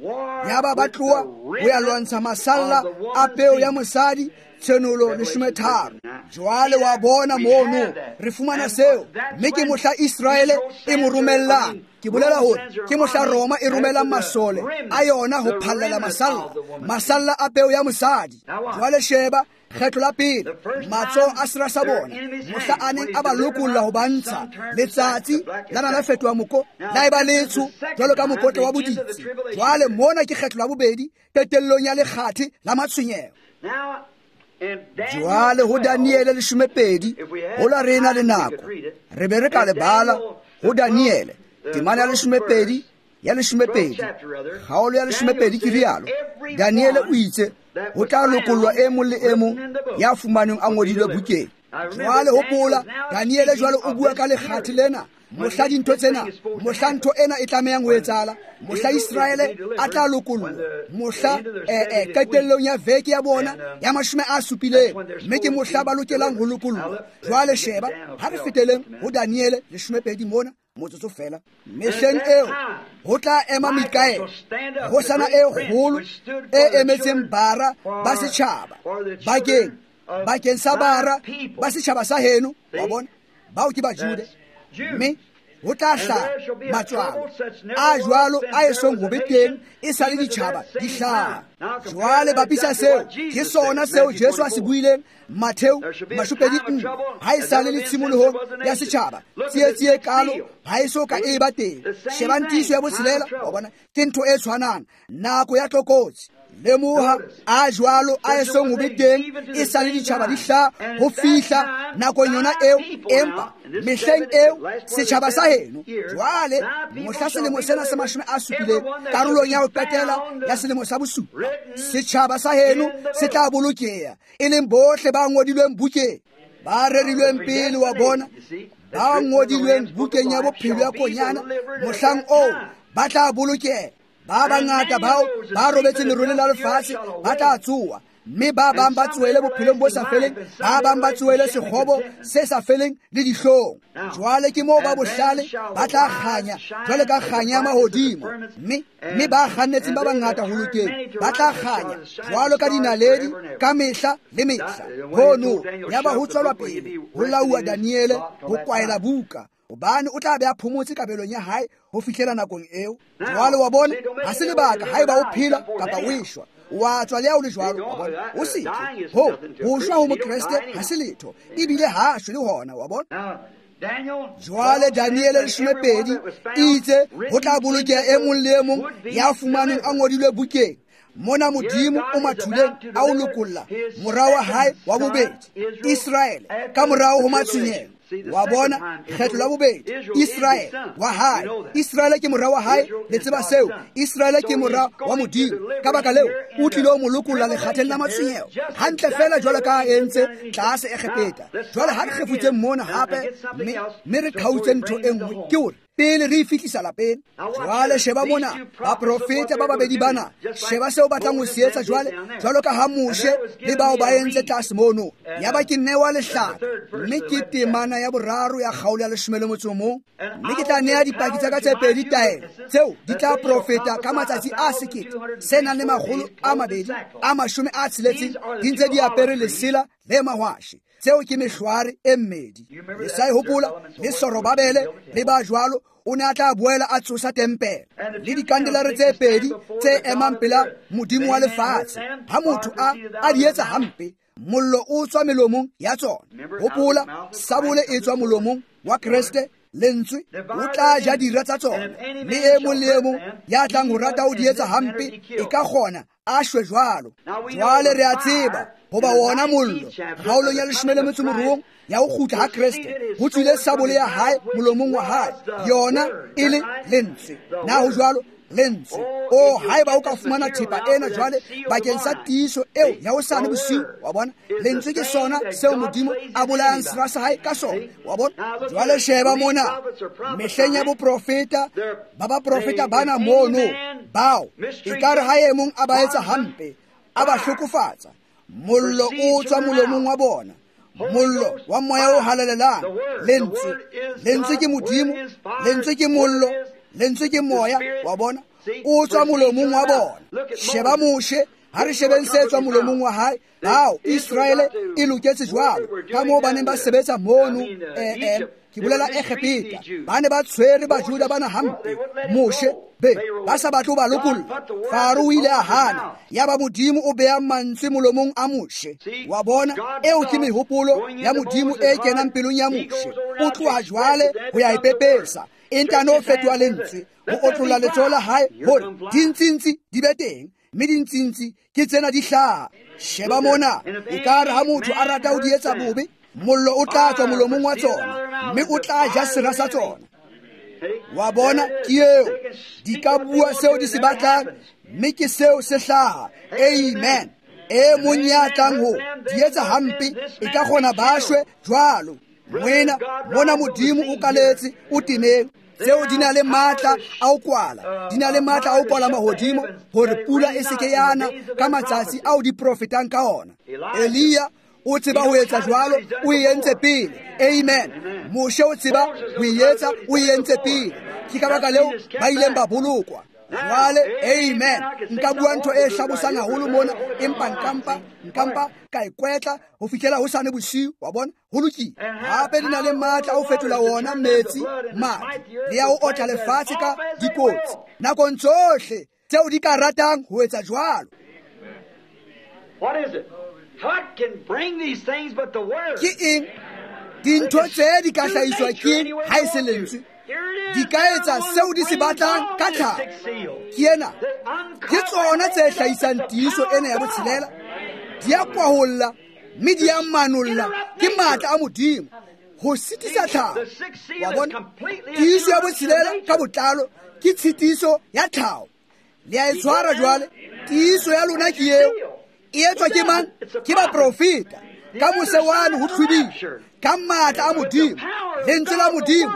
yaba ba tloha ho ya lwantsha masalla a peo ya mosadi. Tshenolo 13. Jwale wa bona mono re fumana seo, mme ke mohla Israele e mo romellang. Ke bolela hore ke mohla Roma e romelang masole a yona ho phallela masalla a peo ya mosadi. Jwale sheba kgetlo la pele matsoho a sera sa bona mohla a neng a ba lokolla ho ba ntsha, letsatsi la na la fetoha moko la eba letsho jwalo ka mokotla wa boditsi. Jwale mona ke kgetlo la bobedi qetellong ya lekgathe la matshwenyeho. Jwale ho Daniele 12 hola re na le nako re be re ka lebala ho Daniele temana ya 12 ya 12 kgaolo ya 12 ke rialo. Daniele o itse ho tla lokollwa e mong le e mong ya fumanweng a ngodilwe bukeng. Jwale hopola Daniele jwale o bua ka lekgathe lena mohla dintho tsena, mohla ntho ena e tlamehang ho etsahala, mohla Israele a tla lokollwa, mohla qetellong ya veke ya bona ya 70, mme ke mohla ba lokelang ho lokollwa. Jwale sheba ha re feteleng ho Daniele 12 mona motsotso fela. Mehleng eo ho tla ema Mikaele, kgosana e kgolo e emetseng bara ba setjhaba bakeng sa bara ba setjhaba sa heno. Wa bona, bao ke Bajude, mme ho tla hlaha matswalo a jwalo a esong ho be teng e sa le ditjhaba di hlaha. Jwale bapisa seo ke sona seo Jesu a se buileng Matheu 24, ha e sa le tshimolohong ya setjhaba tsietsi e kalo ha e so ka e ba teng. Shebang tiiso ya botshelela, wa bona, ke ntho e tshwanang, nako ya tlokotsi. Lemoha a jwalo a esong ho be teng e sa le ditjhaba di hlaha ho fihla nakong yona eo, empa mehleng eo setjhaba sa heno. Jwale mohla selemo sena sa 70 karolong ya ho qetela ya selemo sa bosupa, setjhaba sa heno se tla bolokeha, e leng bohle ba ngodilweng bukeng, ba rerilweng pele, wa bona, ba ngodilweng bukeng ya bophelo ya Konyana, mohlang oo ba tla bolokeha. Ba bangata bao ba robetseng leroleng la lefatshe ba tla tsoha, mme ba bang ba tsohele bophelong bo sa feleng, ba bang ba tsohele sekgobo se sa feleng le dihlong. Jwale ke moo ba bohlale ba tla kganya jwale ka kganya ya mahodimo, mme ba kgannetseng ba bangata ho lokeng ba tla kganya jwalo ka dinaledi ka mehla le mehla. Hono yaba ho tswelwa pele ho lauwa Daniele ho kwaela buka, hobane o tla be a phomotse kabelong ya hae ho fihlela nakong eo. Jwale wa bona, ha se lebaka haeba o phela kapa o eshwa, wa tswa le ha o le jwalo, wa bona, o se tle ho shwa ho Mokreste ha se letho, ebile ha a shwe le hona, wa bona. Jwale Daniele 12 e itse ho tla bolokeha e mong le e mong ya fumanweng a ngodilwe bukeng. Mona Modimo o mathuleng a o lokolla mora wa hae wa bobedi Israele ka morao ho matshwenyeho. Wa bona, kgetlo la bobedi Israele wa hae. Israele ke mora wa hae, le tseba seo. Israele ke mora wa Modimo. Ka baka leo o tlile ho mo lokolla lekgatheng la matshwenyeho, hantle fela jwalo ka a entse tlase Egepeta. Jwale ha re kgefutseng mona hape, mme re qhautse ntho e nngwe, ke hore pele re e fihlisa lapeng. Jwale sheba mona baprofeta ba babedi bana, sheba seo batlang ho se etsa jwale, jwalo ka ha Moshe le bao ba entse tlase mono. Yaba ke newa lehlaka, mme ke temana ya boraro ya kgaolo ya 11, mme ke tla nea dipaki tsa ka tse pedi taelo tseo di tla profeta ka matsatsi a 1260 di ntse di apere lesela le mahwashe. Tseo ke mehlware e mmedi. Le sa e hopola le Sorobabele le ba jwalo, o ne a tla boela a tsosa tempele le dikandelare tse pedi tse emang pela Modimo wa lefatshe. Ha motho a di etsa hampe, mollo o tswa melomong ya tsona. Hopola, sabole e tswa molomong wa Kreste Lentswe o tla ja dira tsa tsona, mme e mong le e mong ya tlang ho rata ho di etsa hampe e ka kgona a shwe jwalo. Jwale re a tseba hoba wona mollo kgaolong ya 18 ya ho kgutla ha Kreste ho tswile sabole ya hae molomong wa hae, yona e le lentswe. Na ho jwalo? Lentswe. O haeba o ka fumana thepa ena jwale bakeng sa tiiso eo ya hosane bosiu, wa bona, lentswe ke sona seo Modimo a bolayang sera sa hae ka sona, wa bona. Jwale sheba mona mehleng ya boprofeta ba baprofeta bana mono bao ekare ha e mong a ba etsa hampe, a ba hlokofatsa, mollo o tswa molomong wa bona, mollo wa moya o halalelang. Lentswe, lentswe ke Modimo, lentswe ke mollo, lentswe ke moya, wa bona, o tswa molomong wa bona. Sheba Moshe, ha re shebeng se tswa molomong wa hae. Bao Israele e loketse jwalo ka moo ba neng ba sebetsa mono, ke bolela Egepeta, ba ne ba tshwere Bajuda bana hampe. Moshe be ba sa batle ho ba lokolla, Faro o ile a hana, yaba Modimo o beha mantswe molomong a Moshe. Wa bona, eo ke mehopolo ya Modimo e kenang pelong ya Moshe. O tloha jwale ho ya e pepesa, e ntano fetoha lentswe, ho otlolla letsoho la hae hore dintsintsi di be teng, mme dintsintsi ke tsena di hlaha. Sheba mona, ekare ha motho a rata ho di etsa bobe, mollo o tla tswa molomong wa tsona, mme o tla ja sera sa tsona. Wa bona, ke eo. Di ka bua seo di se batlang, mme ke seo se hlaha. Amen. E mong ya tlang ho di etsa hampe, e ka kgona ba shwe jwalo. Moena, mona Modimo o kaletse, o temeng. Tseo di na le matla a ho kwala, di na le matla a ho kwala mahodimo hore pula e se ke ya na ka matsatsi ao di profetang ka ona. Elia o tseba ho etsa jwalo, o e entse pele. Amen. Moshe o tseba ho e etsa, o e entse pele. Ke ka baka leo ba ileng ba bolokwa. Jwale, amen. Nka bua ntho e hlabosang haholo mona, empa nkampa ka e kwetla ho fihlela hosane bosiu, wa bona. Ho lokile. Hape di na le matla a ho fetola wona metsi madi, le ya ho otla lefatshe ka dikotsi nakong tsohle tseo di ka ratang ho etsa jwalo. What is it? What can bring these things but the word? Ke eng? Dintho tse di ka hlahiswa ke ha e se lentswe. Di ka etsa seo di se batlang ka tlhaho. Ke ena, ke tsona tse hlahisang tiiso ena ya botshelela. Di a kwaholla mme di a manolla ke matla a Modimo ho sitisa tlhaho. Wa bona, tiiso ya botshelela ka botlalo ke tshitiso ya tlhaho. Le a e tshwara jwale. Tiiso ya lona ke eo. E etswa ke mang? Ke baprofeta. Ka mose wane ho tlhwibile ka matla a Modimo, lentswe la Modimo.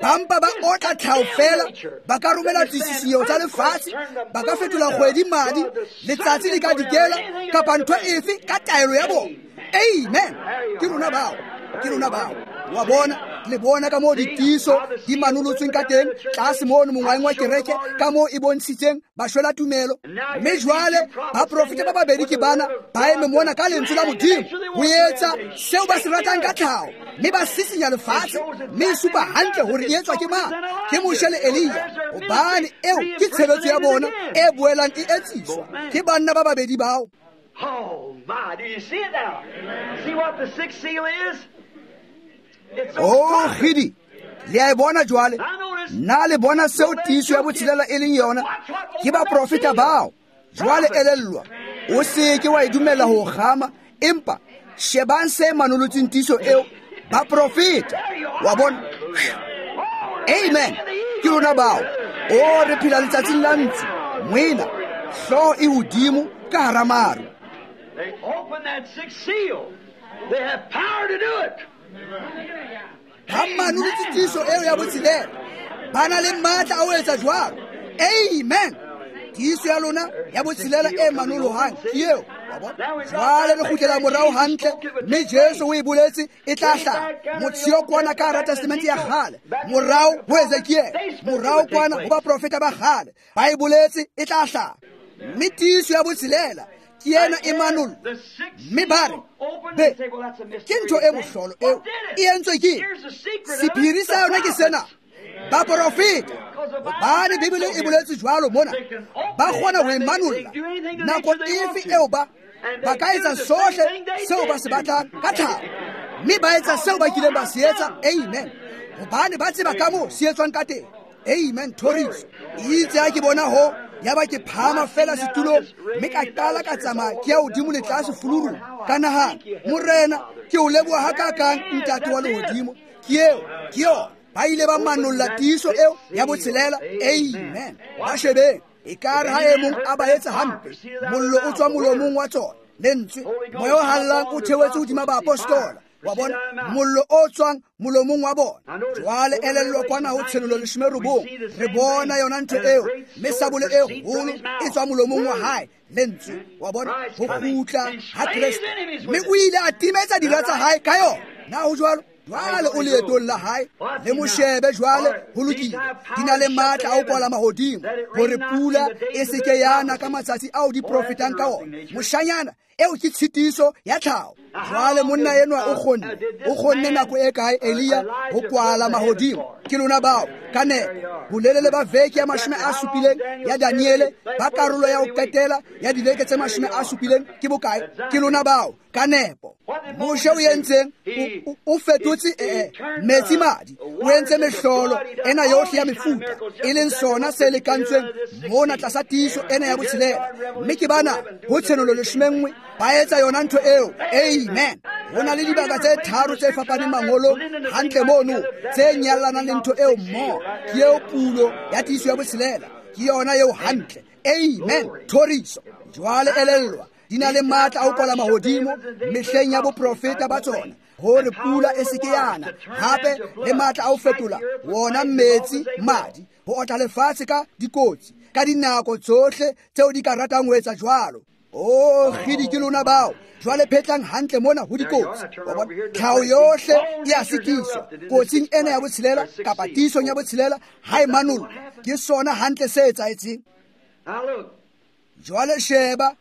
Ba mpa ba otla tlhaho fela, ba ka romela ditshisinyeho tsa lefatshe, ba ka fetola kgwedi madi, letsatsi le ka dikela, kapa ntho efe ka taelo ya bona. Amen. Ke rona bao, ke rona bao. Wa bona, le bona ka moo ditiiso di manolotsweng ka teng tlase mono mongwaheng wa kereke, ka moo e bontshitseng bashwela tumelo. Mme jwale baprofeta ba babedi ke bana ba eme mona ka lentswe la Modimo ho etsa seo ba se ratang ka tlhaho, mme ba sisinya lefatshe, mme e supa hantle hore e etswa ke mang, ke Moshe le Elia, hobane eo ke tshebetso ya bona e boelang e etsiswa ke banna ba babedi bao. Oh my, do you see it now? See what the sixth seal is? Oh, kgidi, le a e bona jwale. Na le bona seo tiiso ya botshelela e leng yona? Ke baprofeta bao. Jwale elellwa, o se ke wa e dumela ho kgama, empa shebang se manolotseng tiiso eo, baprofeta. Wa bona? Amen. Ke rona bao. O re phela letsatsing la ntsu, moena, hlooho e hodimo ka hara maru. They open that sixth seal. They have power to do it. Ba manolotse tiiso eo ya botshelela, ba na le matla a ho etsa jwalo. Amen. Tiiso ya lona ya botshelela e manolohang ke eo. Wa bona? Jwale re kgutlela morao hantle, mme Jesu o e boletse e tla hlaha. Motsheo kwana ka hara testamente ya kgale, morao ho Ezekiel, morao kwana ho baprofeta ba kgale, ba e boletse e tla hlaha. Mme tiiso ya botshelela ke ena e manollo. Mme ba re, be, ke ntho e mohlolo eo e entswe ke sephiri sa yona ke sena. Baprofeta, hobane Bibele e boletse jwalo mona, ba kgona ho e manolla nako efe eo ba ka etsa sohle seo ba se batlang ka tlhaho, mme ba etsa seo ba kileng ba se etsa. Amen. Hobane ba tseba ka moo se etswang ka teng. Amen. Thoriso. Itse ha ke bona ho, yaba ke phahama fela setulong, mme ka qala ka tsamaya ke ya hodimo le tlase fulurung. Ka nahana, Morena, ke o leboha hakakang Ntate wa lehodimo. Ke eo, ke yona. Ba ile ba manolla tiiso eo ya botshelela. Amen. Ba shebeng. Ekare ha e mong a ba etsa hampe, mollo o tswa molomong wa tsona. Lentswe, moya o hallang o theohetse hodima baapostola. Wa bona, mollo o tswang molomong wa bona. Jwale elellwa kwana ho Tshenolo 19, re bona yona ntho eo, mme sabole e kgolo e tswa molomong wa hae. Lentswe, wa bona, ho kgutla ha Kreste, mme o ile a timetsa dira tsa hae ka yona. Na ho jwalo? Jwale o leetong la hae, le mo shebe jwale, ho lokile. Di na le matla a ho kwala mahodimo, hore pula e se ke ya na ka matsatsi ao di profetang ka ona. Moshanyana, eo ke tshitiso ya tlhaho. Jwale monna enwa o kgonne nako e kae Elia ho kwala mahodimo? Ke lona bao ka nepo bolelele ba veke ya 70 ya Daniele, ba karolo ya ho qetela ya diveke tse 70 ke bokae? Ke lona bao ka nepo. Moshe o entseng? O fetotse metsi madi, o entse mehlolo ena yohle ya mefuta, e leng sona se lekantsweng mona tlasa tiiso ena ya botshelela. Mme ke bana ho Tshenolo 11 ba etsa yona ntho eo. Amen. Ho na le dibaka tse tharo tse fapaneng mangolong hantle mono tse nyallanang le ntho eo mmoho. Ke eo pulo ya tiiso ya botshelela, ke yona eo hantle. Amen. Thoriso. Jwale elellwa, di na le matla a ho kwala mahodimo mehleng ya boprofeta ba tsona, hore pula e se ke yana. Hape le matla a ho fetola wona metsi madi, ho otla lefatshe ka dikotsi ka dinako tsohle tseo di ka ratang ho etsa jwalo. Oh, kgidi ke lona bao. Jwale phetlang hantle mona ho dikotsi. Wa bona, tlhaho yohle e a sitiswa kotsing ena ya botshelela kapa tiisong ya botshelela ha e manollwa. Ke sona hantle se etsahetseng. Jwale sheba,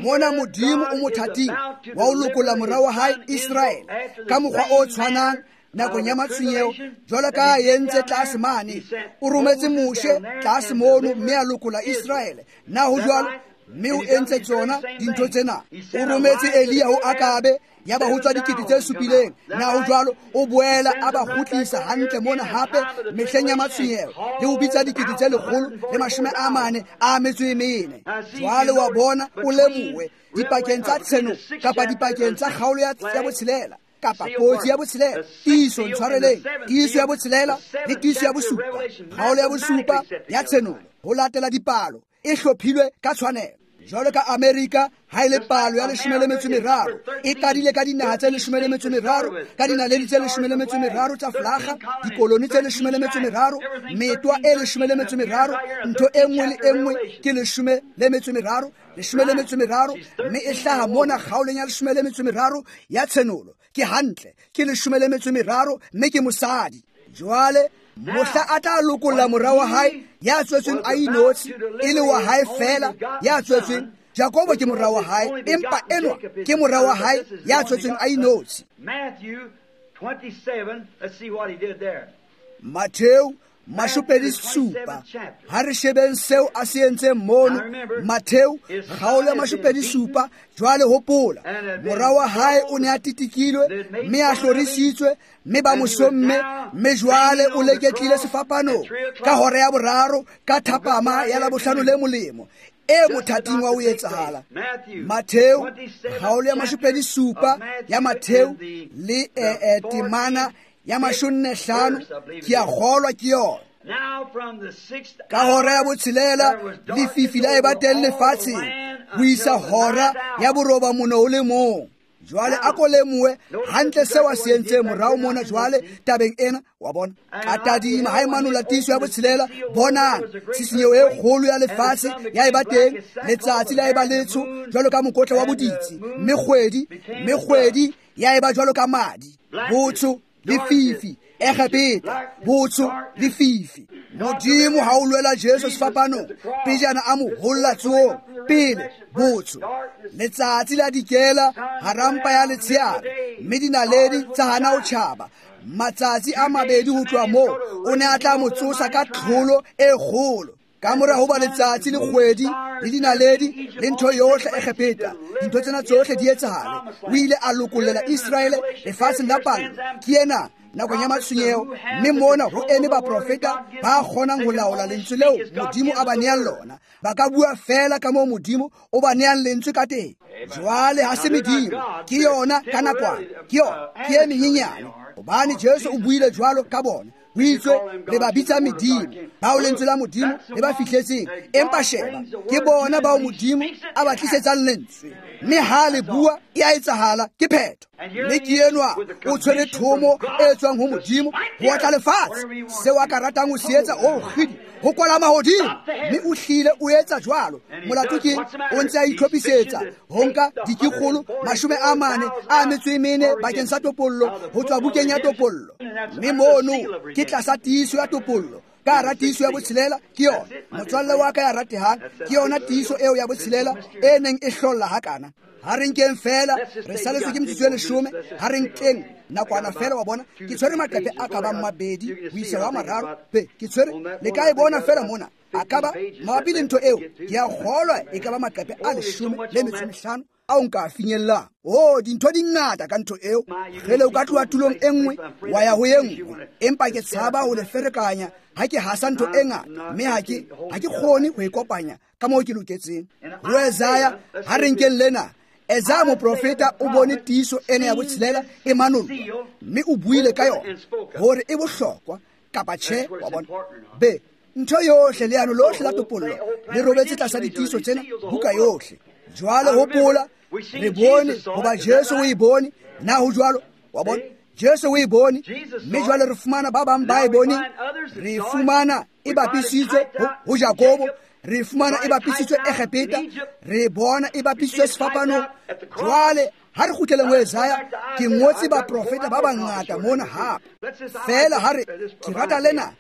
mona Modimo o mothating wa ho lokolla mora wa hae Israele ka mokgwa o tshwanang nakong ya matshwenyeho, jwalo ka a entse tlase mane. O rometse Moshe tlase mono mme a lokolla Israele. Na ho jwalo? Mme o entse tsona dintho tsena. O rometse Elia ho Akabe, ya ba ho tswa 7,000. Na ho jwalo? O boela a ba kgutlisa hantle mona hape mehleng ya matshwenyeho, le ho bitsa 144,000. Jwale wa bona, o lemohe dipakeng tsa tshenolo kapa dipakeng tsa kgaolo ya botshelela kapa kotsi ya botshelela, tiiso, ntshwareleng, tiiso ya botshelela le tiiso ya bosupa, kgaolo ya bosupa ya tshenolo, ho latela dipalo e hlophilwe ka tshwanelo. Jwalo ka Amerika ha e le palo ya 13, e qadile ka dinaha tse 13, ka dinaledi tse 13 tsa flaga, dikoloni tse 13, metwa e 13, ntho e nngwe le e nngwe ke 13, 13, mme e hlaha mona kgaolong ya 13 ya tshenolo. Ke hantle, ke 13, mme ke mosadi. Jwale mohla a tla lokolla mora wa hae ya tswetsweng a inotshi, e le wa hae fela ya tswetsweng. Jakobo ke mora wa hae, empa enwa ke mora wa hae ya tswetsweng a inotshi. Mattheu 27, ha re shebeng seo a se entseng mono. Mattheu kgaolo ya 27. Jwale hopola, mora wa hae o ne a titikilwe mme a hlorisitswe, mme ba mo somme, mme jwale o leketlile sefapanong ka hora ya boraro ka thapama ya Labohlano le molemo e mothating wa ho etsahala. Mattheu kgaolo ya 27 ya Mattheu le temana ya 45, ke a kgolwa ke yona. Ka hora ya botshelela lefifi la eba teng lefatsheng ho isa hora ya 91. Jwale a ko lemohe hantle seo a se entseng morao mona jwale tabeng ena. Wa bona, ka tadima ha e manolla tiiso ya botshelela, bonang tshisinyeho e kgolo ya lefatshe ya eba teng, letsatsi la eba letsho jwalo ka mokotla wa boditsi, mme kgwedi ya eba jwalo ka madi. Botsho, lefifi, Egepeta, botsho, lefifi. Modimo ha o lwela Jesu sefapanong, pejana a mo holla tsohong, pele botsho. Letsatsi la dikela hara mpa ya letsheare, mme dinaledi tsa hana ho tjhaba. Matsatsi a mabedi ho tloha moo, o ne a tla mo tsosa ka tlholo e kgolo. Ka mora hoba letsatsi le kgwedi le dinaledi le ntho yohle Egepeta, dintho tsena tsohle di etsahale, o ile a lokollela Israele lefatsheng la pallo. Ke ena nakong ya matshwenyeho, mme mona ho eme baprofeta ba kgonang ho laola lentswe leo Modimo a ba neang lona. Ba ka bua feela ka moo Modimo o ba neang lentswe ka teng. Jwale ha se medimo, ke yona ka nakwana, ke yona, ke e menyenyane. Hobane Jesu o buile jwalo ka bona, o itswe le ba bitsa medimo, bao lentswe la Modimo le ba fihletseng. Empa sheba, ke bona bao Modimo a ba tlisetsang lentswe, mme ha le bua e a etsahala, ke phetho. Mme ke enwa o tshwere thomo e tswang ho Modimo ho otla lefatshe. Seo a ka ratang ho se etsa, o kgidi, ho kwala mahodimo, mme o hlile o etsa jwalo. Molato ke o ntse a itlhophisetsa ho nka dikikgolo 44 bakeng sa topollo ho tswa bukeng ya topollo. Mme mono ke tlasa tiiso ya topollo. Ka hara tiiso ya botshelela ke yona, motswalle wa ka ya ratehang, ke yona tiiso eo ya botshelela e neng e hlolla hakana. Ha re nkeng feela, re saletswe ke metsotso e 10, ha re nkeng nakwana feela, wa bona. Ke tshwere maqephe a ka bang 2 ho isa wa 3. Be, ke tshwere, le ka e bona feela mona. A ka ba mabapi le ntho eo, ke a kgolwa e ka ba maqephe a 15 ao nka a finyellang. Oh, dintho di ngata ka ntho eo. Kgele o ka tloha tulong e nngwe wa ya ho e nngwe, empa ke tshaba ho le ferekanya ha ke hasa ntho e ngata, mme ha ke kgone ho e kopanya ka moo ke loketseng. Ho Isaiah, ha re nkeng lena. Isaiah moprofeta o bone tiiso ena ya botshelela e manollwa, mme o buile ka yona hore e bohlokwa kapa tjhe, wa bona. Be, ntho yohle, leano lohle la topollo le robetse tlasa ditiiso tsena, buka yohle. Jwale hopola, re bone hoba Jesu o e bone. Na ho jwalo? Wa bona, Jesu o e bone, mme jwale re fumana ba bang ba e boneng. Re fumana e bapisitswe ho Jakobo, re fumana e bapisitswe Egepeta, re bona e bapisitswe sefapanong. Jwale ha re kgutleleng ho Isaiah, ke ngotse baprofeta ba bangata mona hape. Feela ha re, ke rata lena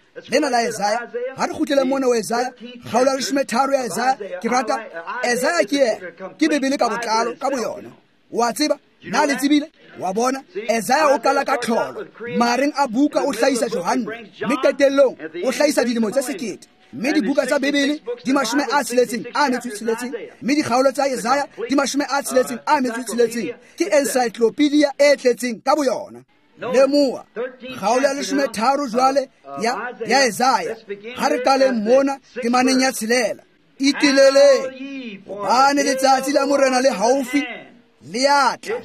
la Isaiah. Ha re kgutleleng mona ho Isaiah, kgaolo ya 13 ya Isaiah. Ke rata Isaiah, ke yena, ke Bibele ka botlalo ka boyona. Wa tseba, na le tsebile? Wa bona, Isaiah o qala ka tlholo, mareng a buka o hlahisa Johanne, mme qetellong o hlahisa dilemo tse 1000. Mme dibuka tsa Bibele di 66, mme dikgaolo tsa Isaiah di 66. Ke encyclopedia e tletseng ka boyona. Lemoha kgaolo ya 13 jwale ya Isaiah. Ha re qaleng mona temaneng ya 6. Iteleleng, hobane letsatsi la Morena le haufi, le a tla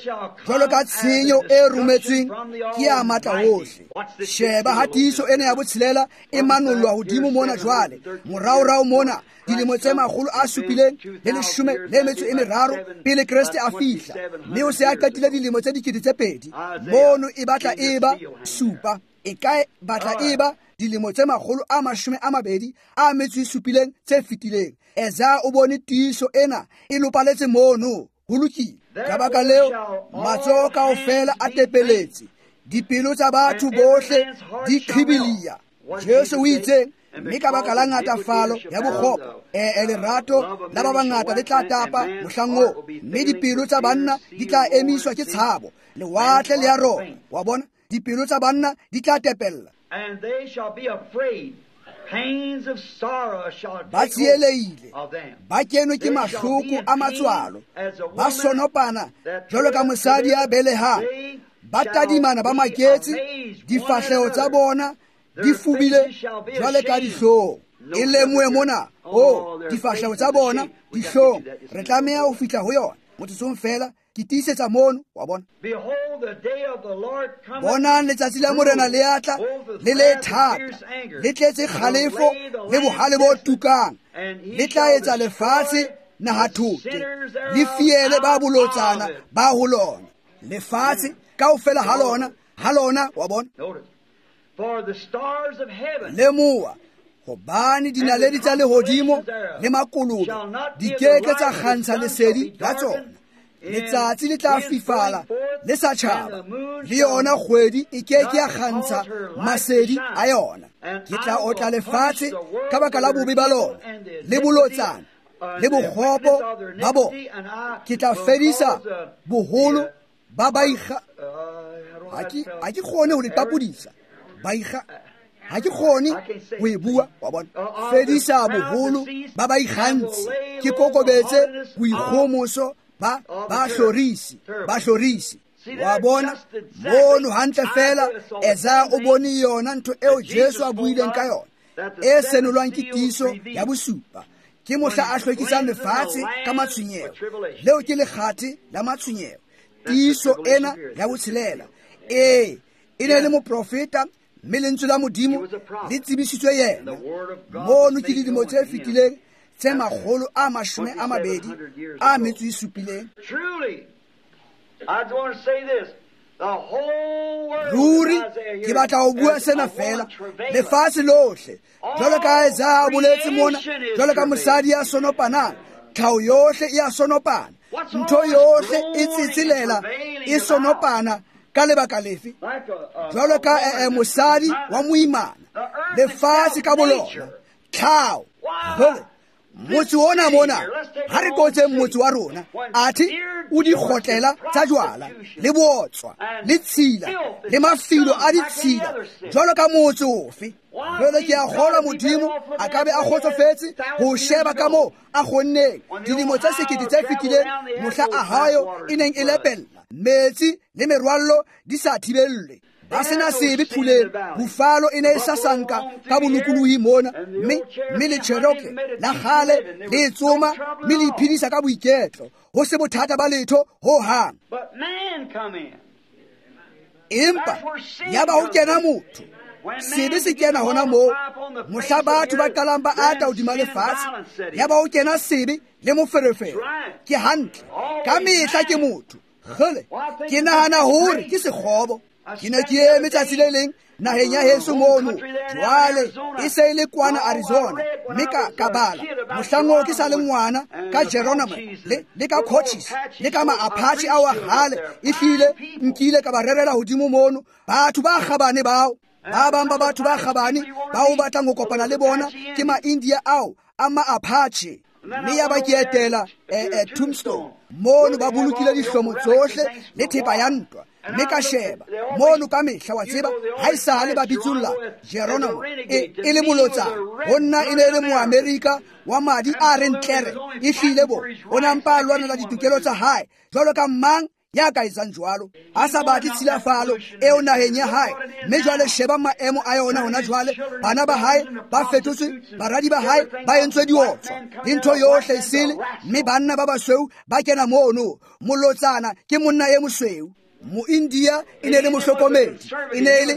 jwalo ka tshenyo e rometsweng ke ya matla wohle. Sheba ha tiiso ena ya botshelela e manollwa hodimo mona jwale, moraorao mona dilemo tse 713 pele Kreste a fihla, mme o se a qetile dilemo tse 2000. Mono e batla e ba supa, e ka batla e ba dilemo tse 227 tse fetileng. Isaiah o bone tiiso ena e lopaletse mono. Ho lokile. Ka baka leo, matsoho kaofela a tepeletse, dipelo tsa batho bohle di qhibilia. Jesu o itse, mme ka baka la ngatafalo ya bokgopo, lerato la ba bangata le tla tapa mohlang oo, mme dipelo tsa banna di tla emiswa ke tshabo. Lewatle le ya rona, wa bona, dipelo tsa banna di tla tepella. Ba tsieleile, ba kenwe ke mahloko a matswalo, ba sonopana jwalo ka mosadi ya belehang, ba tadimana ba maketse, difahleho tsa bona di fubile jwale ka dihlong. E lemohe mona, oh, difahleho tsa bona dihlong. Re tlameha ho fihla ho yona motsotsong feela. Ke tiisetsa mono, wa bona. Bonang letsatsi la Morena le a tla, le le thata, le tletse kgalefo le bohale bo tukang. Le tla etsa lefatshe nahathote, le fiele ba bolotsana ba ho lona. Lefatshe kaofela ha lona, wa bona. Lemoha, hobane dinaledi tsa lehodimo le makolobe di keke tsa kgantsha lesedi la tsona. Letsatsi le tla fifala le sa tjhaba, le yona kgwedi e keke ya kgantsha masedi a yona. Ke tla otla lefatshe ka baka la bobe ba lona le bolotsana le bokgopo ba bona. Ke tla fedisa boholo ba baikga. Ha ke kgone ho le qapodisa. Baikga, ha ke kgone ho e bua, wa bona. Fedisa boholo ba baikgantshi, ke kokobetse boikgomoso ba hlorisi. Wa bona mono hantle fela Isaiah o bone yona ntho eo Jesu a buileng ka yona e senolwang ke tiiso ya bosupa. Ke mohla a hlwekisang lefatshe ka matshwenyeho. Leo ke lekgathe la matshwenyeho. Tiiso ena ya botshelela. Ee, e ne le moprofeta mme lentswe la Modimo le tsebisitswe yena. Mono ke dilemo tse fetileng tse 227. Ruri ke batla ho bua sena fela. Lefatshe lohle jwalo ka Isaiah a boletse mona, jwalo ka mosadi ya sonopanang, tlhaho yohle e a sonopana, ntho yohle e tsetselela e sonopana ka lebaka lefe? Jwalo ka mosadi wa moimana, lefatshe ka bolona, tlhaho. Motse ona mona, ha re qotseng motse wa rona, athe o dikgotlela tsa jwala le bootswa le tshila le mafilo a ditshila jwalo ka motse ofe. Jwale ke a kgolwa Modimo a ka be a kgotsofetse ho sheba ka moo a kgonneng dilemo tse 1000 tse fetileng mohla Ohio e neng e lepella metsi le merwallo di sa thibellwe. Ba sena sebe phuleng, Buffalo e ne e sasanka ka bolokolohi mona, mme le Cherokee la kgale le tsoma mme le iphedisa ka boiketlo, ho se bothata ba letho ho hang. Empa yaba ho kena motho, sebe se kena hona moo, mohla batho ba qalang ba ata hodima lefatshe, yaba ho kena sebe le moferefere. Ke hantle, ka mehla ke motho. Kgele, ke nahana hore ke sekgobo. Ke ne ke eme tsatsi le leng naheng ya heso mono, jwale e se e le kwana Arizona, mme ka bala mohlang oo ke sa le ngwana ka Geronimo le ka Cochise le ka ma-Apache ao a kgale, ehlile nkile ka ba rerela hodimo mono. Batho ba kgabane bao, ba bang ba batho ba kgabane ba o batlang ho kopana le bona ke ma-India ao a ma-Apache. Mme ya ba ke etela Tombstone mono, ba bolokile dihlomo tsohle le thepa ya ntwa. Mme ka sheba mono ka mehla, wa tseba ha esale ba bitsolla Geronimo e le molotsana, ho nna e ne e le Moamerika wa madi a reng tlere, ehlile bo o ne a mpa a lwanela ditokelo tsa hae jwalo ka mang ya ka etsang jwalo, a sa batle tshilafalo eo naheng ya hae. Mme jwale sheba maemo a yona hona jwale, bana ba hae ba fetotswe, baradi ba hae ba entswe diotswa le ntho yohle e sele, mme banna ba basweu ba kena mono. Molotsana ke monna e mosweu. Moindia e ne le mohlokomedi, e ne le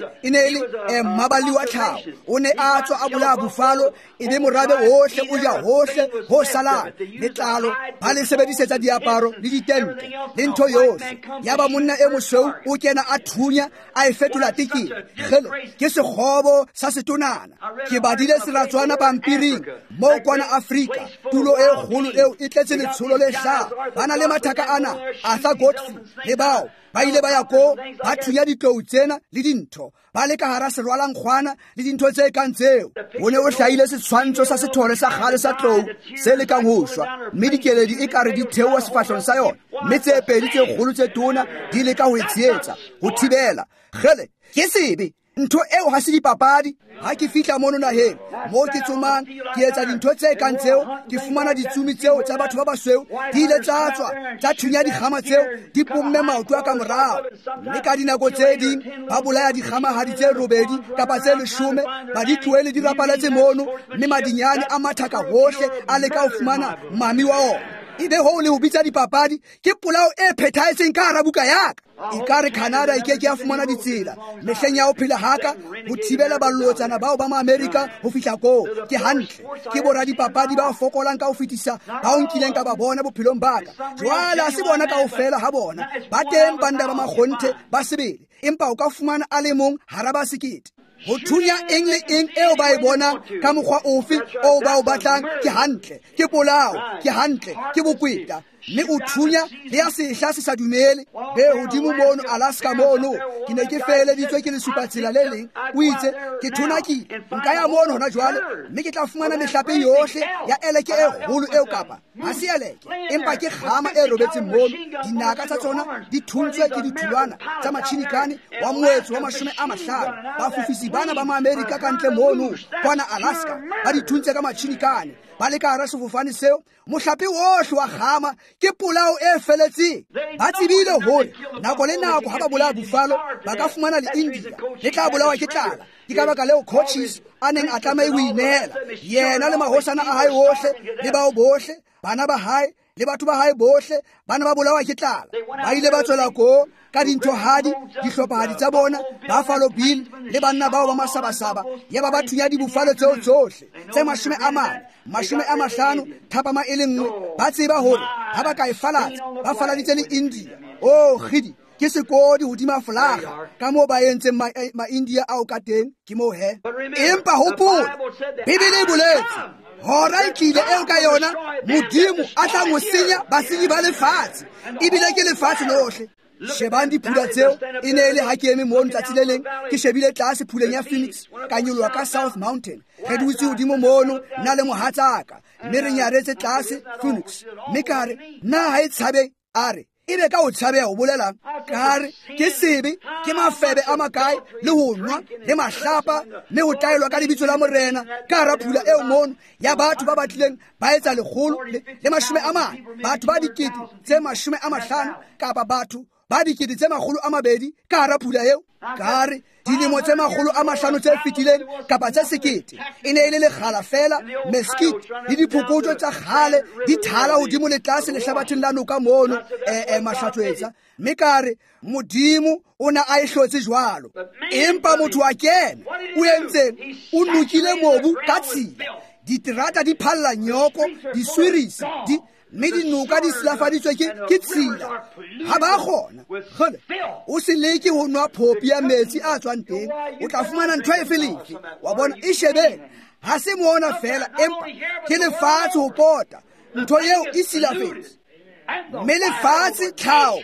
mmaballi wa tlhaho, o ne a tswa a bolaya Buffalo, e be morabe ohle o ja hohle ho salang letlalo, ba le sebedisetsa diaparo le ditente le ntho yohle. Yaba monna e mosweu o kena a thunya a e fetola tekete. Kgele, ke sekgobo sa setonana. Ke badile seratswana pampiring moo kwana Afrika, tulo e kgolo eo e tletse letsholo le hlaha. Ba na le mathaka ana, Arthur Godfrey le bao ba ile ba ya ko ba thunya ditlou tsena le dintho, ba le ka hara serwalankgwana le dintho tse kang tseo. Ho ne o hlahile setshwantsho sa sethole sa kgale sa tlou se lekang ho shwa, mme dikeledi e kare di theoha sefahlehong sa yona, mme tse pedi tse kgolo tse tona di leka ho e tshehetsa, ho thibela. Kgele, ke sebe. Ntho eo ha se dipapadi. Ha ke fihla mono naheng moo ke tsomang, ke etsa dintho tse kang tseo, ke fumana ditsumi tseo tsa batho ba basweu di ile tsa tswa tsa thunya dikgama tseo, di pomme maoto a ka morao. Mme ka dinako tse ding ba bolaya dikgamahadi tse 8 kapa tse 10, ba di tlohele di rapaletse mono, mme madinyane a mathaka hohle a leka ho fumana mami wa ona. Ebe hoo le ho bitsa dipapadi, ke polao e phethahetseng ka hara buka ya ka. Ekare Canada e ke ke ya fumana ditsela mehleng ya ho phela haka ho thibela balotsana bao ba Maamerika ho fihla koo. Ke hantle, ke boradipapadi ba fokolang ka ho fetisa bao nkileng ka ba bona bophelong ba ka. Jwale ha se bona kaofela ha bona, ba teng banna ba makgonthe ba sebele, empa o ka fumana a le mong hara ba 1000. Ho thunya eng le eng eo ba e bonang ka mokgwa ofe oo ba o batlang, ke hantle, ke polao, ke hantle, ke bokweta. Mme o thunya le ya sehla se sa dumele. Be hodimo mono Alaska mono, ke ne ke feheleditswe ke lesupatsela le leng. O itse, ke thonakile, nka ya mono hona jwale, mme ke tla fumana mehlape yohle ya eleke e kgolo eo, kapa ha se eleke, empa ke kgama e robetseng mono. Dinaka tsa tsona di thuntswe ke ditholwana tsa matjhinikane wa moetso wa 50. Bafofisi bana ba Maamerika ka ntle mono kwana Alaska ba di thuntse ka matjhinikane, ba le ka hara sefofane seo. Mohlape ohle wa kgama ke Ke polao e feletseng. Ba tsebile hore nako le nako ha ba bolaya buffalo ba ka fumana le India le tla bolawa ke tlala. Ke ka baka leo Cochise a neng a tlameha ho inehela, yena le mahosana a hae ohle le bao bohle, bana ba hae le batho ba hae bohle ba ne ba bolawa ke tlala. Ba ile ba tswela ko ka dinthohadi, dihlophahadi tsa bona, Buffalo Bill le banna bao ba masabasaba, yaba ba thunya dibufalo tseo tsohle tse 40, 50 thapama e le nngwe. Ba tseba hore ha ba ka e falatsa, ba faladitse le India. Oh kgidi, ke sekodi hodima folaga ka moo ba entseng ma-India ao ka teng, ke moo he. Empa hopola, Bibele e boletse hora e tlile eo ka yona Modimo a tlang ho senya basenyi ba lefatshe, ebile ke lefatshe lohle. Shebang diphula tseo, e ne e le ha ke eme mono tsatsi le leng, ke shebile tlase phuleng ya Phoenix, ka nyoloha ka South Mountain. Re dutse hodimo mono, nna le mohatsaka, mme re nyaretse tlase Phoenix. Mme ka re, nna ha e tshabe, a re, ebe ka o tshabeha ho bolelang? Ka re, ke sebe, ke mafebe a makae, le ho nwa, le mahlapa, mme ho taelwa ka lebitso la Morena, ka hara phula eo mono, ya batho ba batlileng ba etsa 140, batho ba 50,000 kapa batho ba 200,000 ka hara phula eo. Ka re, dilemo tse 500 tse fetileng kapa tse 1000 e ne e le lekgala fela, mesquite le diphokotso tsa kgale di thala hodimo le tlase lehlabatheng la noka mono, mahlatswetsa. Mme ka re, Modimo o ne a e hlotse jwalo, empa motho a kena, o entseng? O nokile mobu ka tshila, diterata di phalla nyoko, diswirisi di, mme dinoka di silafaditswe ke tshila. Ha ba kgona kgole, o se leke ho nwa phopi ya metsi a tswang teng, o tla fumana ntho efe lefe. Wa bona, e shebeng, ha se mona fela, empa ke lefatshe ho pota, ntho eo e silafetse. Mme lefatshe tlhaho,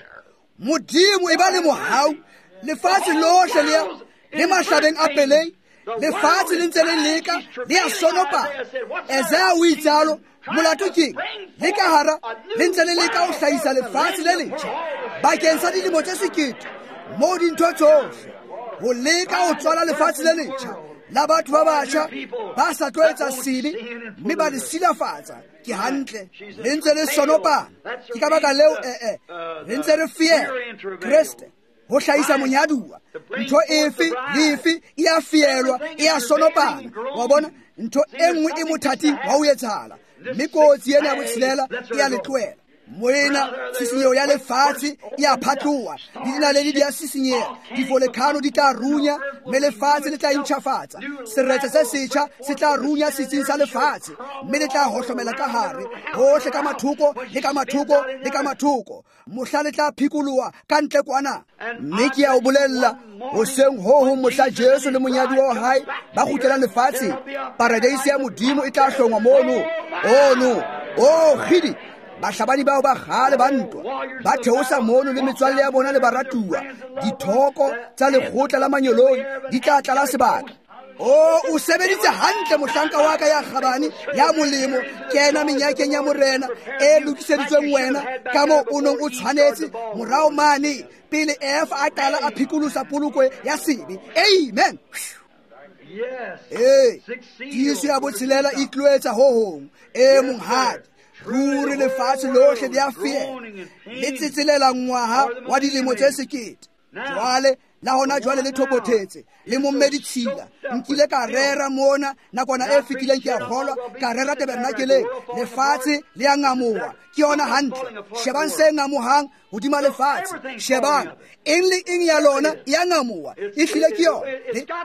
Modimo e ba le mohau, lefatshe lohle le ya le mahlabeng a pelei, lefatshe le ntse le leka, le ya sonopa. Isaiah o itsalo, molato keng? Le ka hara le ntse le leka ho hlahisa lefatshe le letjha bakeng sa dilemo tse 1000, moo dintho tsohle ho leka ho tswala lefatshe le letjha la batho ba batjha ba sa tlo etsa sebe mme ba le silafatsa. Ke hantle, le ntse le sonopana. Ke ka baka leo re ntse re fiela Kreste ho hlahisa monyaduwa. Ntho efe le efe e a fielwa, e a sonopana. Wa bona, ntho e nngwe e mothating wa ho etsahala, mme kotsi ena ya botshelela e a le tlohela. Moena, tshisinyeho ya lefatshe e a phatloha, le dinaledi di a sisinyeha, divolkhano di tla runya, mme lefatshe le tla intjhafatsa. Seretse se setjha se tla runya setsing sa lefatshe, mme le tla hohlomela ka hare hohle, ka mathoko le ka mathoko le ka mathoko, mohla le tla phikoloha ka ntle kwana. Mme ke a o bolella, hoseng ho hong mohla Jesu le monyadi wa hae ba kgutlelang lefatsheng, paradeise ya Modimo e tla hlongwa mono. Ono, oh kgidi, bahlabani bao ba kgale ba ntwa ba theosa mono le metswalle ya bona le baratuwa, dithoko tsa lekgotla la manyoloi di tla tlala sebaka. O o sebeditse hantle mohlanka wa ka ya kgabane, ya molemo, kena menyakeng ya Morena e lokiseditsweng wena, ka moo o nong o tshwanetse morao mane pele Eva a qala a phikolosa poloko ya sebe. Amen. Ee, tiiso ya botshelela e tlo etsa ho hong. Ee, monghadi, ruri lefatshe lohle le a fiela, le tsetselela ngwaha wa dilemo tse 1000. Jwale la hona jwale le thopothetse, le momme ditshila. Nkile ka rera mona nakwana e fetileng, ke a kgolwa ka rera tabernakeleng, lefatshe le a ngamoha. Ke yona hantle. Shebang se ngamohang hodima lefatshe. Shebang, eng le eng ya lona e a ngamoha, e hlile ke yona.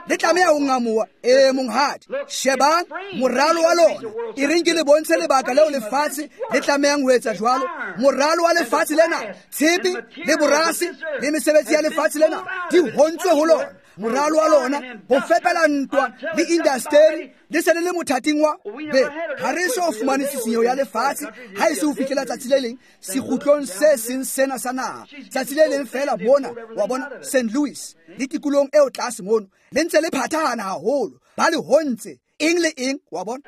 Le tlameha ho ngamoha. Ee, monghadi. Shebang moralo wa lona. E reng ke le bontshe lebaka leo lefatshe le tlamehang ho etsa jwalo. Moralo wa lefatshe lena, tshepe le borase le mesebetsi ya lefatshe lena di hontswe ho lona. Moralo wa lona ho fepela ntwa le indasteri le se le le mothating wa be. Ha re so fumane tshisinyeho ya lefatshe ha e se ho fihlela tsatsi le leng sekgutlong se seng sena sa naha. Tsatsi le leng fela mona, wa bona, St. Louis le tikolong eo tlase mono, le ntse le phathahana haholo, ba le hontse eng le eng, wa bona.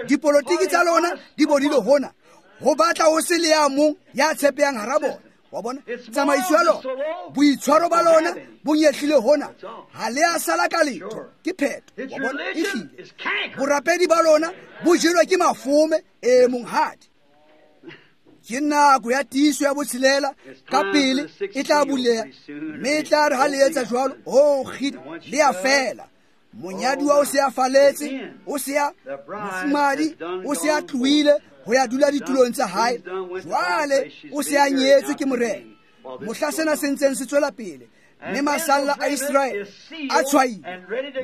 Dipolotiki tsa lona di bodile hona, ho batla ho se le ya mong ya tshepehang hara bona. Wa bona, tsamaiso ya lona, boitshwaro ba lona bo nyehlile hona, ha le a sala ka letho, ke phetho. Wa bona, ehlile borapedi ba lona bo jelwe ke mafome. Ee, monghadi. Ke nako ya tiiso ya botshelela ka pele e tla buleha, mme e tla re ha le etsa jwalo, oh kgidi, le a fela. Monyadiwa o se a faletse, o se a mofumadi, o se a tlohile ho ya dula ditulong tsa hae. Jwale o se a nyetswe ke Morena. Mohla sena se ntseng se tswela pele, mme masalla a Iseraele a tshwaile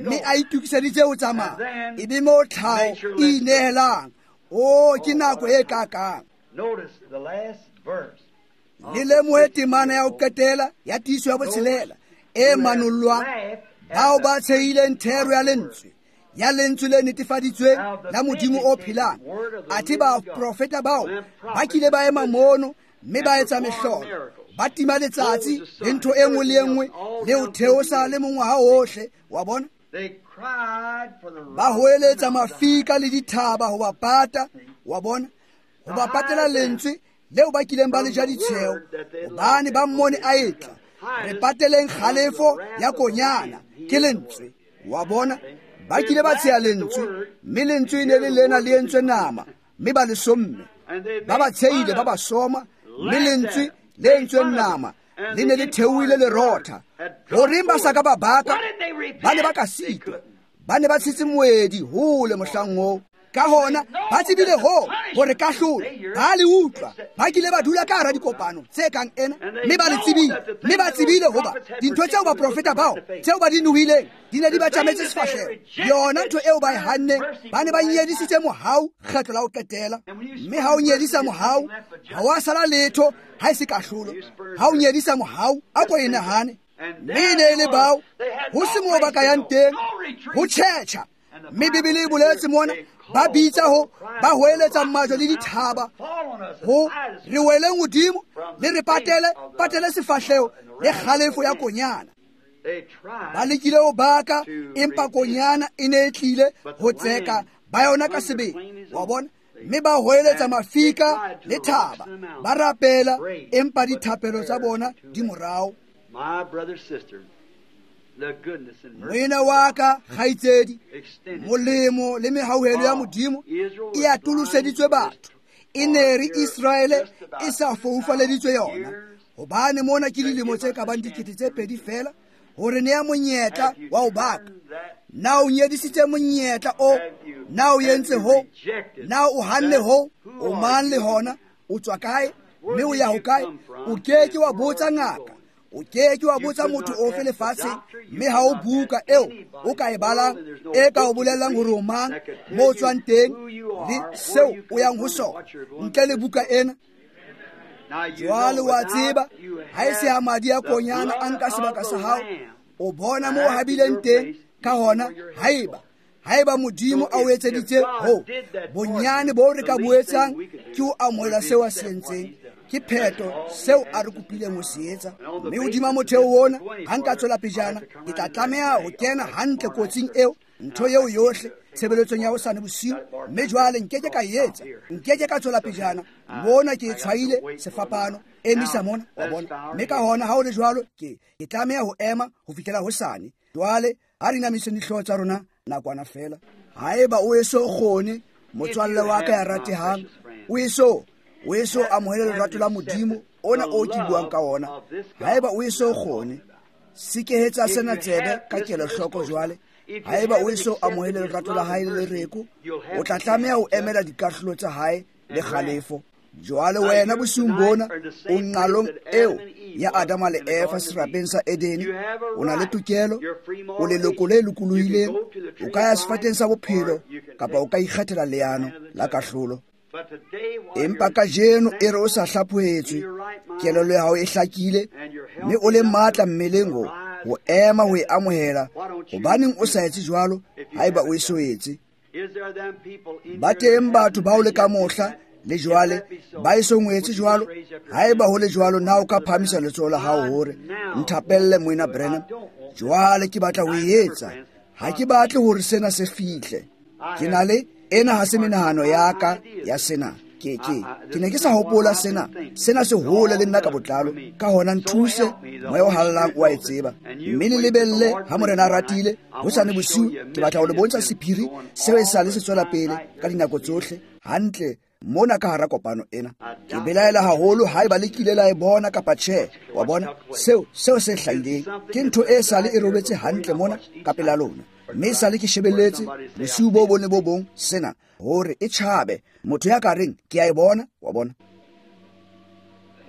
mme a itokiseditse ho tsamaya, e be moo tlhaho e inehelang. Oh, ke nako e kakang. Le lemohe temana ya ho qetela ya tiiso ya botshelela e manollwang, bao ba tshehileng thero ya lentswe, ya lentswe le netefaditsweng la Modimo o phelang. Athe baprofeta bao ba kile ba ema mono mme ba etsa mehlolo, ba tima letsatsi le ntho e nngwe le e nngwe le ho theosa le mongwaha ohle wa bona. Ba hoeletsa mafika le dithaba ho ba pata, wa bona, ho ba patela lentswe leo ba kileng ba le ja ditsheo, hobane ba mmone a etla. Re pateleng kgalefo ya konyana ke lentswe, wa bona. Ba kile ba tsheha lentswe, mme lentswe e ne le lena le entswe nama, mme ba le somme. Ba ba tshehile, ba ba soma, mme lentswe le entsweng nama le ne le theohile lerotha. Horeng ba sa ka ba baka? Ba ne ba ka sitwa, ba ne ba tshetse moedi hole mohlang oo. Ka hona ba tsebile ho hore kahlolo ba le utlwa. Ba kile ba dula ka hara dikopano tse kang ena, mme ba le tsebile, mme ba tsebile hoba dintho tseo baprofeta bao tseo ba di nohileng di ne di ba tjametse sefahleho. Yona ntho eo ba e hanneng, ba ne ba nyedisitse mohau kgetlo la ho qetela. Mme ha o nyedisa mohau, ha wa sala letho ha e se kahlolo. Ha o nyedisa mohau, a ko e nahane. Mme e ne e le bao ho se moo ba ka yang teng ho tjhetjha. Mme Bibele e boletse mona, ba bitsa ho, ba hoeletsa majwe le dithaba ho re weleng hodimo, le re patele, patele sefahleho le kgalefo ya konyana. Ba lekile ho baka, empa konyana e ne e tlile ho tseka ba yona ka sebele, wa bona. Mme ba hoeletsa mafika le thaba, ba rapela, empa dithapelo tsa bona di morao. Moena wa ka kgaitsedi, molemo le mehauhelo ya Modimo e atoloseditswe batho. E ne re Iseraele e sa foufaleditswe yona, hobane mona ke dilemo tse ka bang 2000 feela hore nea monyetla wa ho baka. Na o nyedisitse monyetla o? Na o entse ho? Na o hanne ho? O mang le hona? O tswa kae? Mme o ya ho kae? O ke ke wa botsa ngaka, o ke ke wa botsa motho ofe lefatsheng, mme ha o buka eo o ka e balang e ka o bolellang hore o mang, mo o tswang teng le seo o yang ho sona, ntle le buka ena. Jwale wa tseba, ha e se ha madi a konyana a nka sebaka sa hao, o bona mo o habileng teng. Ka hona, haeba Modimo a o etseditse ho, bonyane bo re ka bo etsang ke ho amohela seo a se entseng. Ke pheto seo a re kopileng ho se etsa. Mme hodima motheo ona, ha nka tswela pejana, ke tla tlameha ho kena hantle kotsing eo, ntho eo yohle, tshebeletsong ya hosane bosiu. Mme jwale nkeke ka e etsa, nkeke ka tswela pejana. Mona ke e tshwaile sefapano, emisa mona, wa bona. Mme ka hona ha o le jwalo, ke tlameha ho ema ho fihlela hosane. Jwale ha re inamiseng dihlooho tsa rona nakwana feela. Haeba o eso kgone, motswalle wa ka ya ratehang, o eso amohele lerato la Modimo ona o ke buang ka ona. Haeba o eso kgone, sekehetsa sena tsebe ka kelohloko jwale. Haeba o eso amohele lerato la hae le lereko, o tla tlameha ho emela dikahlolo tsa hae le kgalefo. Jwale wena bosiung bona o nqalong eo ya Adama le Eva serapeng sa Edene. O na le tokelo, o leloko le lokolohileng, o ka ya sefateng sa bophelo kapa o ka ikgethela leano la kahlolo. Empa kajeno e re o sa hlaphohetswe, kelello ya hao e hlakile, mme o le matla mmeleng ho ema ho e amohela. Hobaneng o sa etse jwalo haeba o eso etse? Ba teng batho bao le ka mohla le jwale ba eso ngwetse jwalo. Haeba ho le jwalo, na o ka phahamisa letsoho la hao hore nthapelle, Moena Branham? Jwale ke batla ho e etsa. Ha ke batle hore sena se fihle. Ke na le ena ha se menahano ya ka ya sena. Ke ne ke sa hopola sena. Sena se hole le nna ka botlalo. Ka hona nthuse, moya o hallang o a e tseba. Mme le lebelle ha Morena a ratile, hosane bosiu ke batla ho le bontsha sephiri seo e sale se tswela pele ka dinako tsohle, hantle mona ka hara kopano ena. Ke belaela haholo haeba le kile la e bona kapa tjhe. Wa bona, seo se hlahileng ke ntho e sale e robetse hantle mona ka pela lona, mme sale ke shebelletse bosiu bo bone bo bong sena hore e tjhabe. Motho ya ka reng ke a e bona, wa bona.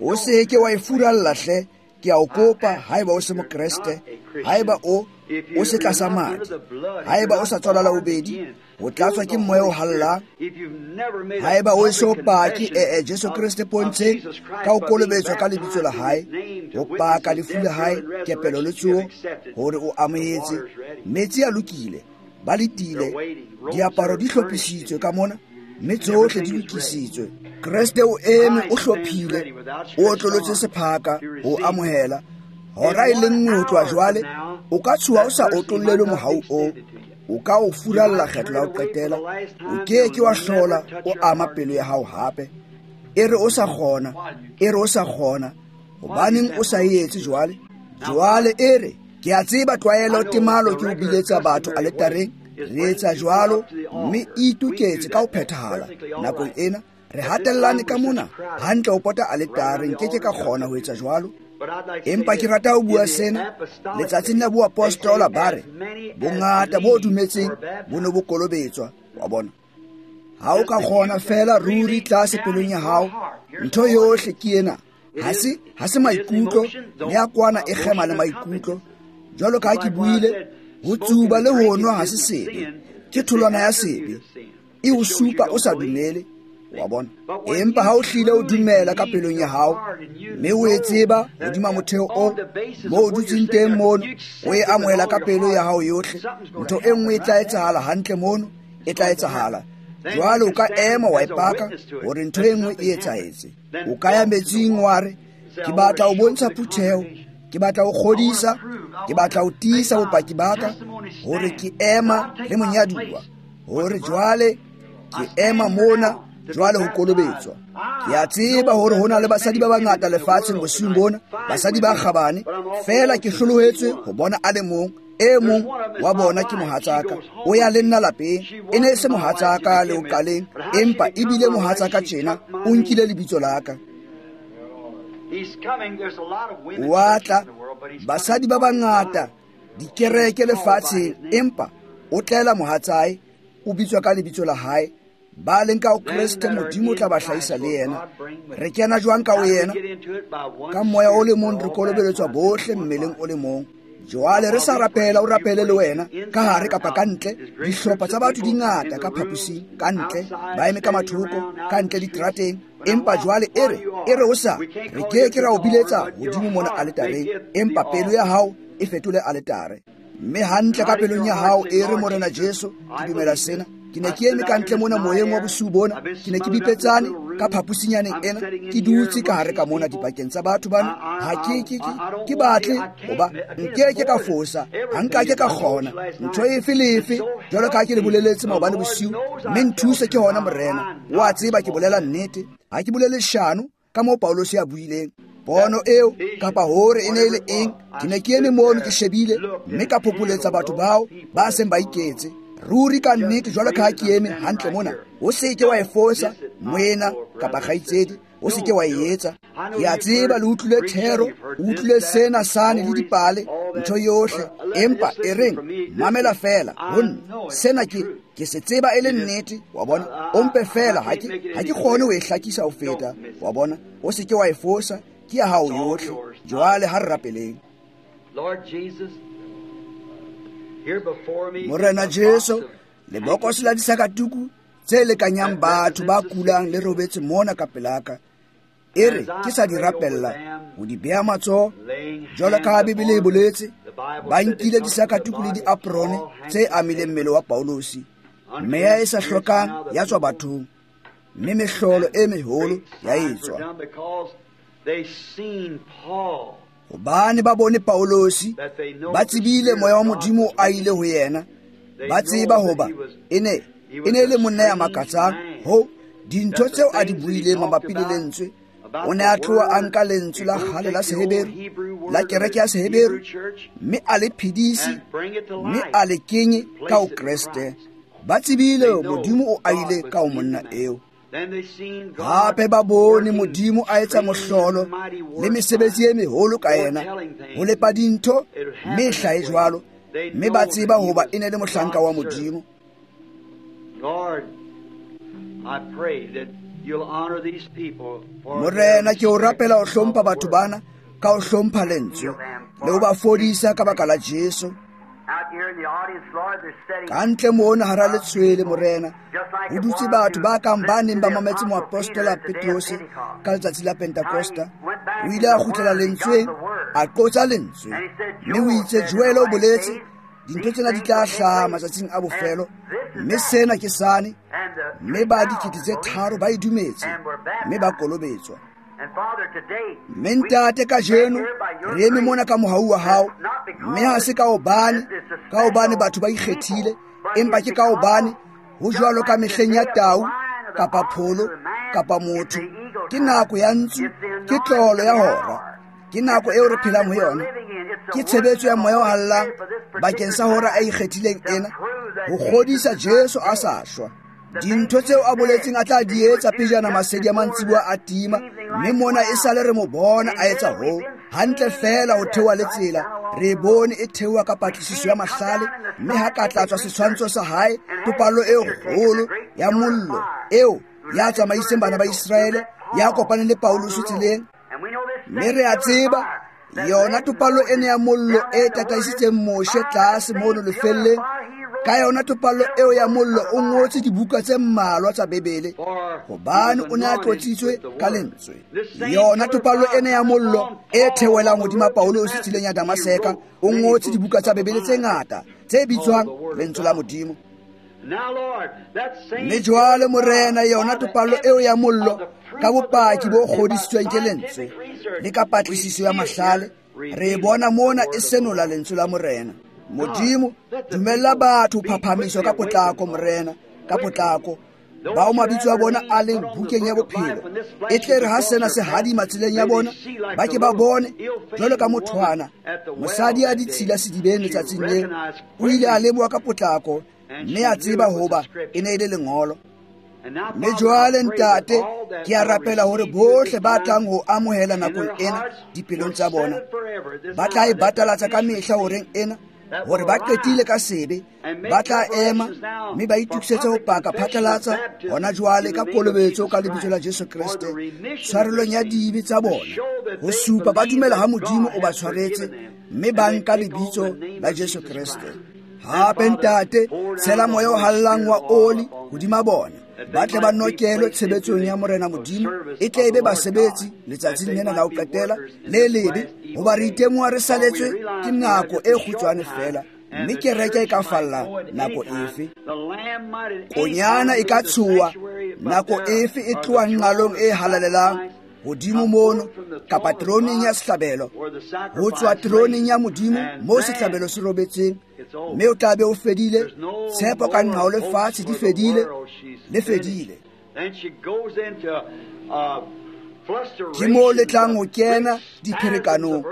O se ke wa e furalla hle, ke a o kopa, haeba o se mokreste, haeba o se tlasa madi, haeba o sa tswala la bobedi, o tlatswa ke moya o hallang, haeba o eso pake Jesu Kreste pontsheng ka ho kolobetswa ka lebitso la hae, ho paka lefu la hae, kepelo le tsoho, hore o amohetse. Metsi a lokile, ba letile, diaparo di hlophisitswe ka mona, mme tsohle di lokisitswe. Kreste o eme, o hlophile, o otlolotse sephaka ho amohela. Hora e le nngwe ho tloha jwale, o ka tshoha o sa otlollelwe mohau oo, o ka o furalla kgetlo la ho qetela, o ke ke wa hlola o ama pelo ya hao hape. E re o sa kgona, e re o sa kgona, hobaneng o sa e etse jwale? Jwale e re, ke a tseba tlwaelo temalo ke ho biletsa batho aletareng, re etsa jwalo, mme e itoketse ka ho phethahala nakong ena. Re hatellane ka mona hantle ho pota aletare, nke ke ka kgona ho etsa jwalo. Empa ke rata ho bua sena, letsatsing la boapostola ba re bongata bo dumetseng bo ne bo kolobetswa, wa bona. Ha o ka kgona fela ruri tlase pelong ya hao, ntho yohle ke ena. Ha se maikutlo, le ya kwana e kgema le maikutlo. Jwalo ka ha ke buile, ho tsuba le ho nwa ha se sebe, ke tholwana ya sebe, e o supa o sa dumele, wa bona. Empa ha o hlile o dumela ka pelong ya hao, mme o e tseba hodima motheo o mo o dutseng teng mono, o e amohela ka pelo ya hao yohle, ntho e nngwe e tla etsahala hantle mono, e tla etsahala. Jwale o ka ema wa e paka hore ntho e nngwe e etsahetse. O ka ya metsing wa re, ke batla ho bontsha phutheho, ke batla ho kgodisa, ke batla ho tiisa bopaki ba ka hore ke ema le monyaduwa, hore jwale ke ema mona jwale ho kolobetswa. Ke a tseba hore ho na le basadi ba bangata lefatsheng bosiung bona, basadi ba kgabane, fela ke hlolohetswe ho bona a le mong. E mong wa bona ke mohatsaka, o ya le nna lapeng. E ne e se mohatsaka le o qaleng, empa ebile mohatsaka tjena, o nkile lebitso la ka. Wa tla, basadi ba bangata dikereke lefatsheng, empa o tlela mohatsae, o bitswa ka lebitso la hae. Ba leng ka ho Kreste, Modimo o tla ba hlahisa le yena. Re kena jwang ka ho yena? Ka moya o le mong re kolobeletswa bohle mmeleng o le mong. Jwale re sa rapela, o rapele le wena, ka hare kapa ka ntle. Dihlopha tsa batho di ngata ka phaposing, ka ntle, ba eme ka mathoko, ka ntle diterateng. Empa jwale e re o sa, re ke ke ra o biletsa hodimo mona aletareng, empa pelo ya hao e fetole aletare. Mme hantle ka pelong ya hao e re, Morena Jesu, ke dumela sena. Ke ne ke eme ka ntle mona moyeng wa bosiu bona, ke ne ke bipetsane ka phaposinyaneng ena, ke dutse ka hare ka mona dipakeng tsa batho bana. Ha ke batle hoba nke ke ka fosa, ha nka ke ka kgona ntho efe le efe, jwalo ka ha ke le boleletse maobane bosiu. Mme nthuse ke hona, Morena, wa tseba ke bolela nnete, ha ke bolele leshano, ka moo Paulosi a buileng. Pono eo kapa hore e ne e le eng, ke ne ke eme mono ke shebile, mme ka phopholetsa batho bao ba seng ba iketse. Ruri ka nnete jwalo ka ha ke eme hantle mona, o se ke wa e fosa, moena kapa kgaitsedi, o se ke wa e etsa. Ke a tseba le utlwile thero, o utlwile sena sane le dipale, ntho yohle, empa e reng, mamela fela ho nna. Sena ke se tseba e le nnete, wa bona. O mpe fela, ha ke kgone ho e hlakisa ho feta, wa bona. O se ke wa e fosa, ke ya hao yohle. Jwale ha re rapeleng. Morena Jesu, lebokose la disakatuku tse lekanyang batho ba kulang le robetse mona ka pelaka. E re ke sa di rapella ho di beha matsoho, jwalo ka ha Bibele e boletse, ba nkile disakatuku le diaprone tse amileng mmele wa Paulosi. Meya e sa hlokang ya tswa bathong, mme mehlolo e meholo ya etswa. Hobane ba bone Paulosi, ba tsebile moya wa Modimo a ile ho yena, ba tseba hoba e ne e le monna ya makatsang. Ho dintho tseo a di buileng mabapi le lentswe, o ne a tloha a nka lentswe la kgale la Seheberu, la kereke ya Seheberu, mme a le phedise, mme a le kenye ka ho Kreste. Ba tsebile Modimo o aile ka ho monna eo. Hape ba bone Modimo a etsa mohlolo le mesebetsi e meholo ka yena, ho lepa dintho, mme e hlahe jwalo, mme ba tseba hoba e ne le mohlanka wa Modimo. Morena, ke o rapela ho hlompha batho bana ka ho hlompha lentswe le ho ba fodisa ka baka la Jesu. Ka ntle mona hara letshwele, Morena, ho dutse batho ba kang ba neng ba mametse moapostola Petrose ka letsatsi la Pentekosta. O ile a kgutlela lentsweng, a qotsa lentswe, mme o itse Joel o boletse dintho tsena di tla hlaha matsatsing a bofelo, mme sena ke sane, mme ba 3,000 ba e dumetse mme ba kolobetswa. Mme ntate, kajeno re eme mona ka mohau wa hao, mme ha se ka hobane batho ba ikgethile, empa ke ka hobane ho jwalo ka mehleng ya tau kapa pholo kapa motho. Ke nako ya ntsu, ke tlolo ya hora, ke nako eo re phelang ho yona. Ke tshebetso ya moya o hallang bakeng sa hora a ikgethileng ena, ho kgodisa Jesu a sa shwa. Dintho tseo a boletseng a tla di etsa pejana masedi a mantsiboa a tima, mme mona e sale re mo bona a etsa hoo hantle fela ho theoha le tsela. Re bone e theoha ka patlisiso ya mahlale, mme ha ka tlatswa setshwantsho sa hae, topallo e kgolo ya mollo eo ya tsamaiseng bana ba Iseraele, ya kopaneng le Paulus tseleng. Mme re a tseba yona topallo ena ya mollo e tataisitseng Moshe tlase mono lefelleng. Ka yona topallo eo ya mollo o ngotse dibuka tse mmalwa tsa Bibele, hobane o ne a tlotsitswe ka lentswe. Yona topallo ena ya mollo e theohelang hodima Paulus tseleng ya Damaseka, o ngotse dibuka tsa Bibele tse ngata tse bitswang lentswe la Modimo. Mme jwale, Morena, yona topallo eo ya mollo ka bopaki bo kgodisitsweng ke lentswe le ka patlisiso ya mahlale, re bona mona e senola lentswe la Morena. Modimo, dumella batho ho phaphamiswa ka potlako, Morena, ka potlako, bao mabitso a bona a leng bukeng ya bophelo. E tle re ha sena se hadima tseleng ya bona, ba ke ba bone jwalo ka mothwana mosadi a ditshila sedibeng letsatsing leo, o ile a leboha ka potlako mme a tseba hoba e ne e le lengolo. Mme jwale, ntate, ke a rapela hore bohle ba tlang ho amohela nakong ena dipelong tsa bona, ba tla e batalatsa ka mehla horeng ena, hore ba qetile ka sebe, ba tla ema mme ba itokisetse ho paka phatlalatsa hona jwale ka kolobetso ka lebitso la Jesu Kreste, tshwarelong ya dibe tsa bona, ho supa ba dumela ha Modimo o ba tshwaretse, mme ba nka lebitso la Jesu Kreste. Hape, ntate, tshela moya o hallang wa oli hodima bona, ba tle ba nokelwe tshebetsong ya Morena Modimo, e tle e be basebetsi letsatsing lena la ho qetela le lebe, hoba re itemoha re saletswe ke nako e kgutshwane fela, mme kereke e ka falla nako efe. Konyana e ka tshoha nako efe e tloha nqalong e halalelang hodimo mono, kapa teroneng ya sehlabelo, ho tswa teroneng ya Modimo moo sehlabelo se robetseng, mme o tla be o fedile. Tshepo ka nqao lefatshe di fedile, le fedile. Ke moo le tlang ho kena dipherekanong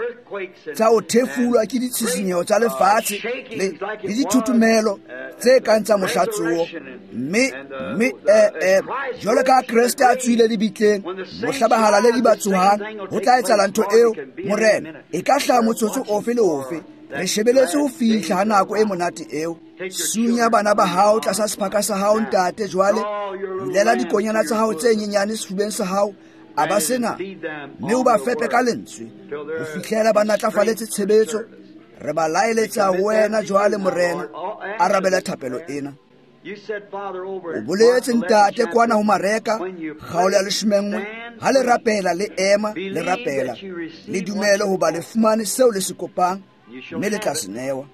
tsa ho thefulwa ke ditshisinyeho tsa lefatshe le dithutumelo tse kang tsa mohlatsoho. Mme jwalo ka Kreste a tswile lebitleng, mohla bahalaledi ba tsohang, ho tla etsahala ntho eo, Morena, e ka hlaha motsotso ofe le ofe. Re shebeletse ho fihla ha nako e monate eo. Sunya bana ba hao tlasa sephaka sa hao, ntate, jwale bulela dikonyana tsa hao tse nyenyane sefubeng sa hao, a ba sena, mme o ba fepe ka lentswe ho fihlela ba natlafaletse tshebetso. Re ba laeletsa ho wena jwale, Morena, arabela thapelo ena. O boletse, ntate, kwana ho Mareka kgaolo ya 11, ha le rapela le ema le rapela, le dumele hoba le fumane seo le se kopang, mme le tla se newa.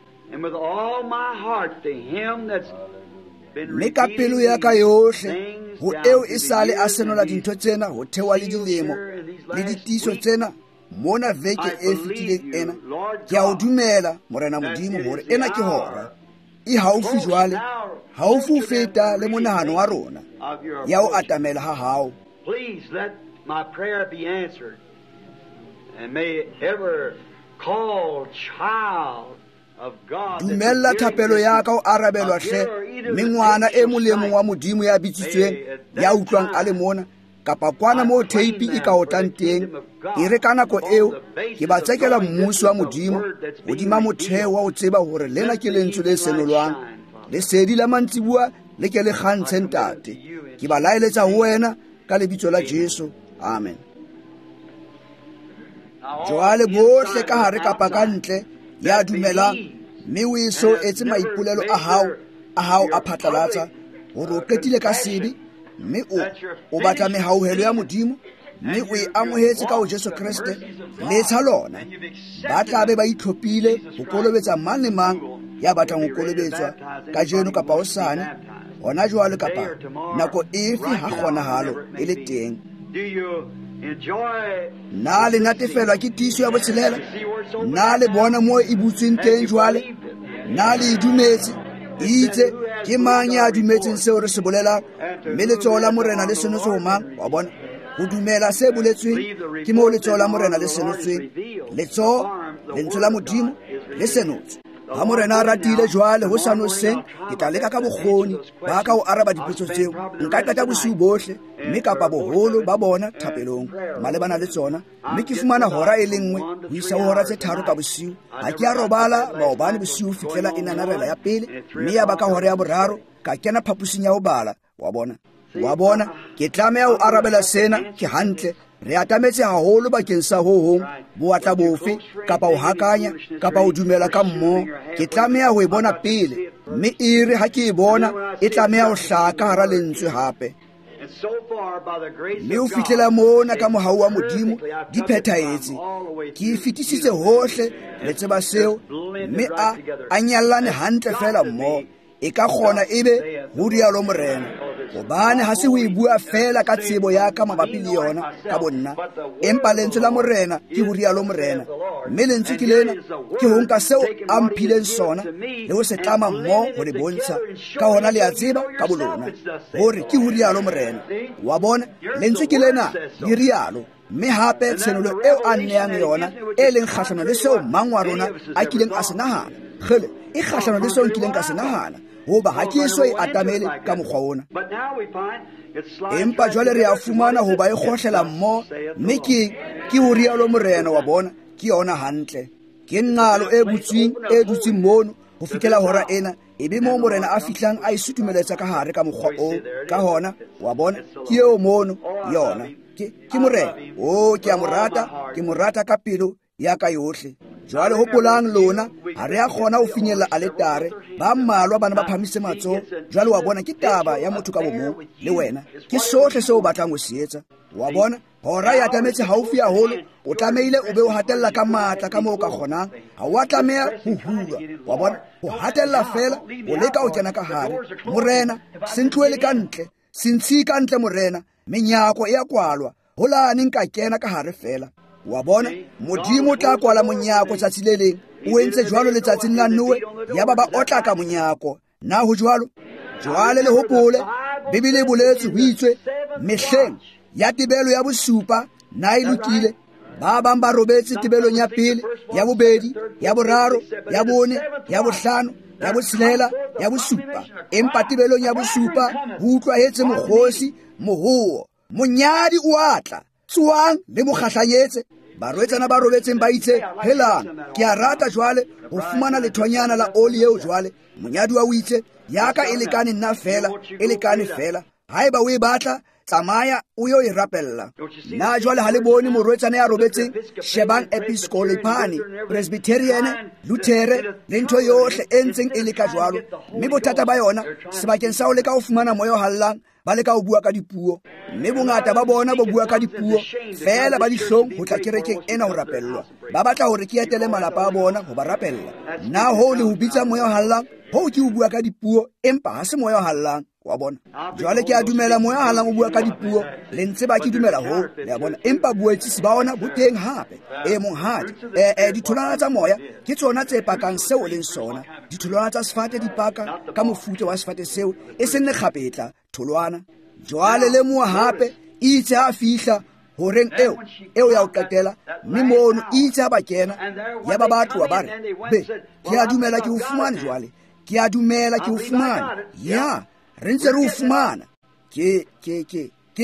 Mme ka pelo ya ka yohle ho eo e sale a senola dintho tsena ho theoha le dilemo le ditiiso tsena mona veke e fetileng ena, ke a o dumela, Morena Modimo, hore ena ke hora e haufi jwale, haufi ho feta le monahano wa rona ya ho atamela ha hao. Dumella thapelo ya ka ho arabelwa hle, Mme ngwana e mong le e mong wa Modimo ya bitsitsweng, ya utlwang a le mona, kapa kwana moo theipi e ka otlang teng, e re ka nako eo ke ba tsekela mmuso wa Modimo hodima motheo wa ho tseba hore lena ke lentswe le senolwang. Lesedi la mantsibuwa le ke le kgantshe, Ntate. Ke ba laeletsa ho wena ka lebitso la Jesu. Amen. Jwale bohle ka hare kapa ka ntle ya dumelang, mme o eso etse maipolelo a hao a phatlalatsa hore o qetile ka sebe, mme o batla mehauhelo ya Modimo, mme o e amohetse ka ho Jesu Kreste, letsha lona. Ba tla be ba itlhophile ho kolobetsa mang le mang ya batlang ho kolobetswa kajeno kapa hosane, hona jwale kapa nako efe ha kgonahalo e le teng. Na le natefelwa ke tiiso ya botshelela? Na le bona moo e butsweng teng jwale? Na le e dumetse? Itse ke mang ya dumetseng seo re se bolelang? Mme letsoho la Morena le senotswe ho mang? Wa bona? Ho dumela se boletsweng ke moo letsoho la Morena le senotsweng. Letsoho, lentswe la Modimo le senotswe. Ha Morena a ratile jwale ho sa noseng, ke tla leka ka bokgoni ba ka ho araba dipotso tseo. Nka qeta bosiu bohle, mme kapa boholo ba bona thapelong malebana le tsona, mme ke fumana hora e le nngwe ho isa ho hora tse 3 ka bosiu. Ha ke a robala maobane bosiu fihlela e nanarela ya pele, mme ya ba ka hora ya 3 ka kena phaposing ya ho bala. Wa bona? Wa bona? Ke tlameha ho arabela sena. Ke hantle. Re atametse haholo bakeng sa ho hong, bowatla bofe, kapa ho hakanya, kapa ho dumela ka mmoho. Ke tlameha ho e bona pele, mme e re ha ke e bona, e tlameha ho hlaha ka hara lentswe hape. Mme ho fihlela mona ka mohau wa Modimo di phethahetse. Ke e fetisitse hohle, le tseba seo, mme a nyallane hantle feela mmoho. E ka kgona ebe ho rialo Morena, hobane ha se ho e bua feela ka tsebo ya ka mabapi le yona ka bonna, empa lentswe la Morena ke ho rialo Morena. Mme lentswe ke lena, ke ho nka seo a mphileng sona le ho se tlama mmoho ho le bontsha. Ka hona le a tseba ka bolona hore ke ho rialo Morena. Wa bona, lentswe ke lena le rialo. Mme hape tshenolo eo a nneyang yona e leng kgahlano le seo mang wa rona a kileng a se nahana. Kgele, e kgahlano le seo nkileng ka se nahana, hoba ha ke eso e atamele ka mokgwa ona. Empa jwale re a fumana hoba e kgohlela mmoho, mme ke ho rialo Morena. Wa bona, ke yona hantle. Ke nqalo e butsweng e dutseng mono ho fihlela hora ena, ebe moo Morena a fihlang a e sutumeletsa ka hare ka mokgwa oo. Ka hona, wa bona, ke eo mono yona. Ke Morena. Oh, ke a mo rata, ke mo rata ka pelo ya ka yohle. Jwale hopolang lona, ha re a kgona ho finyella aletare. Ba mmalwa bana ba phamise matsoho. Jwale wa bona, ke taba ya motho ka bomong le wena. Ke sohle seo o batlang ho se etsa. Wa bona, hora e atametse haufi haholo, o tlamehile o be o hatella ka matla ka moo o ka kgonang. Ha o a tlameha ho hulwa. Wa bona, ho hatella feela, o leka ho kena ka hare. Morena, se ntlohele ka ntle, se ntshiye ka ntle Morena. Menyako e a kwalwa, holane nka kena ka hare feela. Wa bona, Modimo o tla kwala monyako tsatsi le leng. O entse jwalo letsatsing la Noe, yaba ba otla ka monyako. Na ho jwalo? Jwale le hopole, Bibele e boletse ho itswe, mehleng ya tebelo ya bosupa, na e lokile? Ba bang ba robetse tebelong ya pele, ya bobedi, ya boraro, ya bone, ya bohlano, ya botshelela, ya bosupa. Empa tebelong ya bosupa ho utlwahetse mokgosi, mohoo, monyadi o a tla, tsoang le mo kgahlanyetse. Barwetsana ba robetseng ba itse, helang, ke a rata jwale ho fumana lethonyana la oli eo jwale. Monyadi wa o itse, ya ka e lekane nna feela, e lekane feela. Haeba o e batla, tsamaya o yo e rapella. Na jwale ha le bone morwetsana ya robetseng? Shebang Episcopalian, Presbyterian, Luthere le ntho yohle e ntseng e leka jwalo. Mme bothata ba yona, sebakeng sa ho leka ho fumana moya o hallang, ba leka ho bua ka dipuo. Mme bongata ba bona bo bua ka dipuo feela, ba dihlong ho tla kerekeng ena ho rapellwa. Ba batla hore ke etele malapa a bona ho ba rapella. Na hoo le ho bitsa moya o hallang? Hoo ke ho bua ka dipuo, empa ha se moya o hallang. Wa bona? Jwale ke a dumela moya o hallang o bua ka dipuo, le ntse ba ke dumela hoo, le a bona. Empa boetsisi ba ona bo teng hape. E monghadi, ditholwana tsa moya ke tsona tse pakang seo o leng sona. Ditholwana tsa sefate di paka ka mofuta wa sefate seo, e seng lekgapetla, tholwana. Jwale lemoha hape, itse ha fihla horeng eo ya ho qetela, mme mono itse ha ba kena, ya ba ba tloha ba re, be, ke a dumela ke ho fumane jwale. Ke a dumela ke o fumana. Ya, re ntse re o fumana. Ke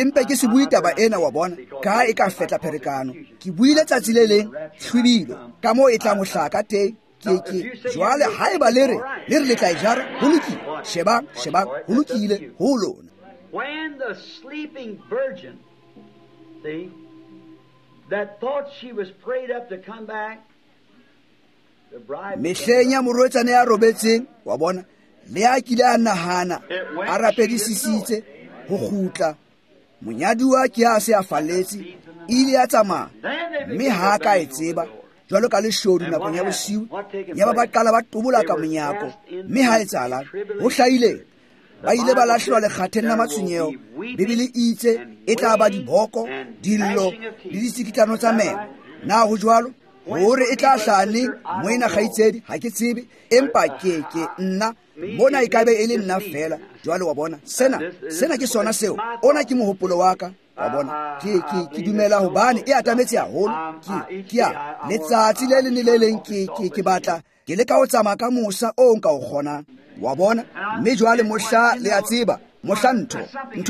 mpe ke se bue taba ena wa bona, ka e ka fetla pherekano. Ke buile tsatsi le leng hlwibilo ka moo e tlang ho hlaha ka teng. Ke jwale haeba le re le tla e jara, ho lokile. Shebang, ho lokile ho lona. When the sleeping virgin, see, that thought she was prayed up to come back, the bride. Mehleng ya morwetsana ya robetseng, wa bona, le a kile a nahana, a rapedisisitse ho kgutla. Monyaduwa ke a se a falletse, ile a tsamaya, mme ha ka e tseba, jwalo ka leshodu nakong ya bosiu, ya ba qala ba tobola ka monyako, mme ha etsahalang, ho hlahile. Ba ile ba lahlelwa lekgatheng la matshwenyeho. Bibele e itse e tla ba diboko, dillo le ditsikitlano tsa meno. Na ho jwalo? Hore e tla hlaha neng, moena kgaitsedi, ha ke tsebe, empa ke nna mona e ka be e le nna fela. Jwale wa bona, sena ke sona seo. Ona ke mohopolo wa ka, wa bona. Ke dumela hobane e atametse haholo. Ke a letsatsi le leng le le leng ke batla ke leka ho tsamaya ka mosa o nka o kgonang, wa bona. Mme jwale mohla le a tseba, mohla ntho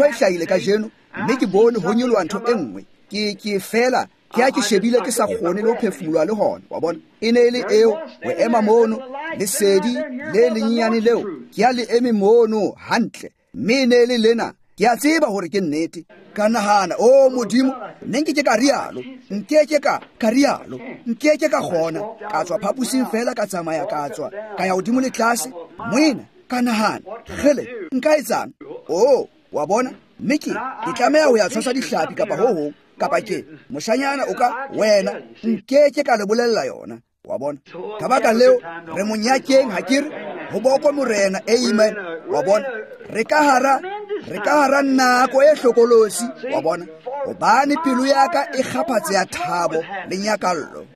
e hlahile kajeno, mme ke bone ho nyoloha ntho e nngwe. Ke fela ke a ke shebile ke sa kgone le ho phefumoloha le hona, wa bona. E ne e le eo ho ema mono, lesedi le lenyenyane leo, ke a le eme mono hantle, mme e ne e le lena. Ke a tseba hore ke nnete. Ka nahana, o Modimo, nne nke ke ka rialo, nke ke ka rialo, nke ke ka kgona. Ka tswa phaposing fela, ka tsamaya, ka tswa, ka ya hodimo le tlase. Moena, ka nahana, kgele, nka etsang? O, wa bona, mme ke tlameha ho ya tshwasa dihlapi kapa ho hong, kapa ke moshanyana o ka wena, nke ke ka le bolella yona, wa bona. Ka baka leo, re monyakeng, ha ke re, ho bokwe Morena, amen, wa bona. Re ka hara nako e hlokolosi, wa bona, hobane pelo ya ka e kgaphatse ya thabo le nyakallo.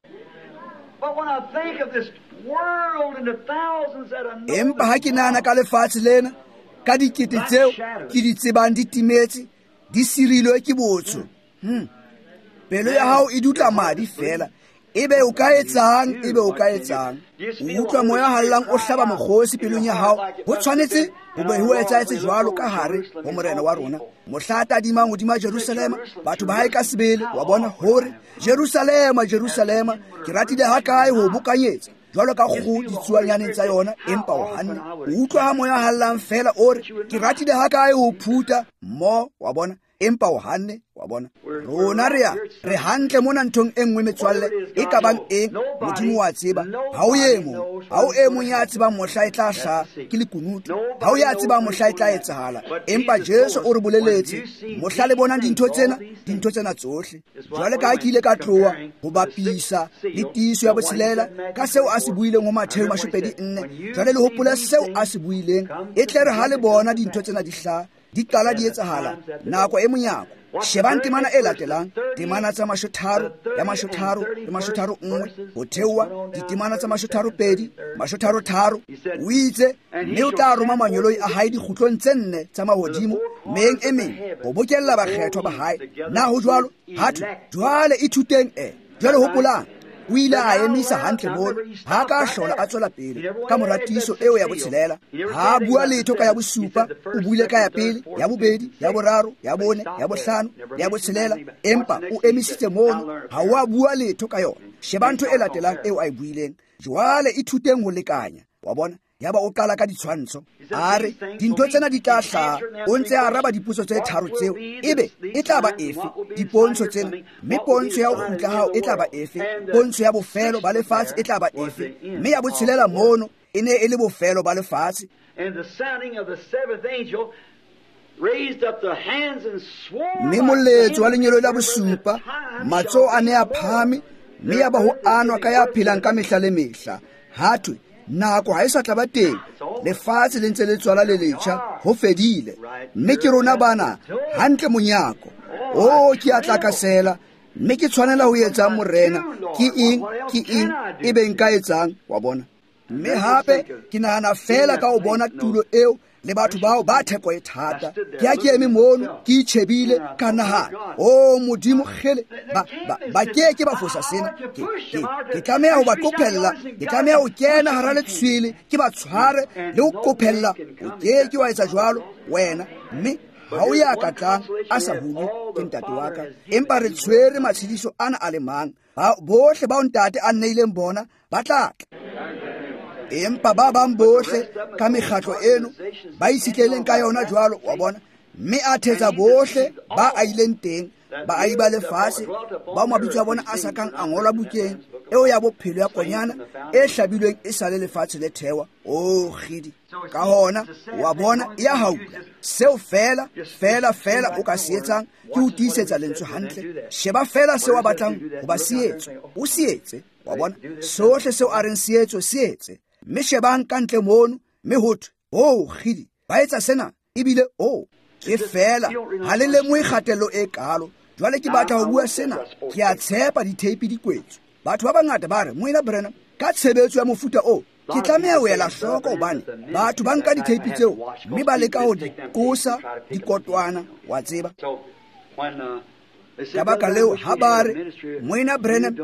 Empa ha ke nahana ka lefatshe lena, ka dikete tseo ke di tsebang di timetse, di sirilwe ke botsho. Pelo ya hao e dutla madi fela. Ebe o ka etsang, ebe o ka etsang. O utlwa moya hallang o hlaba mokgosi pelong ya hao. Ho tshwanetse ho be ho etsahetse jwalo ka hare ho Morena wa rona. Mohla a tadimang hodima Jerusalema, batho ba hae ka sebele, wa bona hore Jerusalema, Jerusalema, ke ratile hakae ho bokanyetsa jwalo ka kgoho ditsuanyaneng tsa yona, empa o hanne. O utlwa ha moya hallang fela o re, ke ratile hakae ho phutha mo, wa bona, empa o hanne, wa bona. Rona re hantle mona nthong e nngwe metswalle, e ka bang eng, Modimo wa tseba. Ha o e mong, ha o e mong ya tsebang mohla e tla hlaha, ke lekunutu. Ha o ya tsebang mohla e tla etsahala, empa Jesu o re boleletse, mohla le bonang dintho tsena tsohle. Jwale ka ha ke ile ka tloha ho bapisa le tiiso ya botshelela ka seo a se buileng ho Mattheu 24. Jwale le hopole seo a se buileng, e tle re ha le bona dintho tsena di hlaha, di qala di etsahala nako e monyako. Shebang temana e latelang, temana tsa 30 ya 33 le 31, ho theoha ditemana tsa 32, 33. O itse, mme o tla roma manyoloi a hae dikgutlong tse nne tsa mahodimo, meyeng e meng, ho bokella bakgethwa ba hae. Na ho jwalo? Hathwe, jwale ithuteng e. Jwale hopolang, o ile a emisa hantle mono, ha ka hlola a tswela pele ka mora tiiso eo ya botshelela. Ha bua letho ka ya bosupa, o buile ka ya pele, ya bobedi, ya boraro, ya bone, ya bohlano, ya botshelela, empa o emisitse mono, ha o a bua letho ka yona. Sheba ntho e latelang eo a e buileng. Jwale ithuteng ho lekanya, wa bona. Yaba o qala ka ditshwantsho, a re dintho tsena di tla hlaha. O ntse a araba dipotso tse tharo tseo, ebe e tla ba efe dipontsho tsena, mme pontsho ya ho kgutla hao e tla ba efe, pontsho ya bofelo ba lefatshe e tla ba efe, mme ya botshelela mono e ne e le bofelo ba lefatshe. Mme moletso wa lenyelo la bosupa, matsoho a ne a phahame, mme ya ba ho anwa ka ya phelang ka mehla le mehla. Hathwe, nako ha e sa tla ba teng, lefatshe le ntse le tswala le letjha, ho fedile. Mme ke rona bana hantle monyako. O ke a tlakasela, mme ke tshwanela ho etsang Morena? Ke eng ebe nka etsang, wa bona. Mme hape ke nahana fela ka ho bona tulo eo Le batho bao ba theko e thata. Ke a ke eme mono, ke itjhebile, ka nahana, o Modimo kgele, ba ke ke ba fosa sena. Ke tlameha ho ba qophella, ke tlameha ho kena hara letshwele, ke ba tshware le ho qophella. O ke ke wa etsa jwalo wena, mme ha o ya ka tlang a sa hulwe ke ntate wa ka. Empa re tshwere matshediso ana a le mang, bohle bao ntate a nneileng bona ba tla tla. Empa ba bang bohle ka mekgatlo eno ba itshitleleng ka yona jwalo, wa bona, mme a thetsa bohle ba a ileng teng, baahi ba lefatshe bao mabitso a bona a sa kang a ngolwa bukeng eo ya bophelo ya konyana e hlabilweng e sa le lefatshe le thewa. O kgidi. Ka hona wa bona e a haula. Seo fela fela fela o ka se etsang ke ho tiisetsa lentswe hantle. Sheba fela seo a batlang ho ba se etswe, o se etse. Wa bona, sohle seo a reng se etswe, se etse. Mme shebang ka ntle mono, mme ho thwe, o kgidi, ba etsa sena, ebile o ke fela ha le lemohe kgatello e kalo. Jwale ke batla ho bua sena, ke a tshepa ditheipi di kwetswe. Batho ba bangata ba re, Moena Branham, ka tshebetso ya mofuta o, ke tlameha ho ela hloko hobane batho ba nka ditheipi tseo mme ba leka ho di qosa dikotwana, wa tseba. Ka baka leo ha ba re, Moena Branham,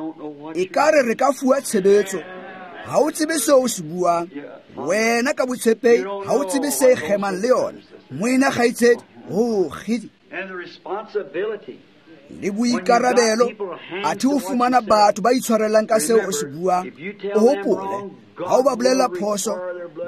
ekare re ka fuwa tshebetso, ha o tsebe seo o se buang. Wena ka botshepehi ha o tsebe se kgemang le yona. Moena kgaitsedi, ho kgidi. Le boikarabelo, athe o fumana batho ba itshwarellang ka seo o se buang. O hopole, ha o ba bolella phoso,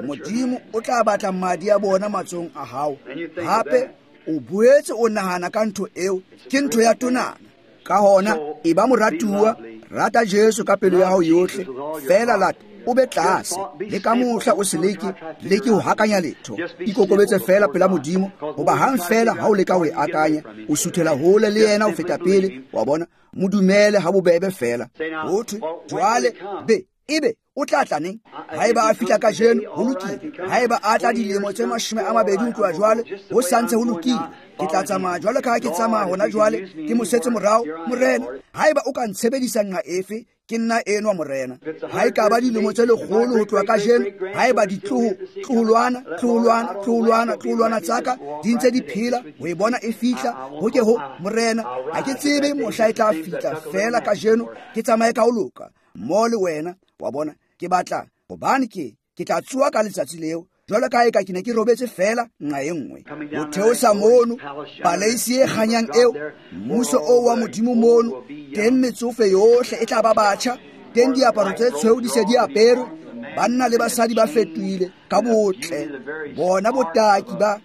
Modimo o tla batla madi a bona matsohong a hao. Hape o boetse o nahana ka ntho eo, ke ntho ya tonana. Ka hona e ba moratuwa, rata Jesu ka pelo ya hao yohle, fela lata o be tlase. Le ka mohla o se leke ho hakanya letho. Ikokobetse fela pela Modimo, hoba hang fela ha o leka ho e akanya, o suthela hole le yena ho feta pele. Wa bona, mo dumele ha bobebe fela. Ho thwe jwale be ebe o tla tla neng? Haeba a fihla kajeno, ho lokile. Haeba a tla dilemo tse 20 ho tloha jwale, ho santse ho lokile. Ke tla tsamaya jwalo ka ha ke tsamaya hona jwale, ke mosetse morao, Morena. Haeba o ka ntshebedisa nqa efe, ke nna enwa, Morena. Ha e ka ba dilemo tse lekgolo ho tloha kajeno, haeba ditloholwana tloholwana tloholwana tloholwana tsaka di ntse di phela ho e bona e fihla, ho ke ho Morena, ha ke tsebe mohla e tla fihla, fela kajeno ke tsamaye ka ho loka mo le wena. Wa bona, ke batla hobane ke tla tsoha ka letsatsi leo, jwalo ka eka ke ne ke robetse fela nqa e nngwe. Ho theosa mono paleisi e kganyang eo, mmuso oo wa Modimo mono, teng metsofe yohle e tla ba batjha, teng diaparo tse tshweu di se di aperwe, banna le basadi ba fetohile ka botle. Bona botaki ba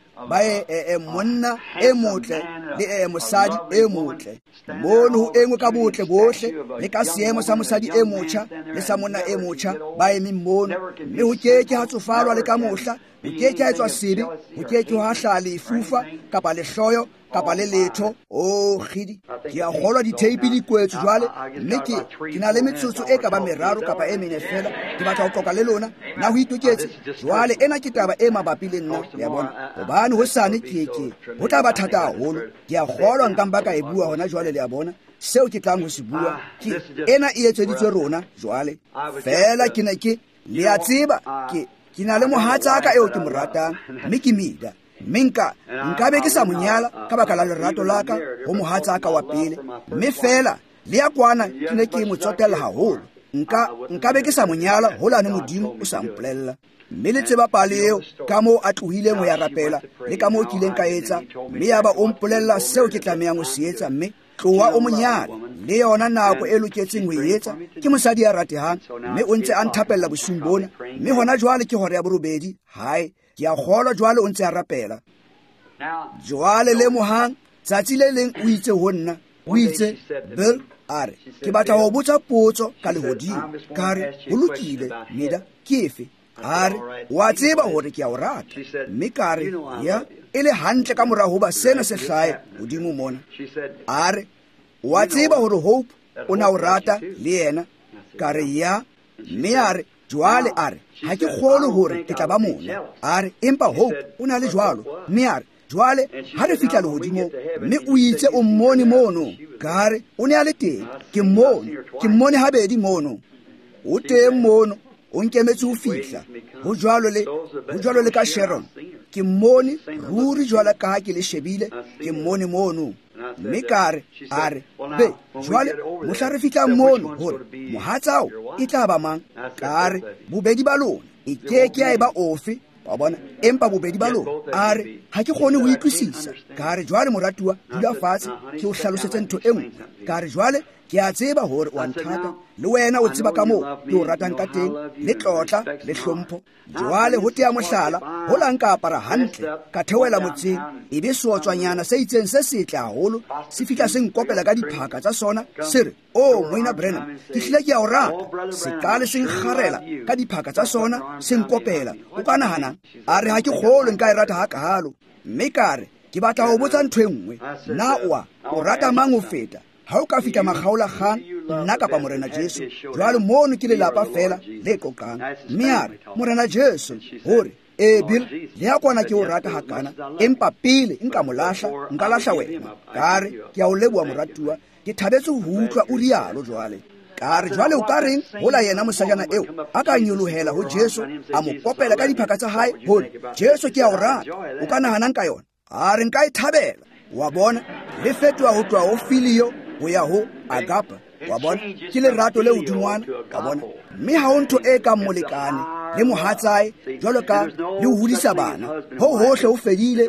monna e motle le mosadi e motle. Mono ho engwe ka botle bohle, le ka seemo sa mosadi e motjha le sa monna e motjha ba emeng mono, mme ho ke ke ha tsofalwa le ka mohla, ho ke ke ha etswa sebe, ho ke ke ha hlaha lefufa kapa lehloyo kapa le letho. O kgidi, ke a kgolwa ditheipi di kwetswe jwale, mme ke na le metsotso e ka ba 3 kapa e 4 fela. Ke batla ho qoqa le lona. Na ho itoketse? Jwale ena ke taba e mabapi le nna, le a bona, hobane hosane ke ho tla ba thata haholo. Ke a kgolwa nka mpa ka e bua hona jwale, le a bona, seo ke tlang ho se bua ke ena e etseditswe rona jwale. Fela ke ne ke, le a tseba, ke na le mohatsaka eo ke mo ratang, mme ke Mida. Mme nka be ke sa mo nyala ka baka la lerato la ka ho mohatsaka wa pele, mme fela le ya kwana ke ne ke mo tsotella haholo. Nka be ke sa mo nyala holane Modimo o sa mpolella. Mme le tseba pale eo, ka moo a tlohileng ho ya rapela, le ka moo ke ileng ka etsa, mme yaba o mpolella seo ke tlamehang ho se etsa, mme tloha o mo nyale. Le yona nako e loketseng ho e etsa. Ke mosadi ya ratehang, mme o ntse a nthapella bosiung bona, mme hona jwale ke hora ya 8 hae. Ke a kgolwa jwale o ntse a rapela. Jwale lemohang, tsatsi le leng o itse ho nna, o itse, Bill, a re, ke batla ho botsa potso ka lehodimo. Ka re, ho lokile, Mida, ke efe? A re, wa tseba hore ke a o rata. Mme ka re, ya, e le hantle ka mora hoba sena se hlahe hodimo mona. A re, wa tseba hore Hope o na o rata le yena. Ka re, ya. Mme a re, jwale a re, ha ke kgolwe hore ke tla ba mona. A re, empa Hope o na le jwalo. Mme a re, jwale ha re fihla lehodimong, mme o itse o mmone mono. Ka re, o ne a le teng. Ke mmone habedi mono. O teng mono. O nkemetse ho fihla. Ho jwalo le ka Sharon. Ke mmone ruri jwale ka ha ke le shebile, ke mmone mono. Mme ka re, a re, be, jwale mohla re fihlang mono hore mohatsao e tla ba mang? Ka re, bobedi ba lona e ke ke ya eba ofe, wa bona, empa bobedi ba lona. A re, ha ke kgone ho utlwisisa. Ka re, jwale moratuwa, dula fatshe ke o hlalosetse ntho e nngwe. Ka re, jwale ke a tseba hore o a nthata, le wena o tseba ka moo ke o ratang ka teng, le tlotla le hlompho. Jwale ho tea mohlala, ho la nka apara hantle, ka theohela motseng, ebe seotswanyana se itseng se setle haholo se fihla se nkopela ka diphaka tsa sona, se re, o Moena Branham, ke hlile ke a o rata. Se qale se nkgarela ka diphaka tsa sona, se nkopela. O ka nahanang? A re, ha ke kgolwe nka e rata hakalo. Mme ka re, ke batla ho botsa ntho e nngwe. Na o rata mang ho feta? Ha o ka fihla makgaolakgang, nna kapa Morena Jesu? Jwale mono ke lelapa fela le qoqang. Mme a re, Morena Jesu, hore e Bill, le ya kwana ke o rata hakana, empa pele nka mo lahla, nka lahla wena. Ka re, ke a o leboha moratuwa, ke thabetse ho utlwa o rialo jwale. Ka re, jwale o ka reng hola yena mosajana eo a ka nyolohela ho Jesu, a mo kopela ka diphaka tsa hae, hore Jesu ke a o rata, o ka nahanang ka yona? A re, nka e thabela. Wa bona, le fetoha ho tloha ho filio ho ya ho agapa. Wa bona, ke lerato le hodingwana. Wa bona, mme ha ho ntho e kang molekane le mohatsae jwalo ka le ho hodisa bana. Ho hohle ho fedile,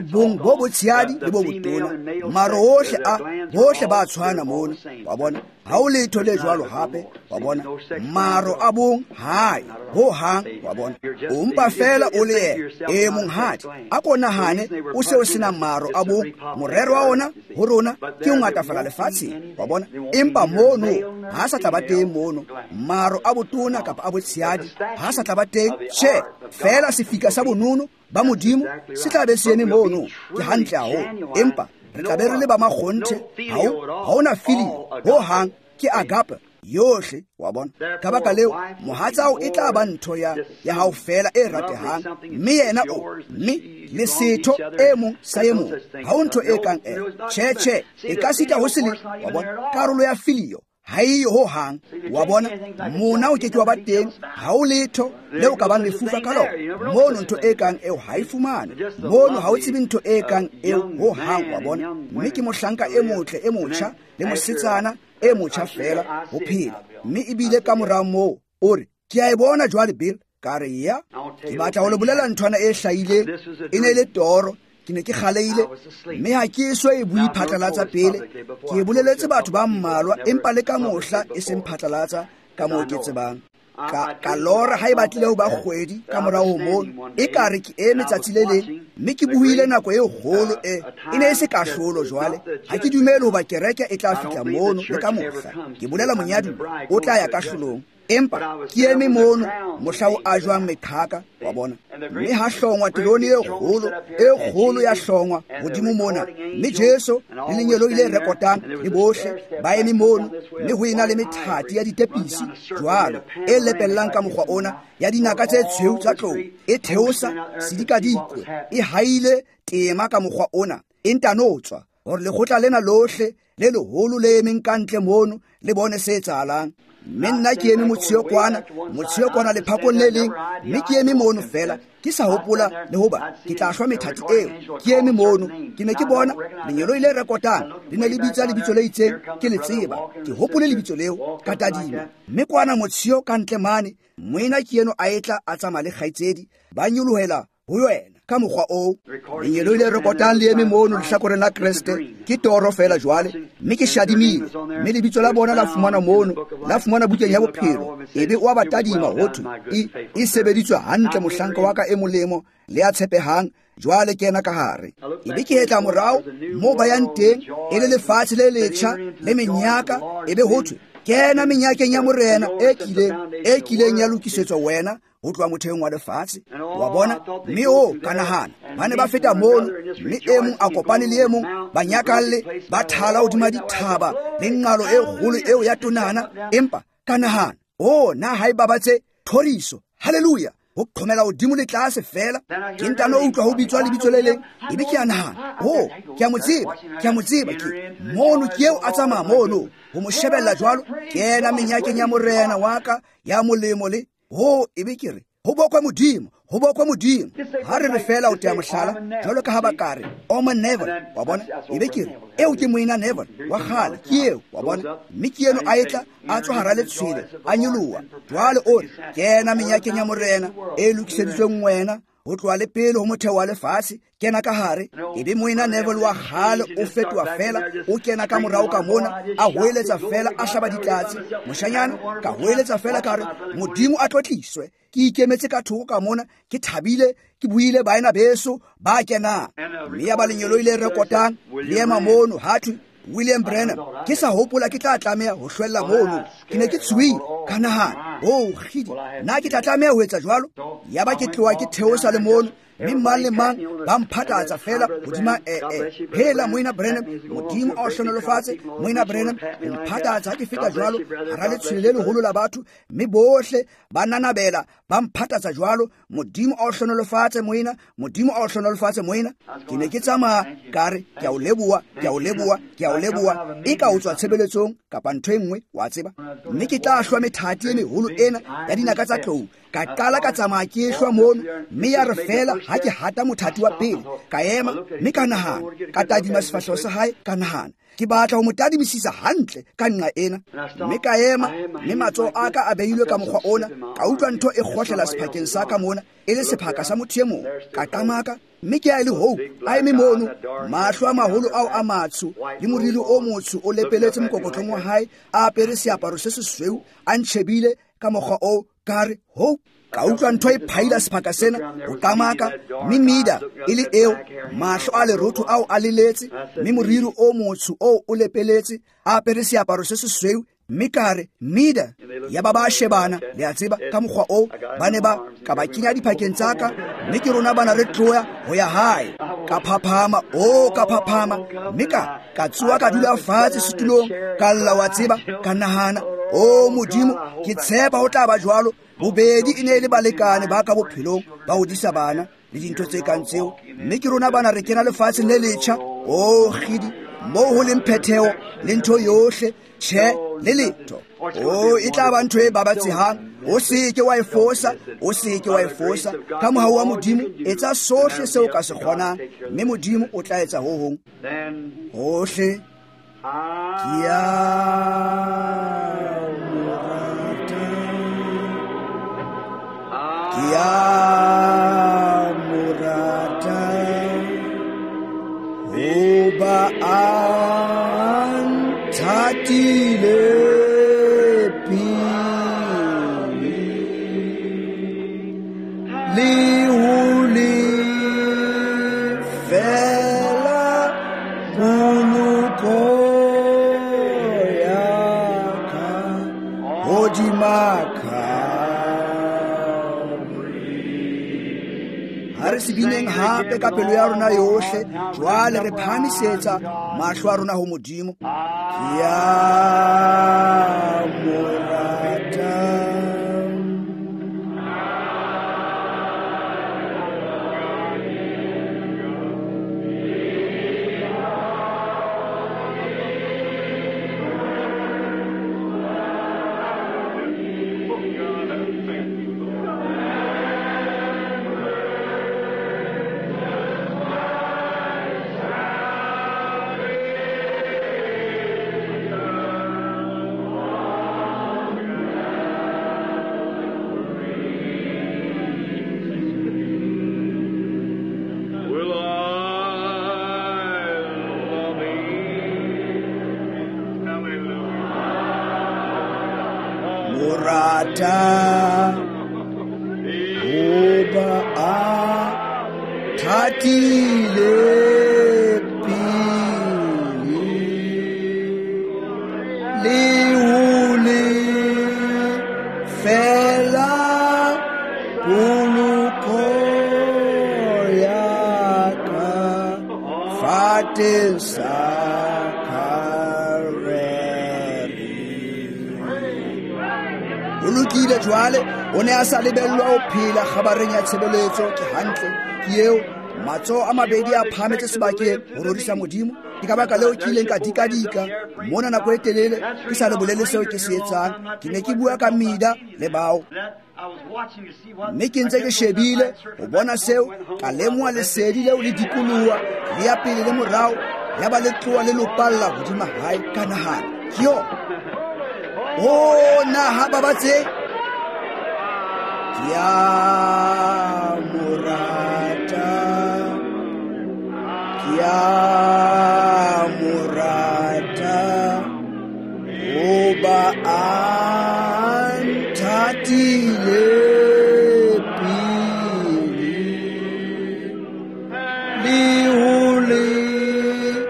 bong bo botshehadi le bo botona, maro ohle a bohle ba tshwana mono. Wa bona, ha ho letho le jwalo hape. Wa bona, maro a bong hae ho hang. Wa bona, o mpa fela o le yena. E monghadi, a ko nahane o se o sena maro a bong. Morero wa ona ho rona ke ho ngatafala lefatsheng. Wa bona, empa mono ha sa tla ba teng mono maro a botona kapa a botshehadi, ha sa tla ba teng. Tjhe, fela sefika sa bonono ba Modimo se tla be se eme mono. Ke hantle haholo, empa re tla be re le ba makgonthe. Ha hona filio ho hang, ke agape yohle. Wa bona, ka baka leo mohatsao e tla ba ntho ya hao fela e ratehang, mme yena o mme le setho e mong sa e mong. Ha ho ntho e kang ena. Tjhe, tjhe, e ka sita ho se le. Wa bona, karolo ya filio ha e ho hang. Wa bona, mona o ke ke wa ba teng. Ha o letho le o ka bang lefufa ka lona mono. Ntho e kang eo ha e fumane mono. Ha o tsebe ntho e kang eo ho hang. Wa bona, mme ke mohlanka e motle e motjha le mosetsana e motjha fela ho phela. Mme ebile ka mora moo o re, ke a e bona jwale Bill. Ka re, ya, ke batla ho le bolela nthwana e hlahileng. E ne le toro. Ke ne ke kgaleile, mme ha ke eso e bue phatlalatsa pele. Ke e boleletse batho ba mmalwa, empa le ka mohla e seng phatlalatsa ka moo ke tsebang. Ka lora ha e batlile ho ba kgwedi ka morao ho mono, e ka re ke eme tsatsi le leng, mme ke buile nako e kgolo e ne e se kahlolo jwale. Ha ke dumele hoba kereke e tla fihla mono le ka mohla. Ke bolela monyaduwa o tla ya kahlolong. Empa ke eme mono mohla o ajwang meqhaka. Wa bona, mme ha hlongwa terone e kgolo, e kgolo ya hlongwa hodimo mona, mme Jesu le lengeloi le rekotang le bohle ba eme mono, mme ho ena le methati ya ditepisi jwalo e lepellang ka mokgwa ona ya dinaka tse tshweu tsa tlou, e theosa sedikadikwe, e haile tema ka mokgwa ona, e ntano tswa hore lekgotla lena lohle le leholo le emeng ka ntle mono le bone se etsahalang. Mme nna ke eme motsheo kwana lephakong le leng, mme ke eme mono fela ke sa hopola le hoba ke tla hlwa methati eo. Ke eme mono, ke ne ke bona lengeloi le rekotang le ne le bitsa lebitso le itseng, ke le tseba, ke hopole lebitso leo, ka tadima. Mme kwana motsheo ka ntle mane, moena ke eno a etla a tsamaya le kgaitsedi, ba nyolohela ho yena ka mokgwa oo. Lengeloi le rekotang le eme mono lehlakoreng la Kreste. Ke toro fela jwale, mme ke shadimile, mme lebitso la bona la fumana mono, la fumana bukeng ya bophelo. Ebe o a ba tadima ho thwe, e sebeditswe hantle mohlanka wa ka e molemo le ya tshepehang, jwale kena ka hare. Ebe ke hetla morao moo ba yang teng, e le lefatshe le letjha le menyaka. Ebe ho thwe, kena menyakeng ya Morena e kileng ya lokisetswa wena ho tloha motheong wa lefatshe. Wa bona, mme o ka nahana ba ne ba feta mono, mme e mong a kopane le e mong, ba nyakalle, ba thala hodima dithaba le nqalo e kgolo eo ya tonana. Empa ka nahana, o na ha e babatse thoriso, haleluya, ho qhomela hodimo le tlase fela. Ke ntano utlwa ho bitswa lebitso le leng, ebe ke a nahana, o ke a mo tseba, ke a mo tseba, ke mono ke eo a tsamaya mono. Ho mo shebella jwalo, kena menyakeng ya Morena wa ka ya molemo le Ho ebe ke re ho bokwe Modimo, ho bokwe Modimo. Ha re re fela o tea mohlala jwalo ka ha ba ka re Oman Neville, wa bona, ebe ke re eo ke moena Neville wa kgale, ke eo, wa bona. Mme ke eno a etla a tswa hara letshwele a nyoloha. Jwale o re kena menyakeng ya Morena e lokiseditsweng wena ho tloha le pele ho motheo wa lefatshe, kena ka hare. Ebe moena Neville wa kgale o fetoha fela, o kena ka morao ka mona, a hoeletsa fela, a hlaba ditlatse. Moshanyana ka hoeletsa fela ka re Modimo a tlotliswe. Ke ikemetse ka thoko ka mona, ke thabile, ke buile baena beso ba kenang. Mme ya ba lengeloi le rekotang le ema mono, ha thwe William Branham. Ke sa hopola ke tla tlameha ho hlwella mono. Ke ne ke tshohile, ka nahana, oh kgidi, nna ke tla tlameha ho etsa jwalo. Yaba ke tloha ke theosa le mono, mme mang le mang ba mphathatsa fela hodima phela moena Branham, Modimo a o hlohonolofatse moena Branham. Mphathatsa ha ke feta jwalo hara letshwele le leholo la batho, mme bohle ba nanabela ba mphathatsa jwalo. Modimo a o hlohonolofatse moena, Modimo a o hlohonolofatse moena. Ke ne ke tsamaya ka re ke a o leboha, ke a o leboha, ke a o leboha, e ka o tswa tshebeletsong kapa ntho e nngwe, wa tseba. Mme ke tla hlwa methati e meholo ena ya dinaka tsa tlou. Ka qala ka tsamaya ke hlwa mono, mme ya re fela ha ke hata mothati wa pele, ka ema mme ka nahana, ka tadima sefahleho sa hae, ka nahana ke batla ho mo tadimisisa hantle ka nqa ena. Mme ka ema, mme matsoho a ka a beilwe ka mokgwa ona, ka utlwa ntho e kgohlela sephakeng sa ka mona, e le sephaka sa motho e mong. Ka qamaka, mme ke a e le hoo a eme mono, mahlo a maholo ao a matsho le moriri o motsho o lepeletse mokokotlong wa hae, a apere seaparo se sesweu, a ntjhebile ka mokgwa oo. Ka re ho, ka utlwa ntho e phaila sephaka sena ho qamaka, mme mida e le eo, mahlo a lerotho ao a leletse, mme moriri o motsho oo o lepeletse, a apere seaparo se sesweu. Mme ka re mida, ya ba ba shebana, le a tseba, ka mokgwa oo ba ne ba ka ba kenya diphakeng tsa ka, mme ke rona bana re tloya ho ya hae. Ka phaphama, o ka phaphama, mme ka tsoha ka dula fatshe setulong, ka lla, wa tseba, ka nahana, o Modimo, ke tshepa ho tla ba jwalo. Bobedi e ne e le balekane ba ka bophelong, ba hodisa bana le dintho tse kang tseo, mme ke rona bana re kena lefatsheng le letjha. O kgidi, moo ho leng phetheho le ntho yohle, tjhe le letho. O e tla ba ntho e babatsehang. O se ke wa e fosa, o se ke wa e fosa. Ka mohau wa Modimo, etsa sohle seo ka se kgonang, mme Modimo o tla etsa ho hong. Hohle ke a mo rata, ke a mo rata, hoba a nthatile pele, le ho lefela poloko ya ka hodima Calvary. Ha re se bineng hape ka pelo ya rona yohle, jwale re phahamisetsa mahlo a rona ho Modimo. Ke a mo rata. Morata hoba a thatile pele, le ho lefela poloko ya ka fateng sa Calvary. O lokile jwale, o ne a sa lebellwa ho phela kgabareng ya tshebeletso. Ke hantle, ke eo. Matsoho a mabedi a phahametse sebakeng ho rorisa Modimo. Ke ka baka leo ke ileng ka dikadika mona nako e telele ke sa le bolele seo ke se etsang. Ke ne ke bua ka Mida le bao. Mme ke ntse ke shebile ho bona seo, ka lemoha lesedi leo le dikoloha le ya pele le morao, ya ba le tloha le lopalla hodima hae. Ka nahana, ke yona. O na ha babatse ke a mo rata, ke a mo rata, hoba a nthatile pele, le ho lefela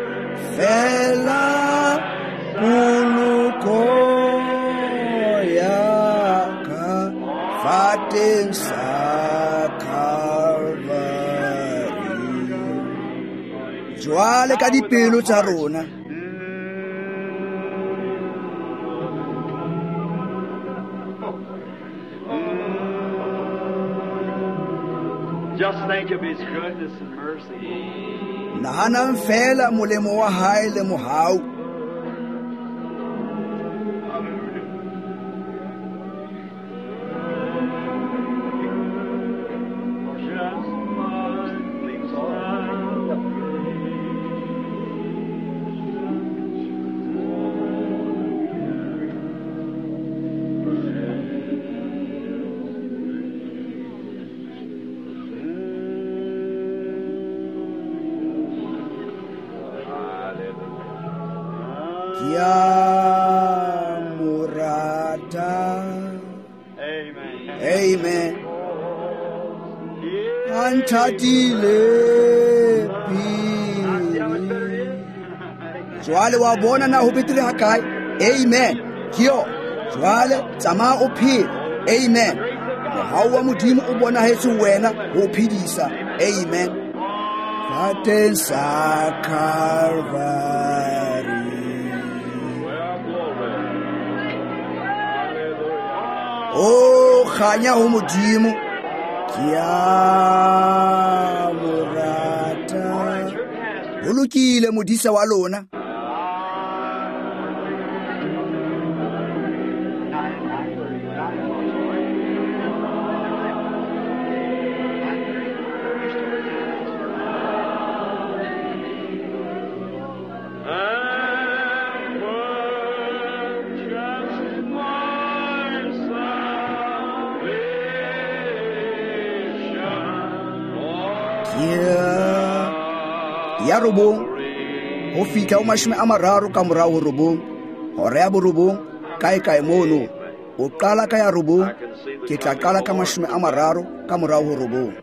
poloko ya ka fateng sa Calvary. Jwale ka dipelo tsa rona, Just think of His goodness and mercy. Nahanang fela molemo wa hae le mohau. Ke a mo rata. Amen. Amen. A nthatile pele. Jwale wa bona na ho betere hakae? Amen. Ke yona. Jwale tsamaya o phele. Amen. Mohau wa Modimo o bonahetse ho wena ho o phedisa. Amen. Fateng sa Calvary. O kganya ho Modimo, ke a mo rata. Ho lokile modisa wa lona. Ya robong ho fihla ho 30 ka morao ho robong, hora ya borobong kae kae mono. O qala ka ya robong, ke tla qala ka 30 ka morao ho robong.